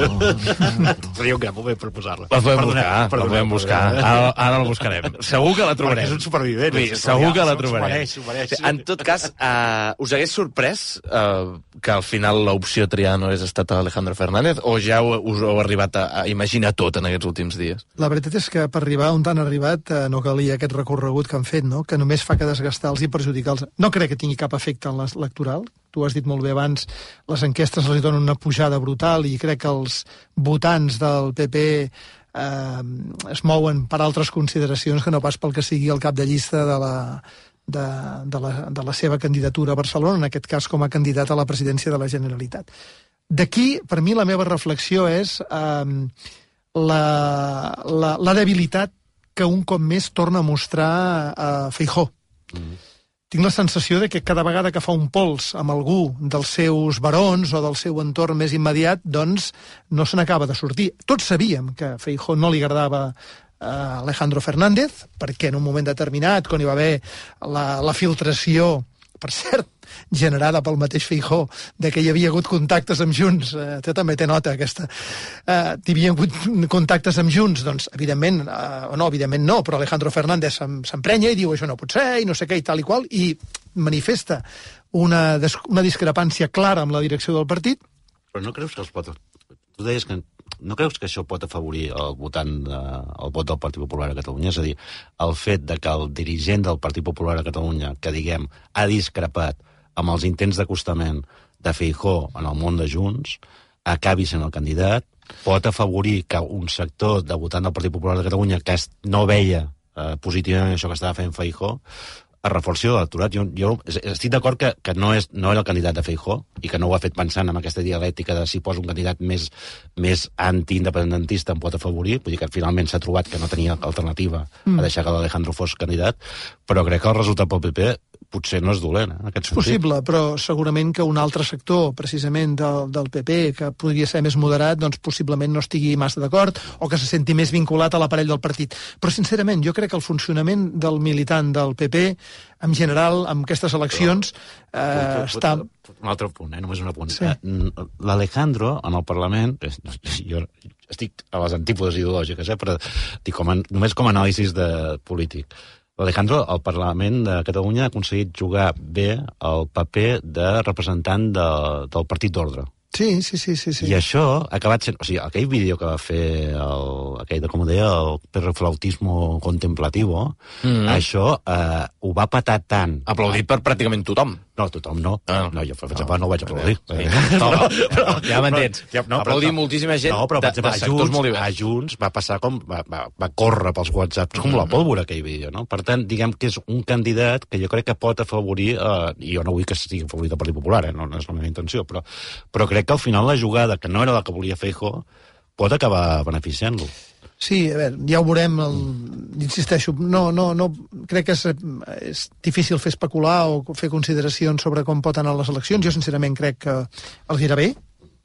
Seria un gran moment per posar-la. La podem buscar, la podem buscar. Ara, ara la buscarem. Segur que la trobarem. Perquè és un supervivent. Sí, segur que la trobarem. S'ho mereix, s'ho mereix. En tot cas, uh, us hagués sorprès uh, que al final l'opció triada no hagués estat Alejandro Fernández, o ja us heu arribat a, a imaginar tot en aquests últims dies? La veritat és que per arribar on han arribat uh, no calia aquest recorregut que han fet, no? Que només fa que desgastar-los i perjudicar-los. No crec que tingui cap efecte en l'electoral. Tu has dit molt bé abans, les enquestes els donen una pujada brutal i crec que els votants del P P eh, es mouen per altres consideracions que no pas pel que sigui el cap de llista de la, de, de, la, de la seva candidatura a Barcelona, en aquest cas com a candidat a la presidència de la Generalitat. D'aquí, per mi, la meva reflexió és eh, la, la, la debilitat que un cop més torna a mostrar a Feijóo. Mm. Tinc la sensació de que cada vegada que fa un pols amb algú dels seus barons o del seu entorn més immediat, doncs no se n'acaba de sortir. Tots sabíem que a Feijóo no li agradava a Alejandro Fernández, perquè en un moment determinat, quan hi va haver la, la filtració, per cert, generada pel mateix Feijóo, de que hi havia hagut contactes amb Junts, eh, tu també té nota aquesta, eh, hi havia hagut contactes amb Junts, doncs evidentment, eh, o no, evidentment no, però Alejandro Fernández s'emprenya i diu això no pot ser, i no sé què, i tal i qual, i manifesta una, una discrepància clara amb la direcció del partit. Però no creus que els pot... Tu deies que no creus que això pot afavorir el votant, de, el vot del Partit Popular a Catalunya? És a dir, el fet de que el dirigent del Partit Popular a Catalunya, que diguem, ha discrepat amb els intents d'acostament de Feijóo en el món de Junts, acabi sent el candidat, pot afavorir que un sector de votant del Partit Popular de Catalunya que no veia eh, positivament això que estava fent Feijóo, es reforci l'electorat. Jo, jo estic d'acord que, que no, és, no era el candidat de Feijóo i que no ho ha fet pensant en aquesta dialèctica de si posa un candidat més, més antiindependentista em pot afavorir, vull dir que finalment s'ha trobat que no tenia alternativa mm. a deixar que l'Alejandro fos candidat, però crec que el resultat pel P P potser no és dolent, eh, en aquest sentit. Possible, però segurament que un altre sector, precisament del, del P P, que podria ser més moderat, doncs possiblement no estigui massa d'acord o que se senti més vinculat a l'aparell del partit. Però, sincerament, jo crec que el funcionament del militant del P P, en general, amb aquestes eleccions, eh, però, està... Un altre punt, eh, només un apunt. Sí. L'Alejandro, en el Parlament, jo estic a les antípodes ideològiques, eh, però dic, com a, només com a anàlisis de polític. L'Alejandro, al Parlament de Catalunya, ha aconseguit jugar bé el paper de representant de, del Partit d'Ordre. Sí, sí, sí, sí, sí. I això ha acabat sent... O sigui, aquell vídeo que va fer, el, aquell, com ho deia, el perroflautismo contemplativo, mm -hmm. això eh, ho va patar tant... Aplaudit per pràcticament tothom. No, tothom no. Ah. No, jo, per exemple, no ho vaig aplaudir. Sí. No, no, però, ja m'entens. No, aplaudir moltíssima gent no, però, de, exemple, de sectors Junts, molt diversos. A Junts va passar com... Va, va, va córrer pels whatsapps com mm -hmm. la pólvora, aquell vídeo, no? Per tant, diguem que és un candidat que jo crec que pot afavorir... Eh, i jo no vull que sigui afavorit el Partit Popular, eh? no, no és la meva intenció, però, però crec que al final la jugada, que no era la que volia Feijóo, pot acabar beneficiant-lo. Sí, a veure, ja ho veurem, el, insisteixo, no, no, no, crec que és, és difícil fer especular o fer consideracions sobre com pot anar les eleccions. Jo, sincerament, crec que els irà bé,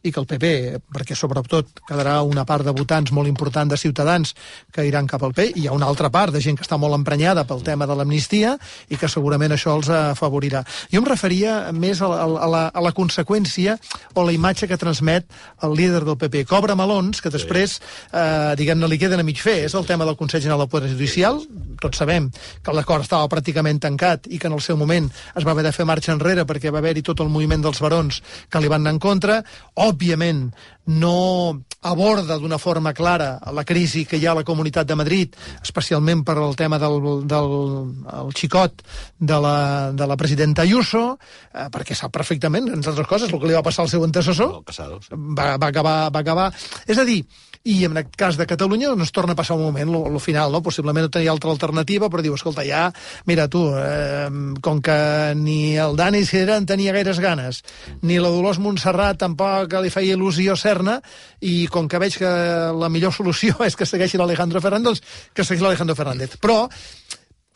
i que el P P, perquè sobretot quedarà una part de votants molt important de ciutadans que iran cap al P P, i hi ha una altra part de gent que està molt emprenyada pel tema de l'amnistia i que segurament això els afavorirà. Jo em referia més a la, a la, a la conseqüència o la imatge que transmet el líder del P P. Cobra melons que després, eh, diguem-ne, li queden a mig fer. És el tema del Consell General del Poder Judicial. Tots sabem que l'acord estava pràcticament tancat i que en el seu moment es va haver de fer marxa enrere perquè va haver-hi tot el moviment dels barons que li van anar en contra. Òbviament, no aborda d'una forma clara la crisi que hi ha a la Comunitat de Madrid, especialment per el tema del, del el xicot de la, de la presidenta Ayuso, eh, perquè sap perfectament, entre altres coses, el que li va passar al seu antecessor. Va, va, acabar, va acabar... És a dir, i en el cas de Catalunya no es torna a passar un moment, al final, no? Possiblement no tenia altra alternativa, però diu, escolta, ja, mira tu, eh, com que ni el Dani Cera en tenia gaires ganes, ni la Dolors Montserrat tampoc li feia il·lusió ser-ne, i com que veig que la millor solució és que segueixi l'Alejandro Fernández, que segueixi l'Alejandro Fernández. Però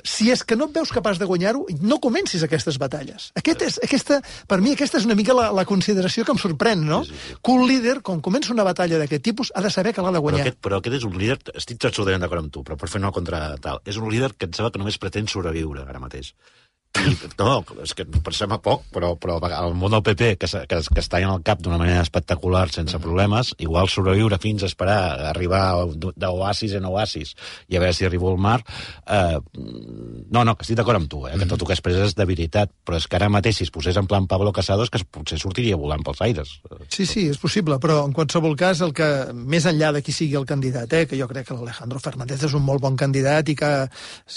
si és que no et veus capaç de guanyar-ho, no comencis aquestes batalles. Aquest és, aquesta, per mi aquesta és una mica la, la consideració que em sorprèn, no? Sí, sí, sí. Que un líder, quan comença una batalla d'aquest tipus, ha de saber que l'ha de guanyar. Però aquest, però aquest és un líder, estic absolutament d'acord amb tu, però per fer una contra tal, és un líder que em sembla que només pretén sobreviure ara mateix. I, no, és que pensem a poc, però, però el món del P P, que, que, que està en el cap d'una manera espectacular, sense problemes, igual sobreviure fins a esperar a arribar d'oasis en oasis i a veure si arribo al mar. Eh, no, no, que estic d'acord amb tu, eh, que tot el que expressa és debilitat, però és que ara mateix, si es posés en plan Pablo Casado, és que potser sortiria volant pels aires. Sí, sí, és possible, però en qualsevol cas, el que més enllà de qui sigui el candidat, eh, que jo crec que l'Alejandro Fernández és un molt bon candidat i que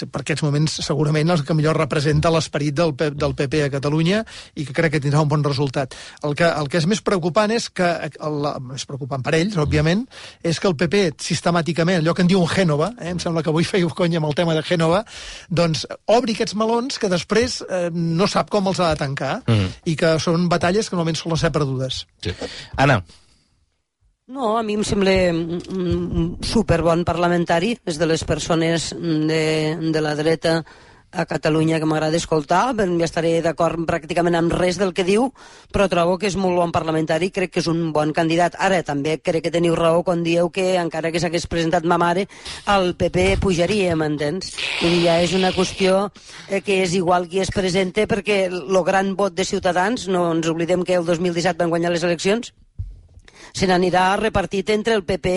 per aquests moments segurament el que millor representa l'esperit del, del P P a Catalunya i que crec que tindrà un bon resultat. El que, el que és més preocupant és que, el, més preocupant per ells, òbviament, és que el P P sistemàticament, allò que en diu un Gènova, eh, em sembla que avui fèieu conya amb el tema de Gènova, doncs obri aquests melons que després eh, no sap com els ha de tancar mm. i que són batalles que normalment solen ser perdudes. Sí. Anna. No, a mi em sembla un superbon parlamentari, és de les persones de, de la dreta a Catalunya que m'agrada escoltar, ja estaré d'acord pràcticament amb res del que diu, però trobo que és molt bon parlamentari, crec que és un bon candidat. Ara també crec que teniu raó quan dieu que encara que s'hagués presentat ma mare, el P P pujaria, m'entens? Vull dir, ja és una qüestió eh, que és igual qui es presenta, perquè el gran vot de Ciutadans, no ens oblidem que el dos mil disset van guanyar les eleccions, se n'anirà repartit entre el P P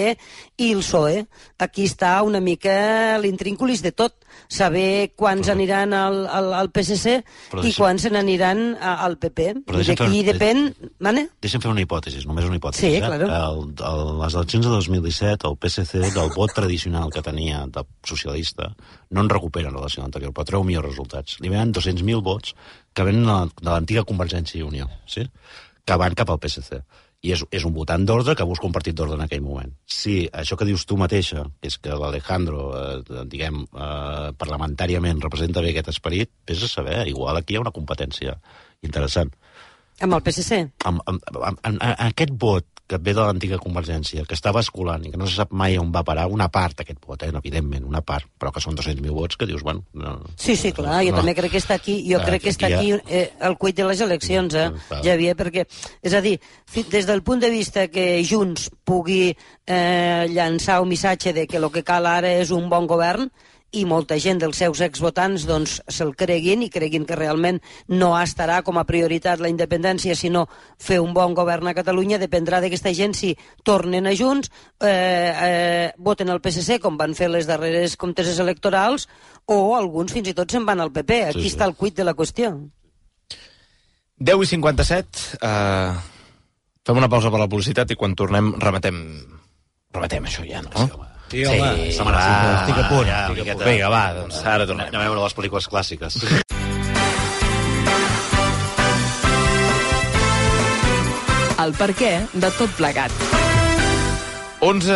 i el P S O E. Aquí està una mica l'intrínculis de tot, saber quants però, aniran al, al, al P S C i deixem, quants se n'aniran al P P. D'aquí depèn... Mane? Deixa'm fer una hipòtesi, només una hipòtesi. Sí, eh? claro. El, el, les eleccions de dos mil disset, el P S C, del vot tradicional que tenia de socialista, no en recupera en relació a l'anterior, però treu millors resultats. Li venen dos-cents mil vots que venen de l'antiga Convergència i Unió, sí? Que van cap al P S C. i és, és un votant d'ordre que busca un partit d'ordre en aquell moment. Si això que dius tu mateixa, que és que l'Alejandro, eh, diguem, eh, parlamentàriament representa bé aquest esperit, vés a saber, igual aquí hi ha una competència interessant. Amb el P S C? Amb, amb, amb, amb, amb aquest vot que ve de l'antiga Convergència, que està basculant i que no se sap mai on va parar, una part d'aquest vot, eh, evidentment, una part, però que són dos-cents mil vots, que dius, bueno... No, sí, sí, clar, jo no. també crec que està aquí, jo ah, crec que està aquí, aquí eh, el cuit de les eleccions, eh, mm, Javier, perquè, és a dir, des del punt de vista que Junts pugui eh, llançar un missatge de que el que cal ara és un bon govern, i molta gent dels seus exvotants doncs, se'l creguin i creguin que realment no estarà com a prioritat la independència, sinó fer un bon govern a Catalunya, dependrà d'aquesta gent si tornen a Junts, eh, eh, voten el P S C, com van fer les darreres comteses electorals, o alguns fins i tot se'n van al P P. Aquí sí, sí. està el cuit de la qüestió. deu i cinquanta-set, eh, fem una pausa per la publicitat i quan tornem remetem, remetem això ja, no? Sí, home, sí, va, estic a punt. Ja, estic a punt. Vinga, va, doncs ara tornem. Anem a veure les pel·lícules clàssiques. El perquè de tot plegat. onze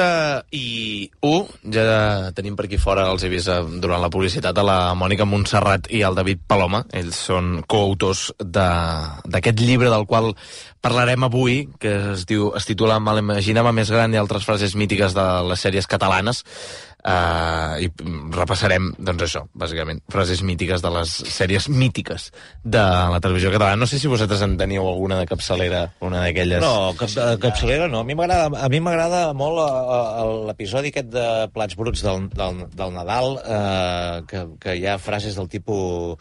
i u, ja tenim per aquí fora, els he vist durant la publicitat, a la Mònica Montserrat i el David Paloma. Ells són coautors d'aquest llibre del qual parlarem avui, que es diu, es titula Me l'imaginava més gran i altres frases mítiques de les sèries catalanes. Uh, i repassarem, doncs això, bàsicament, frases mítiques de les sèries mítiques de la televisió catalana. No sé si vosaltres en teníeu alguna de capçalera, una d'aquelles... No, cap, capçalera no. A mi m'agrada a mi m'agrada molt l'episodi aquest de Plats Bruts del, del, del Nadal, eh, que, que hi ha frases del tipus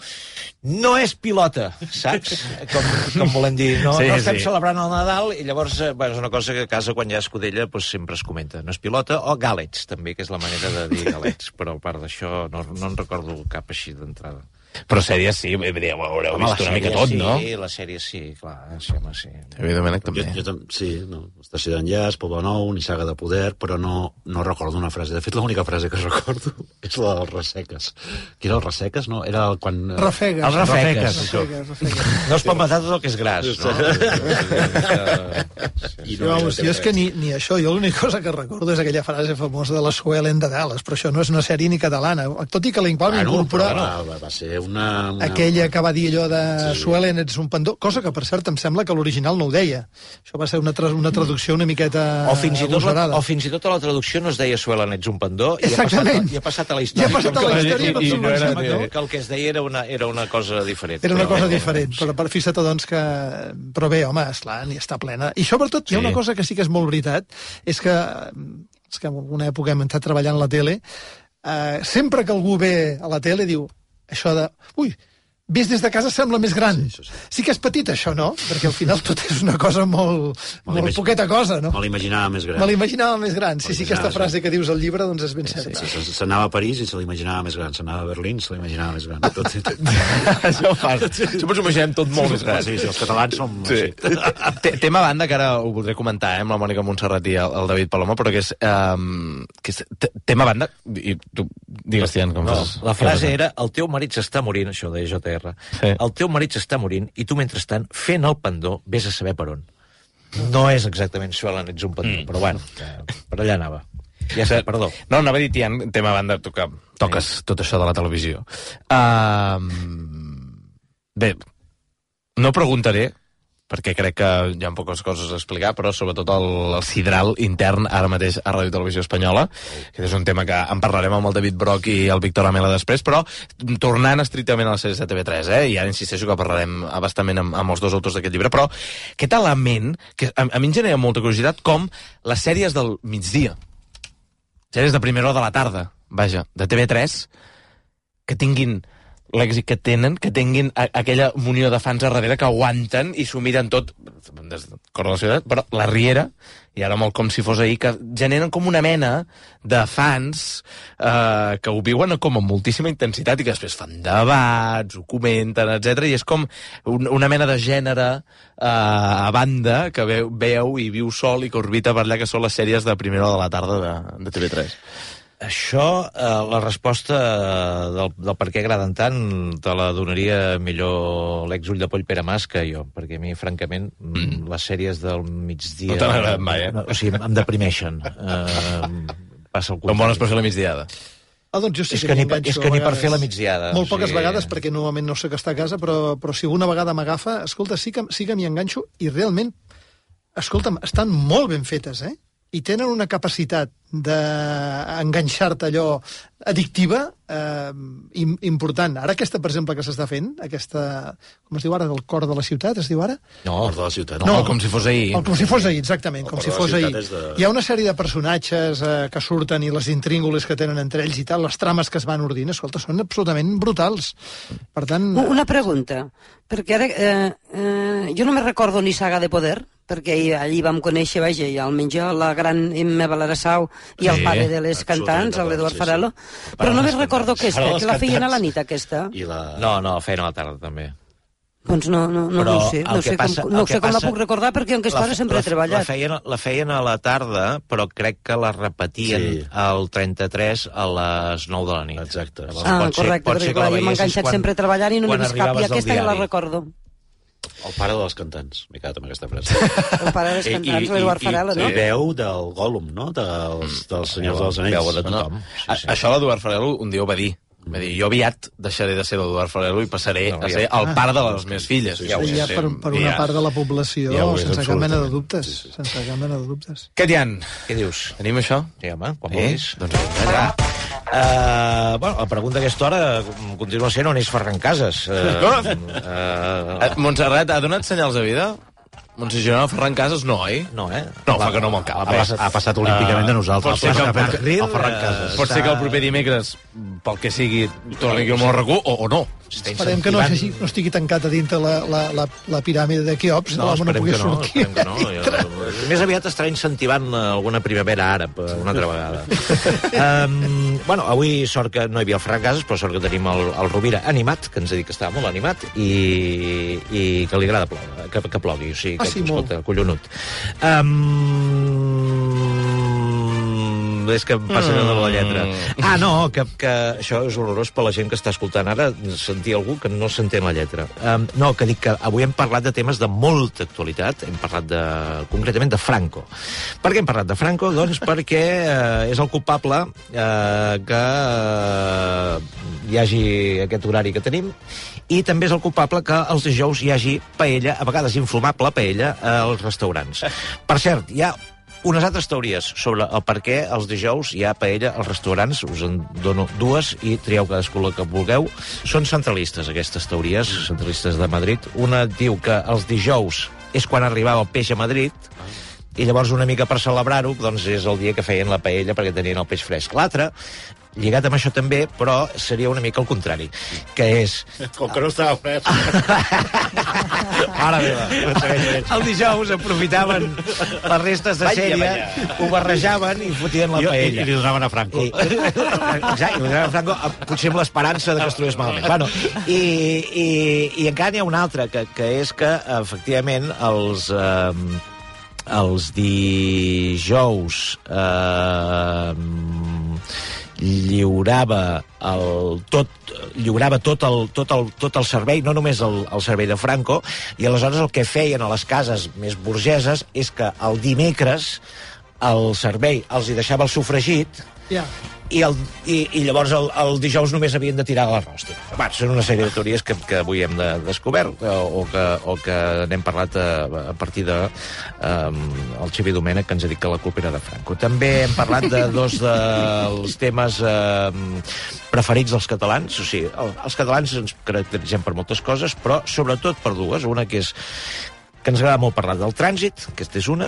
no és pilota, saps? Com, com volem dir, no, sí, no estem sí. celebrant el Nadal, i llavors eh, bueno, és una cosa que a casa quan hi ha escudella pues, sempre es comenta. No és pilota, o gàlets, també, que és la manera de dir galets, però a part d'això no, no en recordo cap així d'entrada. Però sèries sí, ho haureu home, vist una mica tot, sí, no? Sí, la sèrie sí, clar, sí, home, sí. Evidentment, també. Jo, jo, sí, no, Estació d'enllaç, Poble Nou, Nissaga de Poder, però no, no recordo una frase. De fet, l'única frase que recordo és la dels Resseques. Qui era el Resseques? No, era el quan... Rafegues. Els Rafegues. Rafegues, Rafegues. No es pot matar tot el que és gras, no? I no, no, jo és que ni, ni això, jo l'única cosa que recordo és aquella frase famosa de la Suelen de Dallas, però això no és una sèrie ni catalana, tot i que la Impalm ah, no, incorpora... Va, va ser una... una... Aquella que va dir allò de sí. Suelen ets un pendó, cosa que per cert em sembla que l'original no ho deia. Això va ser una, tra una traducció una miqueta o fins, i tot la, o fins i tot a la traducció no es deia Suelen ets un pendó i ha, passat, i ha passat a la història, I ha passat a la història i, i, i no era, que, que el que es deia era una, era una cosa diferent. Era una cosa diferent, però per fixa't doncs que... Però bé, home, esclar, n'hi està plena. I sobretot hi ha una cosa que sí que és molt veritat, és que, és que en alguna època hem estat treballant a la tele, eh, sempre que algú ve a la tele diu això de... Ui, vist des de casa sembla més gran. Sí, sí. sí que és petit, això, no? Perquè al final tot és una cosa molt, molt poqueta cosa, no? Me l'imaginava més gran. Me l'imaginava més gran. Sí, sí, aquesta frase que dius al llibre, doncs és ben certa. Sí, sí, s'anava a París i se l'imaginava més gran. S'anava a Berlín, se l'imaginava més gran. Tot, tot. Això fa. Això ens ho imaginem tot molt més gran. Sí, sí, els catalans som... Sí. Tema a banda, que ara ho voldré comentar, eh, amb la Mònica Montserrat i el, el David Paloma, però que és... Um, que és tema a banda... I tu, digues, Tian, com no, fas? La frase era, el teu marit s'està morint, això de J R. Sí. El teu marit s'està morint i tu, mentrestant, fent el pendó, vés a saber per on. No és exactament Suelen ets un pendó, mm. però bueno, per allà anava. Ja sé, perdó. No, anava a dir, Tian, tema a banda, tu que toques sí. tot això de la televisió. Uh, bé, no preguntaré, perquè crec que hi ha poques coses a explicar, però sobretot el, el sidral intern ara mateix a Ràdio Televisió Espanyola, que és un tema que en parlarem amb el David Broch i el Víctor Amela després, però tornant estrictament a les sèries de T V tres, eh, i ara insisteixo que parlarem abastament amb, amb els dos autors d'aquest llibre, però aquest element, que a, a mi em genera molta curiositat, com les sèries del migdia, sèries de primera hora de la tarda, vaja, de T V tres, que tinguin l'èxit que tenen, que tinguin a, aquella munió de fans a darrere que aguanten i s'ho miren tot des de cor de la ciutat, però la Riera, i ara molt com si fos ahir, que generen com una mena de fans eh, que ho viuen com amb moltíssima intensitat i que després fan debats, ho comenten, etcètera, i és com un, una mena de gènere eh, a banda que veu, veu i viu sol i que orbita per allà, que són les sèries de primera hora de la tarda de, de T V tres. Això, eh, la resposta del, del per què agraden tant te la donaria millor l'ex-ull de poll Pere Mas que jo, perquè a mi, francament, mm. les sèries del migdia... No t'han agradat mai, eh? No, o sigui, em deprimeixen. Eh, passa el Com bones per fer la migdiada. Ah, doncs jo sí és que, que, que ni, és que ni per fer la migdiada. Molt poques o sigui... vegades, perquè normalment no sé que està a casa, però, però si alguna vegada m'agafa, escolta, sí que, sí que m'hi enganxo i realment, escolta'm, estan molt ben fetes, eh? I tenen una capacitat d'enganxar-te allò addictiva eh, important. Ara aquesta, per exemple, que s'està fent, aquesta, com es diu ara, del cor de la ciutat, es diu ara? No, el cor de la ciutat. No, no, com si fos ahir. El, com si fos ahir, exactament, el com si fos ahir. De... Hi ha una sèrie de personatges eh, que surten i les intríngules que tenen entre ells i tal, les trames que es van ordint, escolta, són absolutament brutals. Per tant... Una pregunta, perquè ara eh, eh, jo no me recordo ni Saga de Poder, perquè allí vam conèixer, vaja, i almenys jo, la gran Emma Valerassau i sí, el pare de les cantants, l'Eduard sí, Farelo, sí. Però no me recordo aquesta, que la feien a la nit, aquesta. I la... No, no, la feien a la tarda, també. Doncs no, no, no, no ho sé, no sé, passa, com, no sé com passa, la puc recordar, perquè en aquesta hora sempre la, he treballat. La feien, la feien a la tarda, però crec que la repetien sí. al trenta-tres a les nou de la nit. Exacte. Ah, correcte, perquè clar, jo m'he enganxat sempre treballant i no m'he vist cap, i aquesta ja la recordo. El pare de les cantants, m'he quedat amb aquesta frase. El pare de les cantants, l'Eduard Farelo, no? I veu del Gollum, no? Dels, dels Senyors dels Anells. Veu de tothom. Sí, sí. Això l'Eduard Farelo un dia ho va dir. Va dir, jo aviat deixaré de ser l'Eduard Farelo i passaré no, a ser el pare de les meves filles. Ja, ja per, per una part de la població, ja sense cap mena de dubtes. Sí, sí. Sense cap mena de dubtes. Què, Tian? Què dius? Tenim això? Sí, home, quan eh? vulguis. Doncs ja. Uh, bueno, la pregunta a aquesta hora continua sent on és Ferran Casas. Uh, uh, Montserrat, ha donat senyals de vida? Montserrat Ferran Casas no, oi? No, eh? No, fa que no me'l cap. Ha, passat, ha passat olímpicament de nosaltres. Pot ser, que el, el, el Ferran Casas. Pot ser que el proper dimecres, pel que sigui, torni aquí al món recu, o, o no. Esperem que no, hagi, no estigui tancat a dintre la, la, la, la piràmide de Keops, no, no, no pugui no, sortir. Que no. Jo, més aviat estarà incentivant alguna primavera àrab una altra vegada. um, bueno, avui sort que no hi havia el Ferran Casas, però sort que tenim el, el Rovira animat, que ens ha dit que estava molt animat, i, i que li agrada ploure, que, que plogui. O sigui, que, ah, sí, escolta, collonut. Um, és que em passa mm. de la lletra. Ah, no, que, que això és horrorós per la gent que està escoltant ara, sentir algú que no s'entén la lletra. Um, no, que dic que avui hem parlat de temes de molta actualitat, hem parlat de, concretament de Franco. Per què hem parlat de Franco? Doncs perquè eh, és el culpable eh, que eh, hi hagi aquest horari que tenim, i també és el culpable que els dijous hi hagi paella, a vegades inflamable paella, als restaurants. Per cert, hi ha unes altres teories sobre el per què els dijous hi ha paella als restaurants. Us en dono dues i trieu cadascú la que vulgueu. Són centralistes, aquestes teories, centralistes de Madrid. Una diu que els dijous és quan arribava el peix a Madrid, i llavors una mica per celebrar-ho, doncs és el dia que feien la paella perquè tenien el peix fresc. L'altra, lligat amb això també, però seria una mica el contrari, que és... Com que no estava fresc. Mare meva. El dijous aprofitaven les restes de sèrie, ho barrejaven i fotien la paella. I, i li donaven a Franco. I, exacte, i li donaven a Franco, potser amb l'esperança de que es trobés malament. Bueno, i, i, i encara n'hi ha una altra, que, que és que, efectivament, els... Eh, els dijous eh, lliurava el tot lliurava tot el, tot el, tot el servei, no només el, el servei de Franco, i aleshores el que feien a les cases més burgeses és que el dimecres el servei els hi deixava el sofregit, yeah. i, el, i, i llavors el, el dijous només havien de tirar l'arròs. Bueno, són una sèrie de teories que, que avui hem de, descobert o, o, que, o que n'hem parlat a, a partir de um, el Xavier Domènech, que ens ha dit que la culpa era de Franco. També hem parlat de dos dels temes um, preferits dels catalans. O sigui, el, els catalans ens caracteritzem per moltes coses, però sobretot per dues. Una que és que ens agrada molt parlar del trànsit, aquesta és una,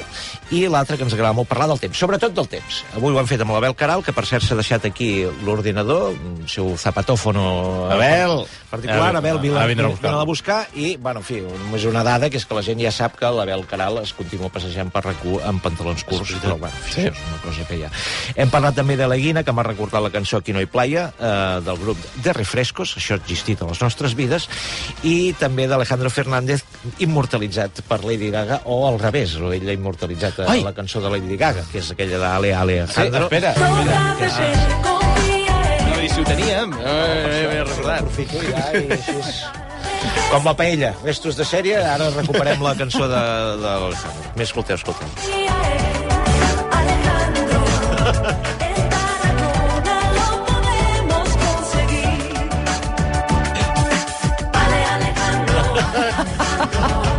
i l'altra que ens agrada molt parlar del temps, sobretot del temps. Avui ho hem fet amb l'Abel Caral, que per cert s'ha deixat aquí l'ordinador, el seu zapatòfono Abel, particular, Abel, Abel vine a buscar, i, bueno, en fi, només una dada, que és que la gent ja sap que l'Abel Caral es continua passejant per RAC-u amb pantalons curts, però, bueno, sí. Això és una cosa que hi ha. Hem parlat també de la Guina, que m'ha recordat la cançó Aquí no hi playa, eh, del grup de Refrescos, això ha existit a les nostres vides, i també d'Alejandro Fernández, immortalitzat per Lady Gaga, o al revés, o ell ha immortalitzat a Ai. la cançó de Lady Gaga, que és aquella d'Ale Alejandro. Sí, espera, espera. Que sí. No, i si ho teníem, eh, m'he recordat. Aprofito ja i així és... Com la paella, restos de sèrie, ara recuperem la cançó de, de l'Alejandro. Més escolteu, escolteu.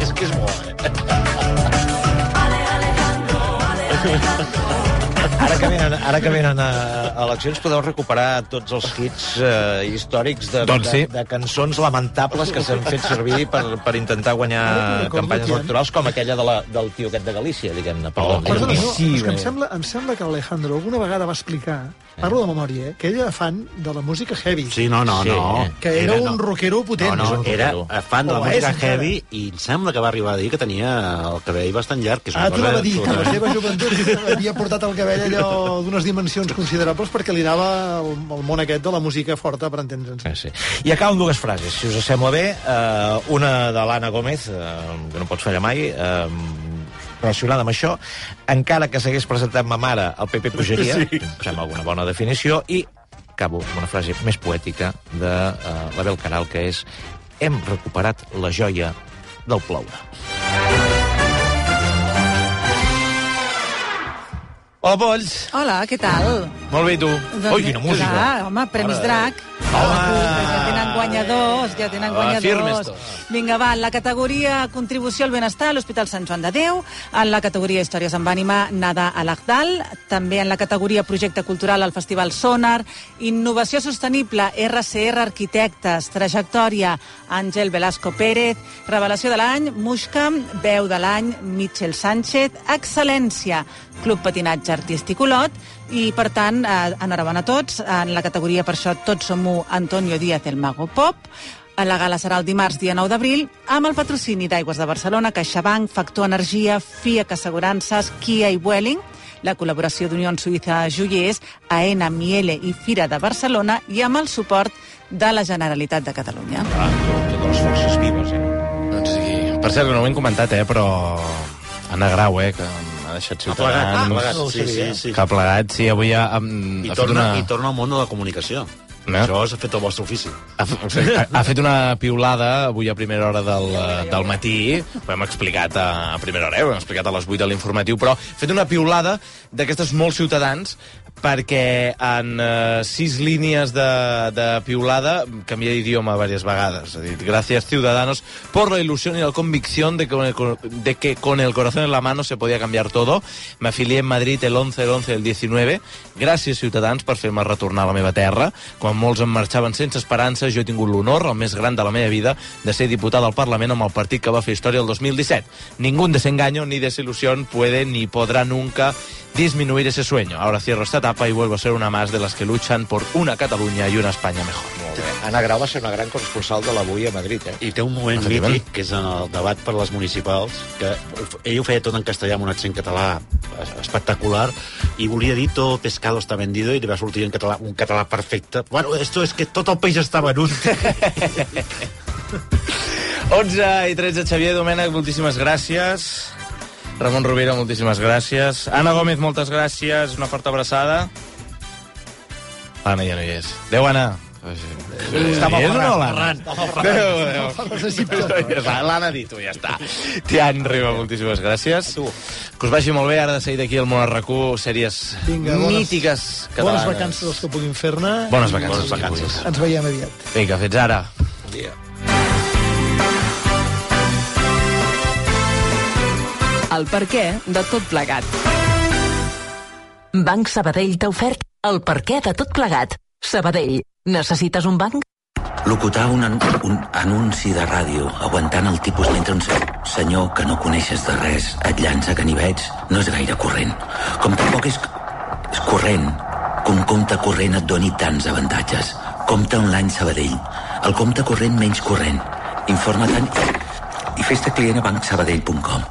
És que és bo, eh? Ara que venen, ara que venen a, a eleccions podeu recuperar tots els hits eh, històrics de, Doncs sí. de, de cançons lamentables que s'han fet servir per, per intentar guanyar campanyes electorals, com aquella de la, del tio aquest de Galícia, diguem-ne. Oh, perdona, no, sí, és que em sembla, em sembla que l'Alejandro alguna vegada va explicar, parlo de memòria, eh, que ell era fan de la música heavy. Sí, no, no, Sí. no. Que era, no. un rockero potent. No, no, era fan de la O música és, encara. heavy i em sembla que va arribar a dir que tenia el cabell bastant llarg, que és una Ah, tu cosa... anava a dir que a la absolutament- seva joventut havia portat el cabell allò d'unes dimensions considerables perquè li anava el, el món aquest de la música forta, per entendre'ns. Eh, sí. I acabo amb dues frases, si us sembla bé. Uh, una de l'Anna Gómez, uh, que no pots fallar mai, uh, relacionada amb això. Encara que s'hagués presentat ma mare, el P P pujaria. Sí. Em sembla alguna bona definició. I acabo amb una frase més poètica de uh, l'Abel Caral, que és: hem recuperat la joia del ploure. Hola, Polls. Hola, què tal? Molt bé, i tu? Doncs, Ui, quina música. Clar, home, Premis Mare de Drac. Home! Ja tenen guanyadors, ja tenen Ah, guanyadors. firmes tots. Vinga, va, en la categoria Contribució al Benestar a l'Hospital Sant Joan de Déu, en la categoria Històries amb ànima, Nada a l'Agdal, també en la categoria Projecte Cultural al Festival Sonar, Innovació Sostenible, R C R Arquitectes, Trajectòria, Àngel Velasco Pérez, Revelació de l'any, Muixca, Veu de l'any, Mitchell Sánchez, Excel·lència, Club Patinatge Artístic Olot, i, per tant, eh, enhorabona a tots. En la categoria, per això, Tots som u, Antonio Díaz, el Mago Pop. La gala serà el dimarts, dia nou d'abril, amb el patrocini d'Aigües de Barcelona, CaixaBank, Factor Energia, FIAC Assegurances, Kia i Vueling, la col·laboració d'Unió Suïssa Joiers, AENA, Miele i Fira de Barcelona, i amb el suport de la Generalitat de Catalunya. Ah, totes les forces vives, eh? Doncs sí. Per cert, que no ho hem comentat, eh, però Anna Grau, eh, que m'ha deixat Ciutadans. plegat, ha plegat, no ho sí, sabia. sí, sí. Que ha plegat, sí, avui ha, ha, I ha fet torna, una... I torna al món de la comunicació. No? Això s'ha fet el vostre ofici. Ha, ha, ha fet una piulada avui a primera hora del, del matí, ho hem explicat a, a primera hora, eh? Ho hem explicat a les vuit de l'informatiu, però ha fet una piulada d'aquestes molt Ciutadans, perquè en uh, sis línies de, de piulada canvia d'idioma diverses vegades. Ha dit, gracias, Ciudadanos, por la ilusión y la convicción de que, con el, de que con el corazón en la mano se podía cambiar todo. Me afilié en Madrid el once, el once del diecinueve. Gràcies, Ciutadans, per fer-me retornar a la meva terra. Quan molts em marxaven sense esperança, jo he tingut l'honor, el més gran de la meva vida, de ser diputada al Parlament amb el partit que va fer història el dos mil disset. Ningún desengaño ni desilusión puede ni podrà nunca disminuir ese sueño. Ahora cierro esta etapa y vuelvo a ser una más de las que luchan por una Cataluña y una España mejor. Anna Grau va ser una gran corresponsal de l'Avui a Madrid, eh? I té un moment mític, que és en el debat per les municipals, que ell ho feia tot en castellà amb un accent català espectacular, i volia dir todo pescado está vendido, i li va sortir en català, un català perfecte. Bueno, esto es que tot el peix està venut. onze i tretze, Xavier Domènech, moltíssimes gràcies. Ramon Rovira, moltíssimes gràcies. Anna Gómez, moltes gràcies. Una forta abraçada. L'Anna ja no hi és. Adéu, Anna. Està molt ferrant. L'Anna ha dit, ja està. Tian Riba, moltíssimes gràcies. Que us vagi molt bé. Ara de seguir d'aquí al Món Arracú, sèries Vinga, bones- mítiques catalanes. Bones vacances els que puguin fer-ne. Bones vacances. Bones vacances. Ens veiem aviat. Vinga, fins ara. Bon dia. El perquè de tot plegat. Banc Sabadell t'ha ofert el perquè de tot plegat. Sabadell, necessites un banc? Locutar un, an un anunci de ràdio aguantant el tipus mentre un senyor que no coneixes de res et llança ganivets no és gaire corrent. Com tampoc és, és corrent que un compte corrent et doni tants avantatges. Compte online Sabadell, el compte corrent menys corrent. Informa-te'n i fes-te client a banc sabadell punt com.